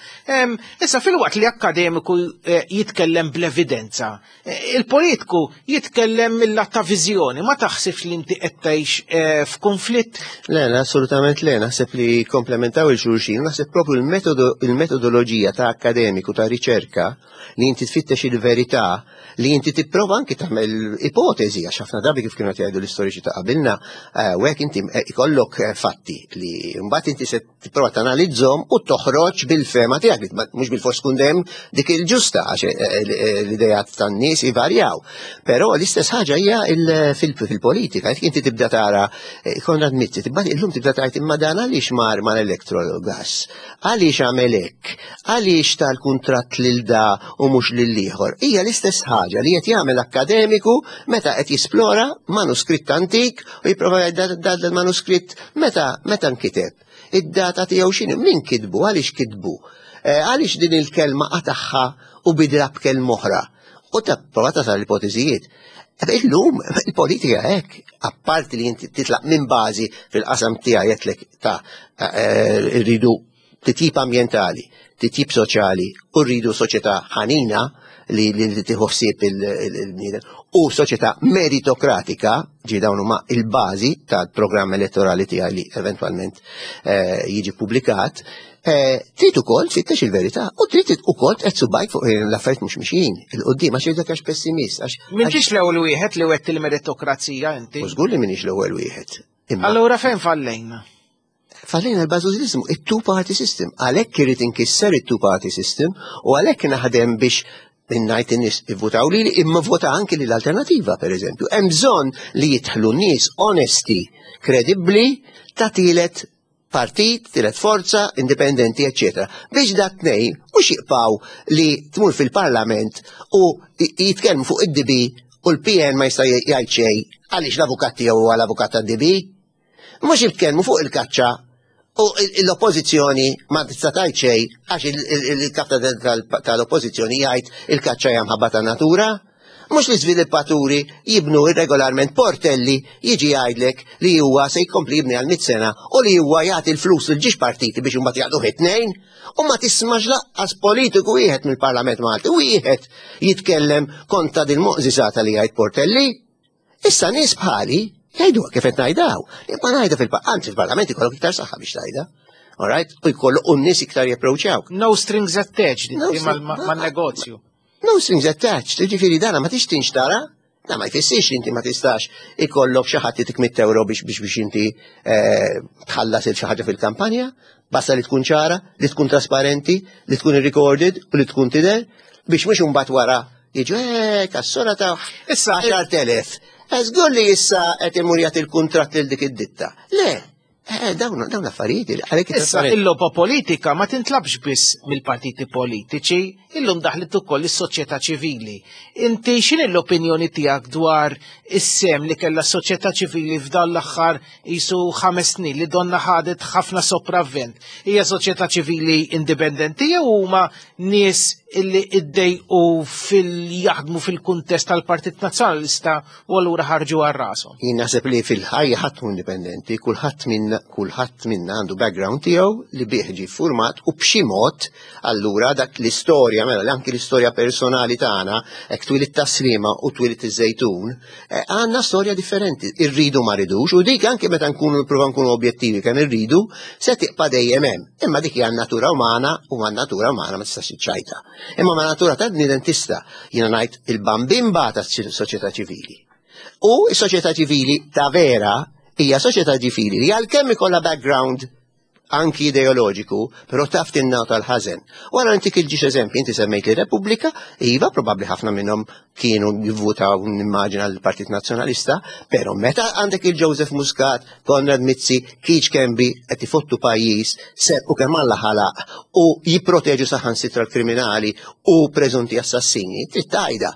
Issa filwaqt li akademiku eh, jitkellem bl-evidenza, Il-politiku jitkellem mill-lat ta' viżjoni, ma taħsibx li inti qed tgħix eh, f'konflitt? Le, le, assolutament le, naħseb li komplementaw il-xulxin, naħseb propju il-metodoloġija ta' akademiku, ta' riċerka, li inti tfittex il-verità, li inti tipprova anki tagħmel ipotezi, għax ħafna drabi kif kienu jgħidu l-istoriċi ta' qabilna, eh, u hekk inti eh, ikollok fatti li mbagħad inti se tipprova tanalizzhom u toħroġ bil-fema tiegħek li mhux bil-fors tkun dejjem dik il-ġusta għax eh, eh, eh, l-idejat tan-nies ivarjaw. Però l-istess ħaġa hija fil-politika, jekk inti tibda tara Konrad Mizzi, tibda illum tibda tgħid imma dan għaliex mar mal-Electrogas, għaliex għamel hekk, għaliex tal-kuntratt lil da u mhux lil ieħor. Hija l-istess ħaġa li qed jagħmel akkademiku meta qed jisplora manuskritt antik u jipprova jgħid dan il-manuskritt meta meta nkiteb. Id-data tiegħu x'inhi, min kitbu, għaliex kitbu, eh, għaliex din il-kelma qatagħha u bidla b'kelma oħra. U ta' prova tasal l-ipoteżijiet. Illum il-politika hekk, apparti li inti titlaq minn bażi fil-qasam tiegħi qedlek ta' eh, rridu titjib ambjentali, titjib soċjali u rridu soċjetà ħanina li li tieħu ħsieb il-bniedem u soċjetà meritokratika, ġi dawn huma il-bażi tal-programm elettorali tiegħi li eventwalment eh, jiġi publikat, eh, trid ukoll tfittex il-verità u trid ukoll qed subajk fuq l-affarijiet mhux mixjin il-qudiem għax dak għax pessimist għax M'intix l-ewwel wieħed li wett il-meritokrazija inti. U żgur li m'iniex l-ewwel wieħed. Allura fejn fallejna? Fallejna l-bażużiżmu, it-two-party system. Għalhekk irid inkisser it-two-party system u għalhekk naħdem biex minnajt in-nies ivvutaw lili imma vota anki lill alternativa pereżempju. Hemm bżonn li jidħlu nies onesti, kredibbli ta' tielet partit, tielet forza, indipendenti, eccetera. Biex dat tnejn mhux jibqgħu li tmur fil-parlament u jitkellmu fuq id-DB u l-PN ma jista' jgħid xejn għaliex l-avukat tiegħu huwa l-avukat tad-DB. Mhux jitkellmu fuq il-kaċċa u l-oppożizzjoni ma tista' tgħid xejn għax il-kap tal-oppożizzjoni jgħid il-kaċċa hija mħabba tan-natura. Mhux l-iżviluppaturi jibnu irregolarment portelli jiġi jgħidlek li huwa se jkompli jibni għal sena u li huwa jagħti l-flus lil ġiex partiti biex imbagħad jaqduh it-tnejn u ma tismax laqqas politiku wieħed mill-Parlament Malti wieħed jitkellem kontra din moqżisata li jgħid Portelli. Issa nies bħali jgħidu kif qed ngħidaw. Imma ngħidha fil-anzi fil-parlament ikollok iktar saħħa biex tgħidha. All right? U jkollu u n-nies iktar japproċċjawk. No strings attached man-negozju. No strings attached, jiġifieri dana ma tix tinxtara, da ma jfissirx li inti ma tistax ikollok xi ħadd jitik 100 euro biex biex biex inti eh, tħallas il xi ħaġa fil-kampanja, basta li tkun ċara, li tkun trasparenti, li tkun recorded u li tkun tidher biex mhux imbagħad wara Jiġu, eh, kassura ta' issa 10,000. Żgur li issa qed imur jagħti l-kuntratt lil dik id-ditta. Le, Eh, dawn dawn l-affarijiet għalhekk Issa il-logħba politika ma tintlabx biss mill-partiti politiċi, illum daħlet ukoll is-soċjetà ċivili. Inti x'inhi l-opinjoni tiegħek dwar is-sem li kellha s-soċjetà ċivili f'dan l-aħħar qisu ħames snin li donna ħadet ħafna sopravvent? Hija soċjetà ċivili indipendenti jew huma nies illi iddejqu fil-jaħdmu fil-kuntest tal-Partit Nazzjonalista u allura ħarġu għal rashom. Jien naħseb li fil-ħajja ħadd hu indipendenti, kulħadd minna kulħadd minna għandu background tiegħu li bih ġie format u b'xi mod allura dak l-istorja mela li anki l-istorja personali tagħna hekk twilit taslima u twilit iż-żejtun, eh, għandna storja differenti, irridu ma ridux u dik anki meta nkunu nipprova nkunu objettivi kemm irridu se tibqa' dejjem hemm. Imma dik hija natura umana u ma natura umana ma tistax iċċajta. Imma ma natura ta' bniedem tista' jiena ngħid il-bambimba ta' soċjetà ċivili. U s-soċjetà ċivili ta' vera hija soċjetà ċivili li għalkemm ikollha background anki ideoloġiku, però taf tinnata l-ħażen. Wara intik il-ġiex eżempji, inti semmejt li Repubblika, iva probabbli ħafna minnhom kienu jivvutaw nimmaġina l-Partit Nazzjonalista, però meta għandek il-Joseph Muscat, Konrad Mizzi, Keith Kembi qed ifottu pajjiż serqu kemm Alla ħalaq u jipproteġu saħansitra l-kriminali u preżunti assassini, trid tgħidha.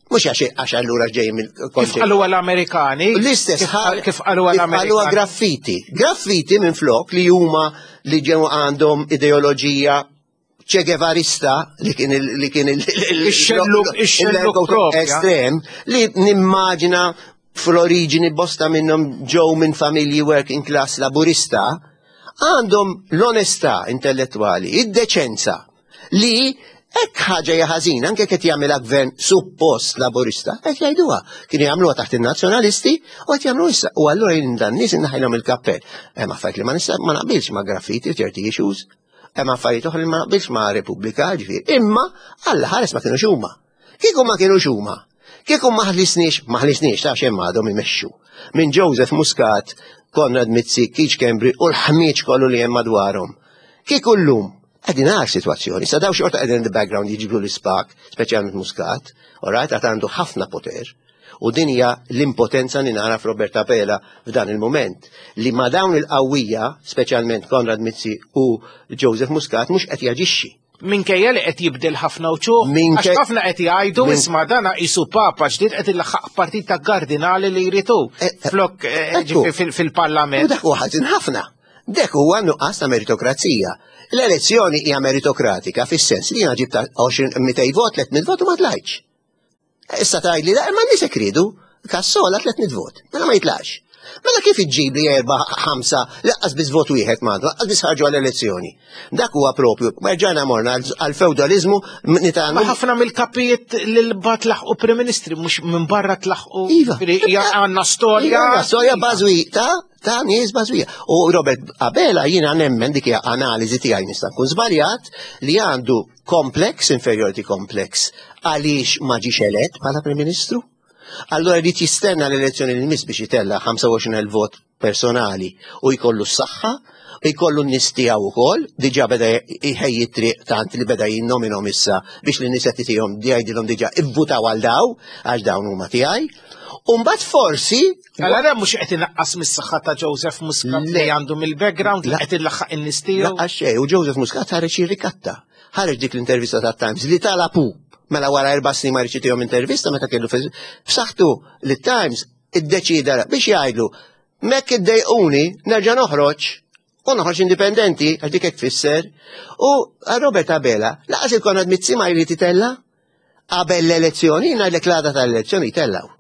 Mhux għax għax allura ġej mill Kif qalu l-Amerikani? L-istess kif qalu l-Amerikani. Graffiti. Graffiti minn flok li huma li ġew għandhom ideoloġija Che Guevarista li kien li kien il-xelluk estrem li nimmaġina fl-oriġini bosta minnhom ġew minn familji working class laburista għandhom l-onestà intellettwali, id-deċenza li hekk ħaġa hija ħażina anke qed jagħmilha gvern suppost laburista, qed jgħiduha. Kienu jagħmluha taħt in-nazzjonalisti u qed jagħmlu issa. U allura jien dan nies innaħilhom il-kappell. Hemm affarijiet li ma nista' ma naqbilx ma' graffiti ċerti issues. Hemm affarijiet oħra li ma naqbilx ma' Repubblika, ġifieri. Imma Alla ħares ma kienux huma. Kieku ma kienux huma. Kieku ma ħlisniex, ma ħlisniex ta' xejn għadhom imexxu. Minn Joseph Muscat, Konrad Mizzi, Keith Schembri u l-ħmieġ kollu li hemm madwarhom. Kieku llum qegħdin għar sitwazzjoni, sa daw xorta qegħdin in the background jiġbru l-ispak, speċjalment Muscat, all right, għad għandu ħafna poter. U din hija l-impotenza li nara f'Robert Abela f'dan il-mument, li ma' dawn il-qawwija, speċjalment Konrad Mizzi u Joseph Muscat, mhux qed jaġixxi. Minkejja li qed jibdel ħafna wċuħ, għax ħafna qed jgħidu isma' dana qisu papa ġdid qed ilaħħaq partit ta' kardinali li jridu eh, eh, flok eh, fil-parlament. U dak huwa ħażin ħafna. Dak huwa nuqqas ta' meritokrazija. L-elezzjoni hija meritokratika fis-sens li jiena ġibta 20 200 vot, 300 vot u ma tlajtx. Issa tgħidli da imma nies hekk riedu, Kassola 300 vot, mela ma jitlax. Mela kif iġġib li erba' ħamsa laqqas biss vot wieħed m'għandu, laqqas biss ħarġu għall-elezzjoni. Dak huwa propju, erġajna morna għall-fewdalizmu nitgħallmu. Ma ħafna mill-kapijiet li l-bat laħqu Prim Ministri mhux minn barra tlaħqu. Iva. Għandna storja. Iva, għandna storja bażwi ta' ta' nies bażwija. U Robert Abela jiena nemmen dik hija analiżi tiegħi nista' nkun żbaljat li għandu complex, inferiority complex, għaliex ma ġiex elett bħala Prim Ministru. Allura jrid jistenna l-elezzjoni li jmiss biex itella' 25,000 vot personali u jkollu s-saħħa, u jkollu n-nies tiegħu wkoll, diġà beda jħejji triq tant li beda jinnominhom issa biex lin nies qed itihom jgħidilhom diġà ivvutaw għal daw, għax dawn huma tiegħi. U mbagħad forsi Allora mhux qed inaqqas mis-saħħa ta' Joseph Muscat li għandu mill-background li qed ilaħħaq in-nies tiegħu. Laqqas xejn, u Joseph Muscat ħareġ jirrikatta. Ħareġ dik l-intervista ta' Times li talapu mela wara erba' snin ma jridx jtihom intervista meta kellu f'saħħtu li Times iddeċida biex jgħidlu mekk iddejquni nerġa' noħroġ u noħroġ indipendenti għax dik hekk tfisser. U Robert Abela laqas il-Konrad Mizzi ma jrid itella' qabel l-elezzjoni, ngħidlek l-għada tal-elezzjoni jtellgħu.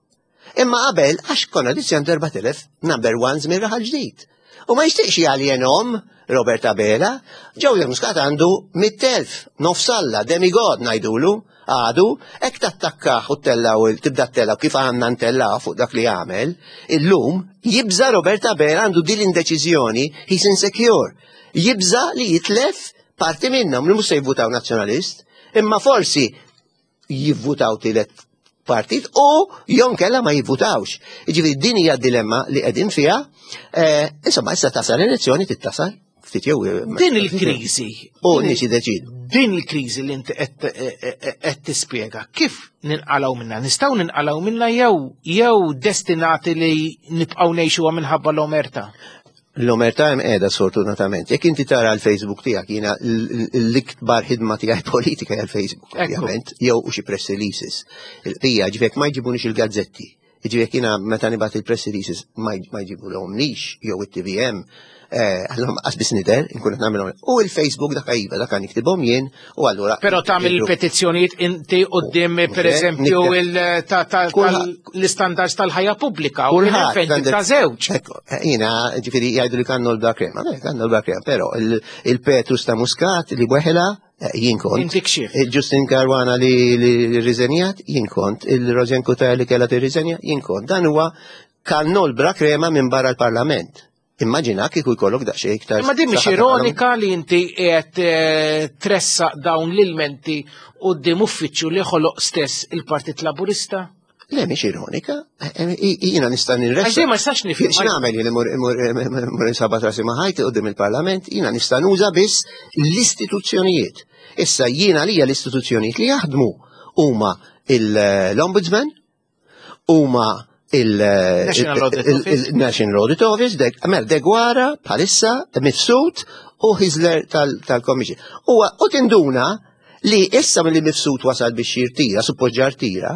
Imma qabel, għax konna dizzjan 4000 number ones minn raħal ġdid. U ma jixtieqx jaljenom Robert Abela, Joseph Muscat għandu 100,000, nofsalla, demigod ngħidulu, għadu, hekk tattakkaħ u tellaw tibda tellaw kif għandna ntellaw fuq dak li għamel, illum jibża Robert Abela għandu din l-indeċiżjoni, he's insecure. Jibża li jitlef parti minnhom li mhux se jivvutaw nazzjonalist, imma forsi jivvutaw tielet partit u jew kella ma jivvutawx. Jiġifieri din hija dilemma li qegħdin fiha. Eh, insomma, issa tasal elezzjoni tittasal ftit jew eh, Din il-kriżi. U nies jiddeċidu. Din il-kriżi li inti qed eh, tispjega kif ninqalgħu minna? Nistgħu ninqalgħu minna jew jew destinati li nibqgħu ngħixuha minħabba l-omerta? L-omertà hemm qiegħda sfortunatament. Jekk inti tara l-Facebook tiegħek jiena l-ikbar ħidma tiegħi politika hija l-Facebook, ovvjament, jew u xi press releases. Il-qija ġifiek ma jġibunix il-gazzetti. Jiġifieri jiena meta nibgħat il-press releases ma jġibulhomlix jew it-TVM, għallhom qas biss nidher, inkun qed nagħmilhom. U il-Facebook dak iva, dak niktibhom jien u allura. Però tagħmel il-petizzjonijiet inti qudiem pereżempju l-istandards tal-ħajja pubblika u l-fejn ta' żewġ. Jiena ġifieri jgħidu li kannu l-blakrema, kannu l-blakrema, però il-Petrus ta' Muscat li weħela jien kont. Inti kxif. Il-Justin Caruana li rriżenjat, jien kont. Il-Rosianne Cutajar li kellha tirriżenja, jien kont. Dan huwa kannol bla krema minn barra l-Parlament. Immaġina kieku jkollok daqsxejn iktar. Imma din mhix ironika li inti qiegħed eh, tressaq dawn l-ilmenti quddiem uffiċċju li ħoloq stess il-Partit Laburista? Le, mhix ironika. Eh, eh, jiena nista' nirressa. Għax ma nistax nifhem. X'nagħmel jien imur insabba trasi ma' ħajti qudiem il-Parlament, jiena nista' nuża biss l-istituzzjonijiet. Issa jiena lija l-istituzzjonijiet li jaħdmu huma l-Ombudsman, huma il-National Audit Office, mela Degwara bħalissa Mifsud u Hizler tal-Commission. U tinduna li issa mill Mifsud wasal biex jirtira, suppost ġartira,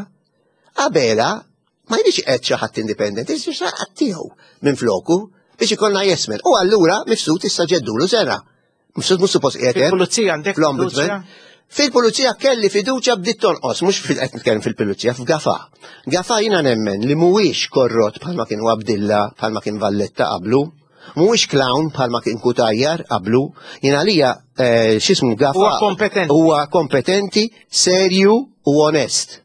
Abela ma jridx qed xi ħadd indipendenti, jrid xi ħadd tiegħu minn floku biex ikollna jesmen. U allura Mifsud issa ġeddulu sena. Mifsud mhux suppost qiegħed hemm. Fil-pulizija għandek fl-ombudsman. Fil-pulizija kelli fiduċja bdiet tonqos, mhux fil qed nitkellem fil-pulizija, f'Gafa. Gafa jiena nemmen li mhuwiex korrott bħalma kien Abdilla, bħalma kien Valletta qablu, mhuwiex clown bħalma kien Kutajjar qablu, jiena għalija eh, x'ismu Gafa. Huwa kompetenti. Huwa kompetenti, serju u onest.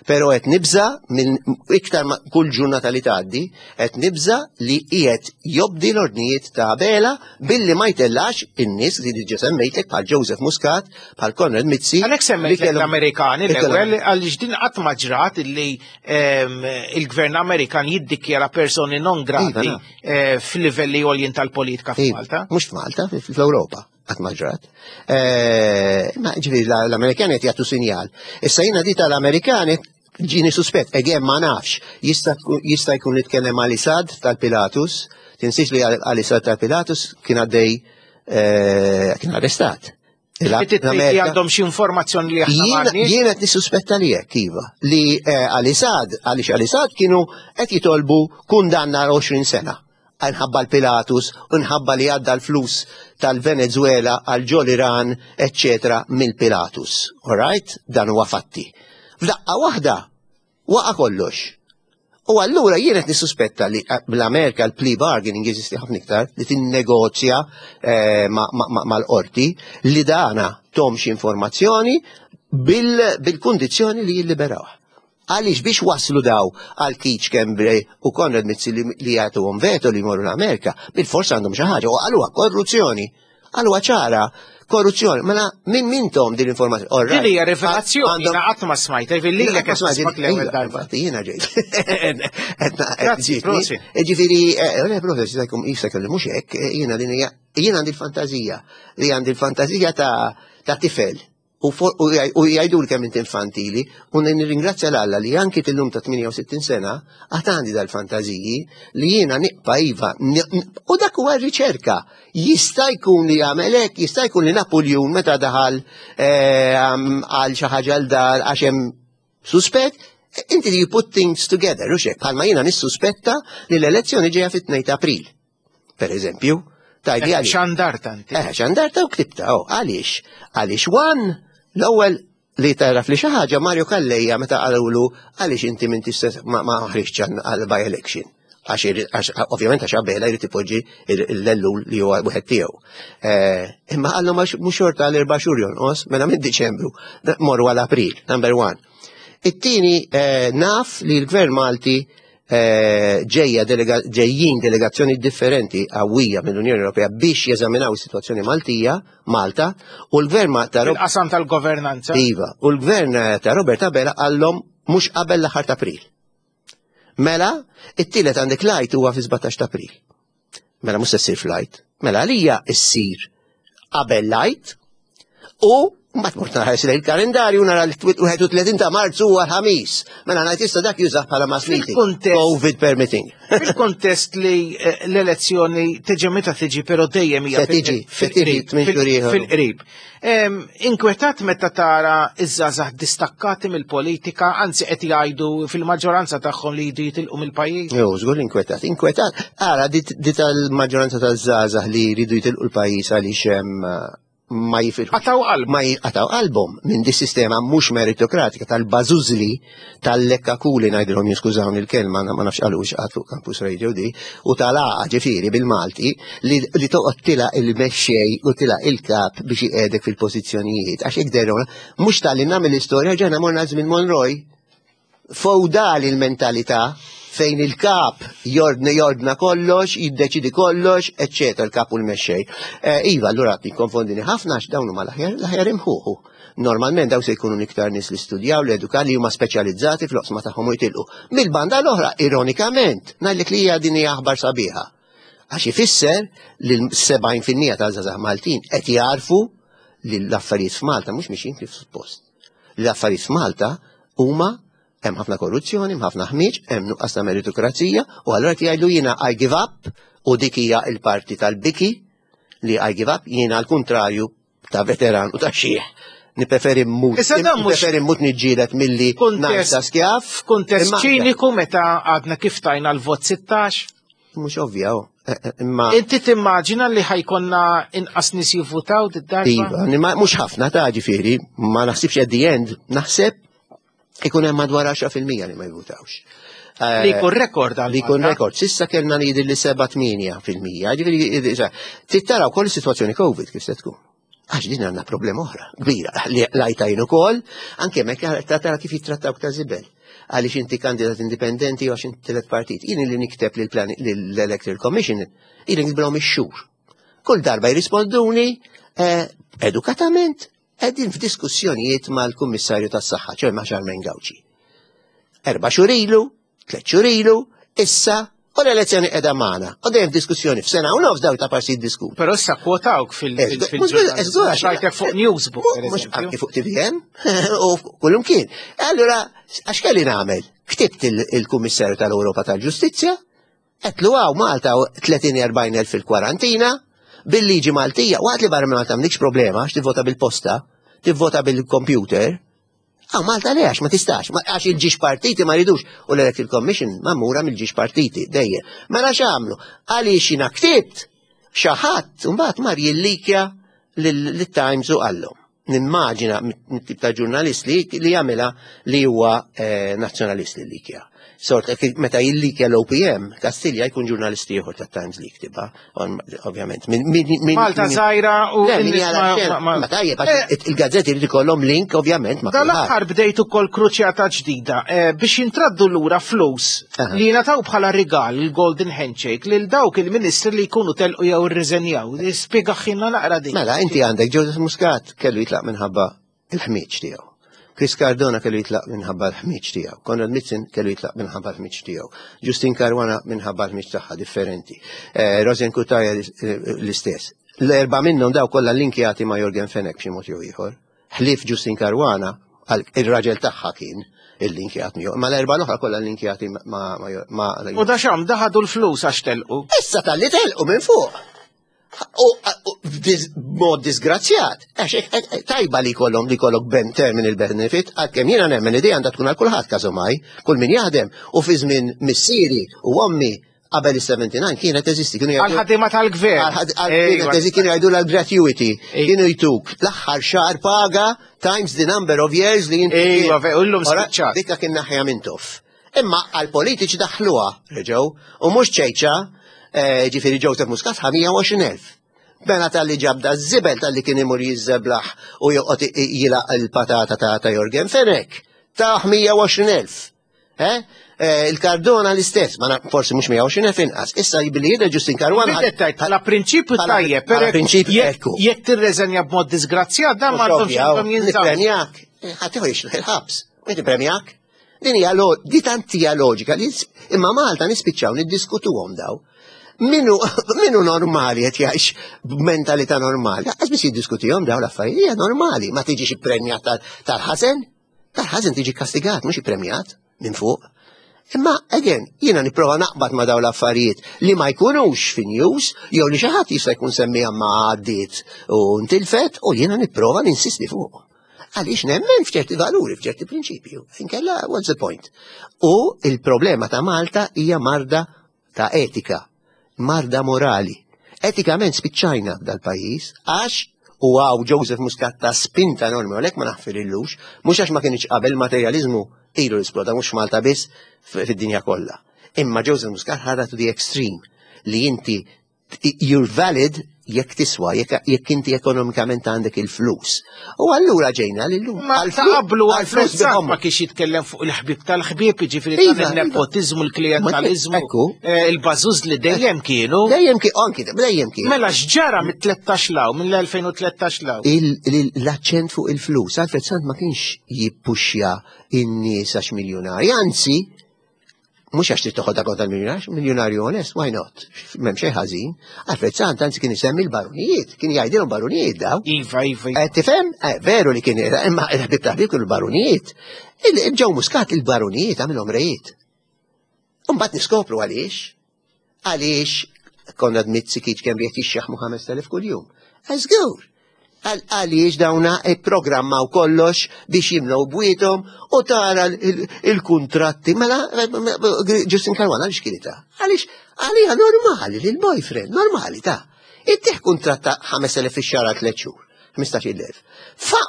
Pero qed nibża minn iktar ma kull ġurnata li tgħaddi, qed nibża li qiegħed jobdi l-ordnijiet ta' Abela billi ma jtellax in-nies li diġà semmejtek bħal Joseph Muscat, bħal Konrad Mizzi. Għalhekk semmejtlek l-Amerikani l-ewwel għaliex din qatt ma ġrat illi ehm, il-gvern Amerikan jiddikjara personi non grati iva, eh, f'livelli għoljin tal-politika iva, f'Malta. Mhux f'Malta, fl-Ewropa qatt ma ġrat. Eh, ma ġifieri l-Amerikani qed jagħtu sinjal. Issa jiena di tal-Amerikani ġini suspett, again ma nafx, jista' jkun li tkellem għal Isad tal-Pilatus, tinsiex li għal Isad tal-Pilatus kien għaddej eh, kien arrestat. Għandhom xi informazzjoni li aħna Jien qed nissuspetta li hekk iva, li eh, għal Isad, għaliex għal Isad kienu qed jitolbu kundanna 20 sena. Nħabba l-Pilatus u nħabba li għadda l-flus tal-Venezuela għal ġol Iran, eccetera, mill-Pilatus. All right? Dan huwa fatti. F'daqqa waħda waqa' kollox. U allura jien qed nissuspetta li eh, l-Amerika l-plea bargaining jeżisti ħafna iktar li tinnegozja eh, mal-qorti li dana tomx informazzjoni bil-kundizzjoni li jilliberawh. Għaliex biex waslu daw għal Keith Schembri u Konrad Mizzi li jagħtuhom veto li jmorru l-Amerika, bil-forsa għandhom xi ħaġa u qaluha korruzzjoni. Qaluha ċara, korruzzjoni. Mela minn mintom din l-informazzjoni? Din hija rivelazzjoni jiena qatt ma smajta, jiġifieri lilek qed nismak l-ewwel darba. Jiena ġejt. Grazzi, Ġifieri, eh, eh, proset, jista' jkun jista' jkun mhux hekk, eh, jiena din hija jiena għandi l-fantażija li għandi l-fantażija ta' tifel U jgħidu kemm inti infantili, u nirringrazzja l-Alla li anki tillum ta' 68 sena għad għandi dal-fantażiji li jiena niqpa iva, u dak huwa r-riċerka. Jista' jkun li jagħmel hekk, jista' jkun li Napuljun meta daħal eh, għal xi ħaġa l dar għax hemm suspett, inti you put things together, u xek, bħalma jiena nissuspetta li l-elezzjoni ġejja fit-2 ta' April. Per eżempju, tajdi għaliex. Xandarta inti. Eh, xandarta u ktibta, oh, għaliex? Għaliex wan, l-ewwel li taraf li xi ħaġa Mario Calleja meta qalulu għaliex inti minn tista' ma ħriġtx għal by election. Għax ovvjament għax Abela jrid ipoġġi l-ellul li huwa wieħed tiegħu. Eh, imma qallu mhux xorta għal erba' xhur jonqos, mela minn Diċembru morru għal April, number one. It-tieni eh, naf li l-Gvern Malti Eh, ġejja ġejjin delegazzjoni differenti qawwija mill-Unjoni Ewropea biex jeżaminaw is-sitwazzjoni Maltija, Malta, u l-gvern ta' Qasam tal-governanza. Iva, u l-gvern eh, ta' Robert Abela qallhom mhux qabel l-aħħar ta' April. Mela, it-tielet għandek lajt huwa fi 17 ta' April. Mela mhux se ssir flight. Mela għalija ssir qabel lajt u Mbagħad mort nħares lejn il-kalendarju nara l-31 ta' Marzu huwa l-ħamis. Mela ngħid issa dak jużah bħala mass meeting. COVID permitting. Fil-kontest li eh, l-elezzjoni tiġi meta tiġi però dejjem hija tiġi fil-qrib. Inkwetat meta tara iż-żgħażagħ distakkati mill-politika, anzi qed jgħidu fil-maġġoranza tagħhom li jridu jitilqu mill-pajjiż. Jo, żgur inkwetat. Inkwetat. Ara di tal-maġġoranza taż-żgħażagħ li jridu jitilqu l-pajjiż għaliex ma jifilħux. Qataw qalbhom. Ma jqataw qalbhom minn di sistema mhux meritokratika tal-bażużli tal-lekkakuli ngħidilhom jiskużawni l-kelma ma nafx qalux qatt fuq Campus Radio di u tal-għaqa ġifieri bil-Malti li, li toqgħod tila il-mexxej u tila il-kap biex iqiegħdek fil-pożizzjonijiet għax hekk derona mhux tal-li nagħmel l-istorja ġena morna żmien Monroy Fewdali l-mentalità fejn il-kap jordna jordna kollox, jiddeċidi kollox, eċċetera, il-kap u l-mexxej. Eh, iva, allura tikkonfondini ħafna għax dawn huma l-aħjar l-aħjar imħuħu. Normalment daw se jkunu iktar nies li studjaw, li eduka li huma speċjalizzati fl-oqsma tagħhom u jitilqu. Mill-banda l-oħra, ironikament, ngħidlek li hija din hija aħbar sabiħa. Għax ifisser li l-70% tal-żgħażagħ Maltin qed jarfu li l-affarijiet f'Malta mhux mixin kif suppost. L-affarijiet f'Malta huma hemm ħafna korruzzjoni, hemm ħafna ħmieġ, hemm nuqqas ta' meritokrazija u allura qed jgħidu jiena I give up u dik hija l-parti tal-biki li I give up jiena għal kuntrarju ta' veteran u ta' xieħ. Nipreferi mmut. Issa dan mhux- Nipreferi mmut niġġieled milli Kuntest- ngħid skjaf. F'kuntest Imma- ċiniku meta għadna kif tajna l-vot 16, Mhux ovvja, oh. Eh, eh, imma inti timmaġina li ħajkonna inqas nies jivvutaw did-darba? Iva, mhux ħafna ta' ġifieri, ma naħsibx at the end, naħseb ikun hemm madwar 10% li ma jivvutawx. Eh, li jkun rekord għal Li jkun rekord. Sissa kellna li jidher li 7-8%. Ġifieri, tittara wkoll is-sitwazzjoni COVID kif se tkun. Għax din għandna problema oħra, kbira, li lajtajn ukoll, anke mekk tara kif jittrattawk ta' żibel. Għaliex inti kandidat indipendenti u għax inti tielet partit. Jien li nikteb lill-Electoral Commission, ili niktbilhom ix-xhur. Kull darba jirrisponduni eh, edukatament qegħdin f'diskussjonijiet mal-Kummissarju tas-Saħħa, ċoj ma' Charmaine Gauci. Erba' xhur ilu, Tlet xhur ilu, issa, u l-elezzjoni qiegħda magħna. U dejjem diskussjoni f'sena u nofs daw ta' parsi jiddiskutu. Però issa kwotawk fil-ġurnal. fuq Newsbook. Mhux anki fuq TVM u kullum kien. Allura, għax kelli nagħmel? Ktibt il-Kummissarju tal-Ewropa tal-Ġustizzja, għedtlu hawn Malta 30-40 elf fil-kwarantina, bil-liġi Maltija, waqt li barra minn Malta m'għandekx problema għax tivvota bil-posta, tivvota bil-computer, Għaw Malta le għax ma tistax, għax il-ġiex partiti ma ridux u l-Electoral Commission mamura mill-ġiex partiti dejjem. Mela x'għamlu? Għaliex jiena ktibt xi ħadd mbagħad mar jillikja lit-Times u qallhom. Nimmaġina mit-tip ta' ġurnalist li li jagħmilha li huwa eh, nazzjonalist li likja. Sort, meta jillikja l-OPM, Kastilja jkun ġurnalist ieħor tat-Times li jktiba. ovvjament. Malta żgħira u. Ma tajjeb, eh, il-gazzetti jrid ikollhom link, ovvjament. Ma Dal-aħħar bdejt ukoll kruċjata ġdida eh, biex jintraddu lura flus li jingħataw bħala rigal il-Golden Handshake lil dawk il-ministri li jkunu telqu jew irriżenjaw. Spjega ħinna naqra din. Mela, inti għandek Joseph Muscat kellu jitlaq minħabba il-ħmieġ tiegħu. Chris Cardona kellu jitlaq minħabba l-ħmieġ tiegħu. Konrad Mitzen kellu jitlaq minħabba l-ħmieġ tiegħu. Justin Caruana minħabba l-ħmieġ tagħha differenti. Eh, Rosen Kutaja eh, l-istess. L-erba' minnhom daw kollha linkjati ma' Jorgen Fenech b'xi mod jew ieħor. Ħlief Justin Caruana, il-raġel tagħha kien il-linkjat miegħu. Ma l-erba' l-oħra kollha linkjati ma' ma' U da xam daħadu l-flus għax telqu. Issa tal-li telqu minn fuq. U b'mod disgrazzjat, għax eh, eh, tajba li kollhom li kollok ben terminal benefit, għalkemm jiena nemmen li għandha tkun għal kulħadd każomaj, kull min jaħdem u fi żmien missieri u ommi qabel is-79 kienet teżisti kienu jgħidu. Għal-ħaddiema tal-gvern. Kienet teżisti kienu jgħidu l-gratuity, kienu jtuk l-aħħar xahar paga times the number of years li inti. Ejwa, u llum spiċċat. Dikka kien naħja minn toff. Imma għall-politiċi daħħluha reġgħu u mhux ċejċa, eh, ġifieri Joseph Muscat ħa 120,000. Mela tal-li ġabda żibel tal-li kien imur jiżeblaħ u joqgħod jilaq il-patata ta' ta' Jorgen Fenech. Ta' 120,000. Eh? eh il-Cardona l-istess, ma forsi mhux 120,000 inqas. Issa billi jidher Justin Caruana. Bħala prinċipju tajjeb, però prinċipju jekk tirreżenja b'mod disgrazzjat dan ma għandhomx jinżamm. Nippremjak, eh, ħadd il-ħabs. Inti premjak? Din hija di tant hija loġika li imma Malta nispiċċaw niddiskutuhom daw. Minu, minu normali qed jgħix b'mentalità normali, għax biss jiddiskutihom dawn l-affarijiet hija normali, ma tiġix ippremjat tal-ħażen, tal-ħażen tiġi kastigat mhux ippremjat minn fuq. Imma again, jiena nipprova naqbad ma' dawn l-affarijiet li ma jkunux fi news jew li xi ħadd jista' jkun semmiha ma għaddiet u ntilfet u jiena nipprova ninsisti fuq. Għaliex nemmen f'ċerti valuri, f'ċerti prinċipju. Inkella, what's the point? U il-problema ta' Malta hija marda ta' etika, marda morali. Etikament spiċċajna dal-pajjiż għax u għaw Joseph Muscat ta' spinta enormi, għalhekk ma naħfirillux, mhux għax ma kienx qabel materializmu ilu l-isploda mhux Malta biss fid-dinja kollha. Imma Joseph Muscat ħadha to the extreme li inti you're valid jekk tiswa, jekk inti ekonomikament għandek il-flus. U allura ġejna li l-lum. Ma qablu għal-flus ma kiex jitkellem fuq il-ħbib tal-ħbib, ġifiri iva, iva. il-nepotizmu, il-klientalizmu, eh, il-bażuż li dejjem kienu. Dejjem kienu, anki dejjem kienu. Mela x'ġara mit-13 law, mill-2013 law? L-aċċent fuq il-flus, Alfred Sant ma kienx jippuxja in-nies għax miljonari, anzi, Mhux għax trid toħodha kontra l-miljonarju, miljonarju onest, why not? M'hemm xejn ħażin. Alfred Sant anzi kien isemmi l-barunijiet, kien jgħidilhom barunijiet daw. Iva, iva. Eh, tifhem? Eh, veru li kien imma il-ħbib ta' ħbib kienu l-barunijiet. Ġew Muscat il-barunijiet għamilhom rejiet. Imbagħad niskopru għaliex. Għaliex Konrad Mizzi kieċ kemm qed jixxaħmu 5000 kuljum. Żgur. Għaliex dawna ipprogrammaw kollox biex jimlew bwiethom u tara il-kuntratti. Mela Justin Caruana għaliex kien ta' Għaliex għalija normali li l-boyfriend, normali ta' Ittieħ kuntratt ta' 5000 fix-xahar għal tliet xhur, 15,000. Fa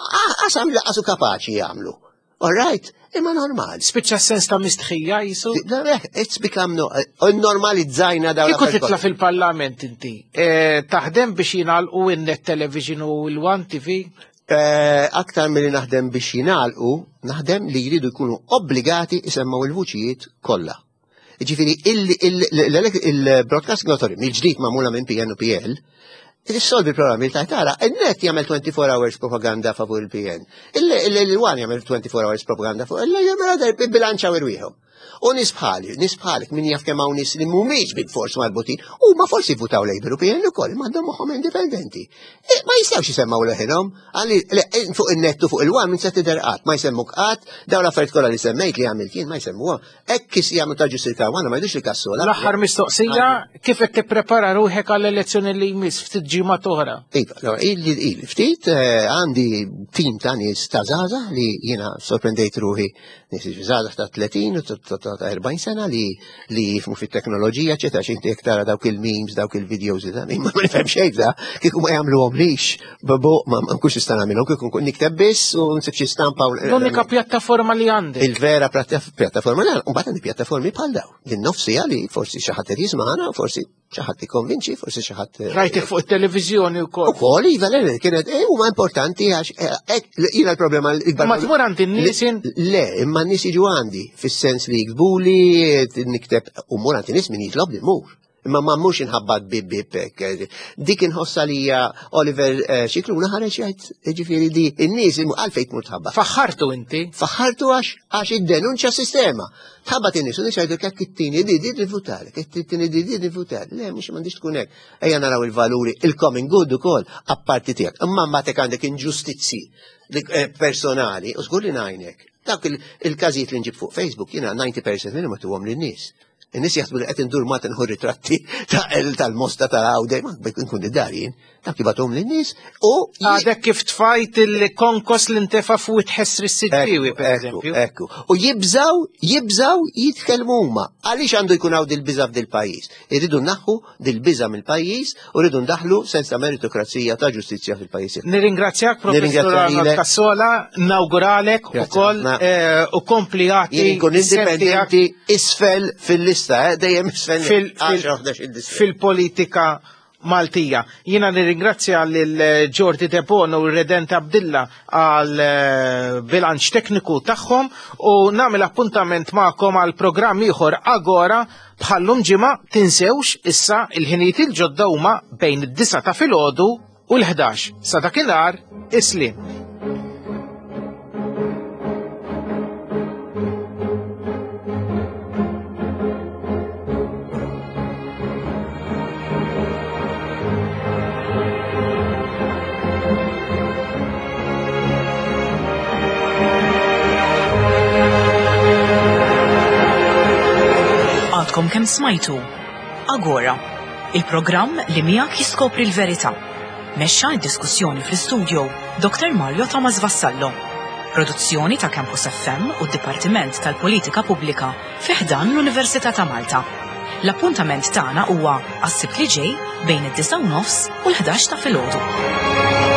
qasam laqasu kapaċi jagħmlu. All right, imma normal. Spiċċa sens ta' mistħija jisu? It's become no, eh, normalizzajna dawn. Kieku titla fil-parlament inti, eh, taħdem biex jingħalqu in-net television u l-One TV? Eh, aktar milli naħdem biex jingħalqu, naħdem li jridu jkunu obbligati isemmaw il-vuċijiet kollha. Ġifiri, il-Broadcasting Authority, mill-ġdid magħmula minn PN u PL, Issolvi il-programmi li tara, il-net jagħmel 24 hours propaganda favur il-PN. Il-one jagħmel 24 hours propaganda favur il-jagħmel bilanċaw irwieħhom. U nies bħali, nies bħalek min jaf kemm hawn nies li mhumiex bil-fors marbutin, huma forsi votaw Labour u PN ukoll m'għandhom moħħhom indipendenti. E, ma jistgħux jisemmaw leħinhom, għalli fuq in-nettu fuq il-one minn se tidher qatt, ma jsemmuk qatt, dawn l-affarijiet kollha li semmejt li għamilt jien ma jsemmuha. Hekk kif jagħmlu ta' ġusir Caruana ma jgħidux li kassola. L-aħħar mistoqsija kif qed tipprepara ruħek għall-elezzjoni li jmiss ftit ġimgħat oħra? Iva, il ftit eh, għandi tim ta' nies ta' żgħażagħ li jiena sorprendejt ruħi nies żgħażagħ ta' 30 u ta' 40 sena li li jifmu fit-teknoloġija, eċetera, xi inti tara dawk il-memes, dawk il-videos li ma nifhem xejn da, kieku ma jagħmluhom lix, Babu, ma nkunx nista' nagħmilhom kieku nkun nikteb biss u nsib xi stampa. L-unika pjattaforma li għandek. Il-vera pjattaforma li għandek, u mbagħad għandi pjattaformi bħal daw. Din nofsija li forsi xi ħadd qed jismagħna, forsi xi ħadd ikkonvinċi, forsi xi ħadd. Eh, Rajtek fuq it-televiżjoni wkoll. Ukoll iva le kienet eh, huma importanti għax eh, jiena l-problema l-ikbar. Ma tmur għand in-nies Le, imma n-nies jiġu għandi fis-sens li jikbuli, nikteb u mur għand in-nies min jitlob li mur. Imma ma mhux inħabbat bib bib hekk. Dik inħossa li hija Oliver eh, Xikluna ħareġ jgħid ġifieri di n-nies għalfejn tmur tħabbat. Faħħartu inti? Faħħartu għax għax iddenunċja sistema. Tħabbat in-nies u nies jgħidu hekk it-tieni di di nivvutali, it-tieni di di nivvutali. Le mhux m'għandix tkun hekk. Ejja naraw il-valuri, il-common good ukoll apparti tiegħek. Imma mbagħad għandek inġustizzji eh, personali u żgur li ngħinek. Dawk il-każijiet li nġib fuq Facebook jiena 90% minnhom ma tuhom lin-nies. In-nies jaħsbu li qed indur ma tinħu ritratti tal-mosta tal-għawde, ma nkun id-dar jien, dak jibathom lin-nies u. Għadek kif tfajt il-konkos li ntefa' fuq it-ħessri s-siġġiewi, per eżempju. Ekku. U jibżaw, jibżaw jitkellmu huma. Għaliex għandu jkun hawn dil-biża f'dil-pajjiż? Irridu naħħu dil-biża mill-pajjiż u rridu ndaħlu sens ta' meritokrazija ta' ġustizzja fil-pajjiż. Nirringrazzjak Professur Arnold Cassola, nawguralek ukoll eh, u kompli għati. Jien indipendenti isfel fil-lista, eh, dejjem isfel fil-politika Maltija. Jiena nirringrazzja lil Jordi Debono u Redent Abdilla għal eh, bilanċ tekniku tagħhom u nagħmel appuntament magħkom għal programm ieħor Agora Bħal-lum ġimgħa tinsewx issa il-ħinijiet il-ġodda huma bejn id-disgħa ta' filgħodu u l-ħdax. Sa dakinhar, is-sliem. Għadkom kemm smajtu Agora, il-programm li miegħek jiskopri l-verità. Mexxa d-diskussjoni fl-istudio Dr. Mario Thomas Vassallo. Produzzjoni ta' Campus FM u d-Dipartiment tal-Politika Pubblika fi ħdan l-Università ta' Malta. L-appuntament tagħna huwa għas-Sibt li ġej bejn id-9 u nofs u l-11 ta' filgħodu.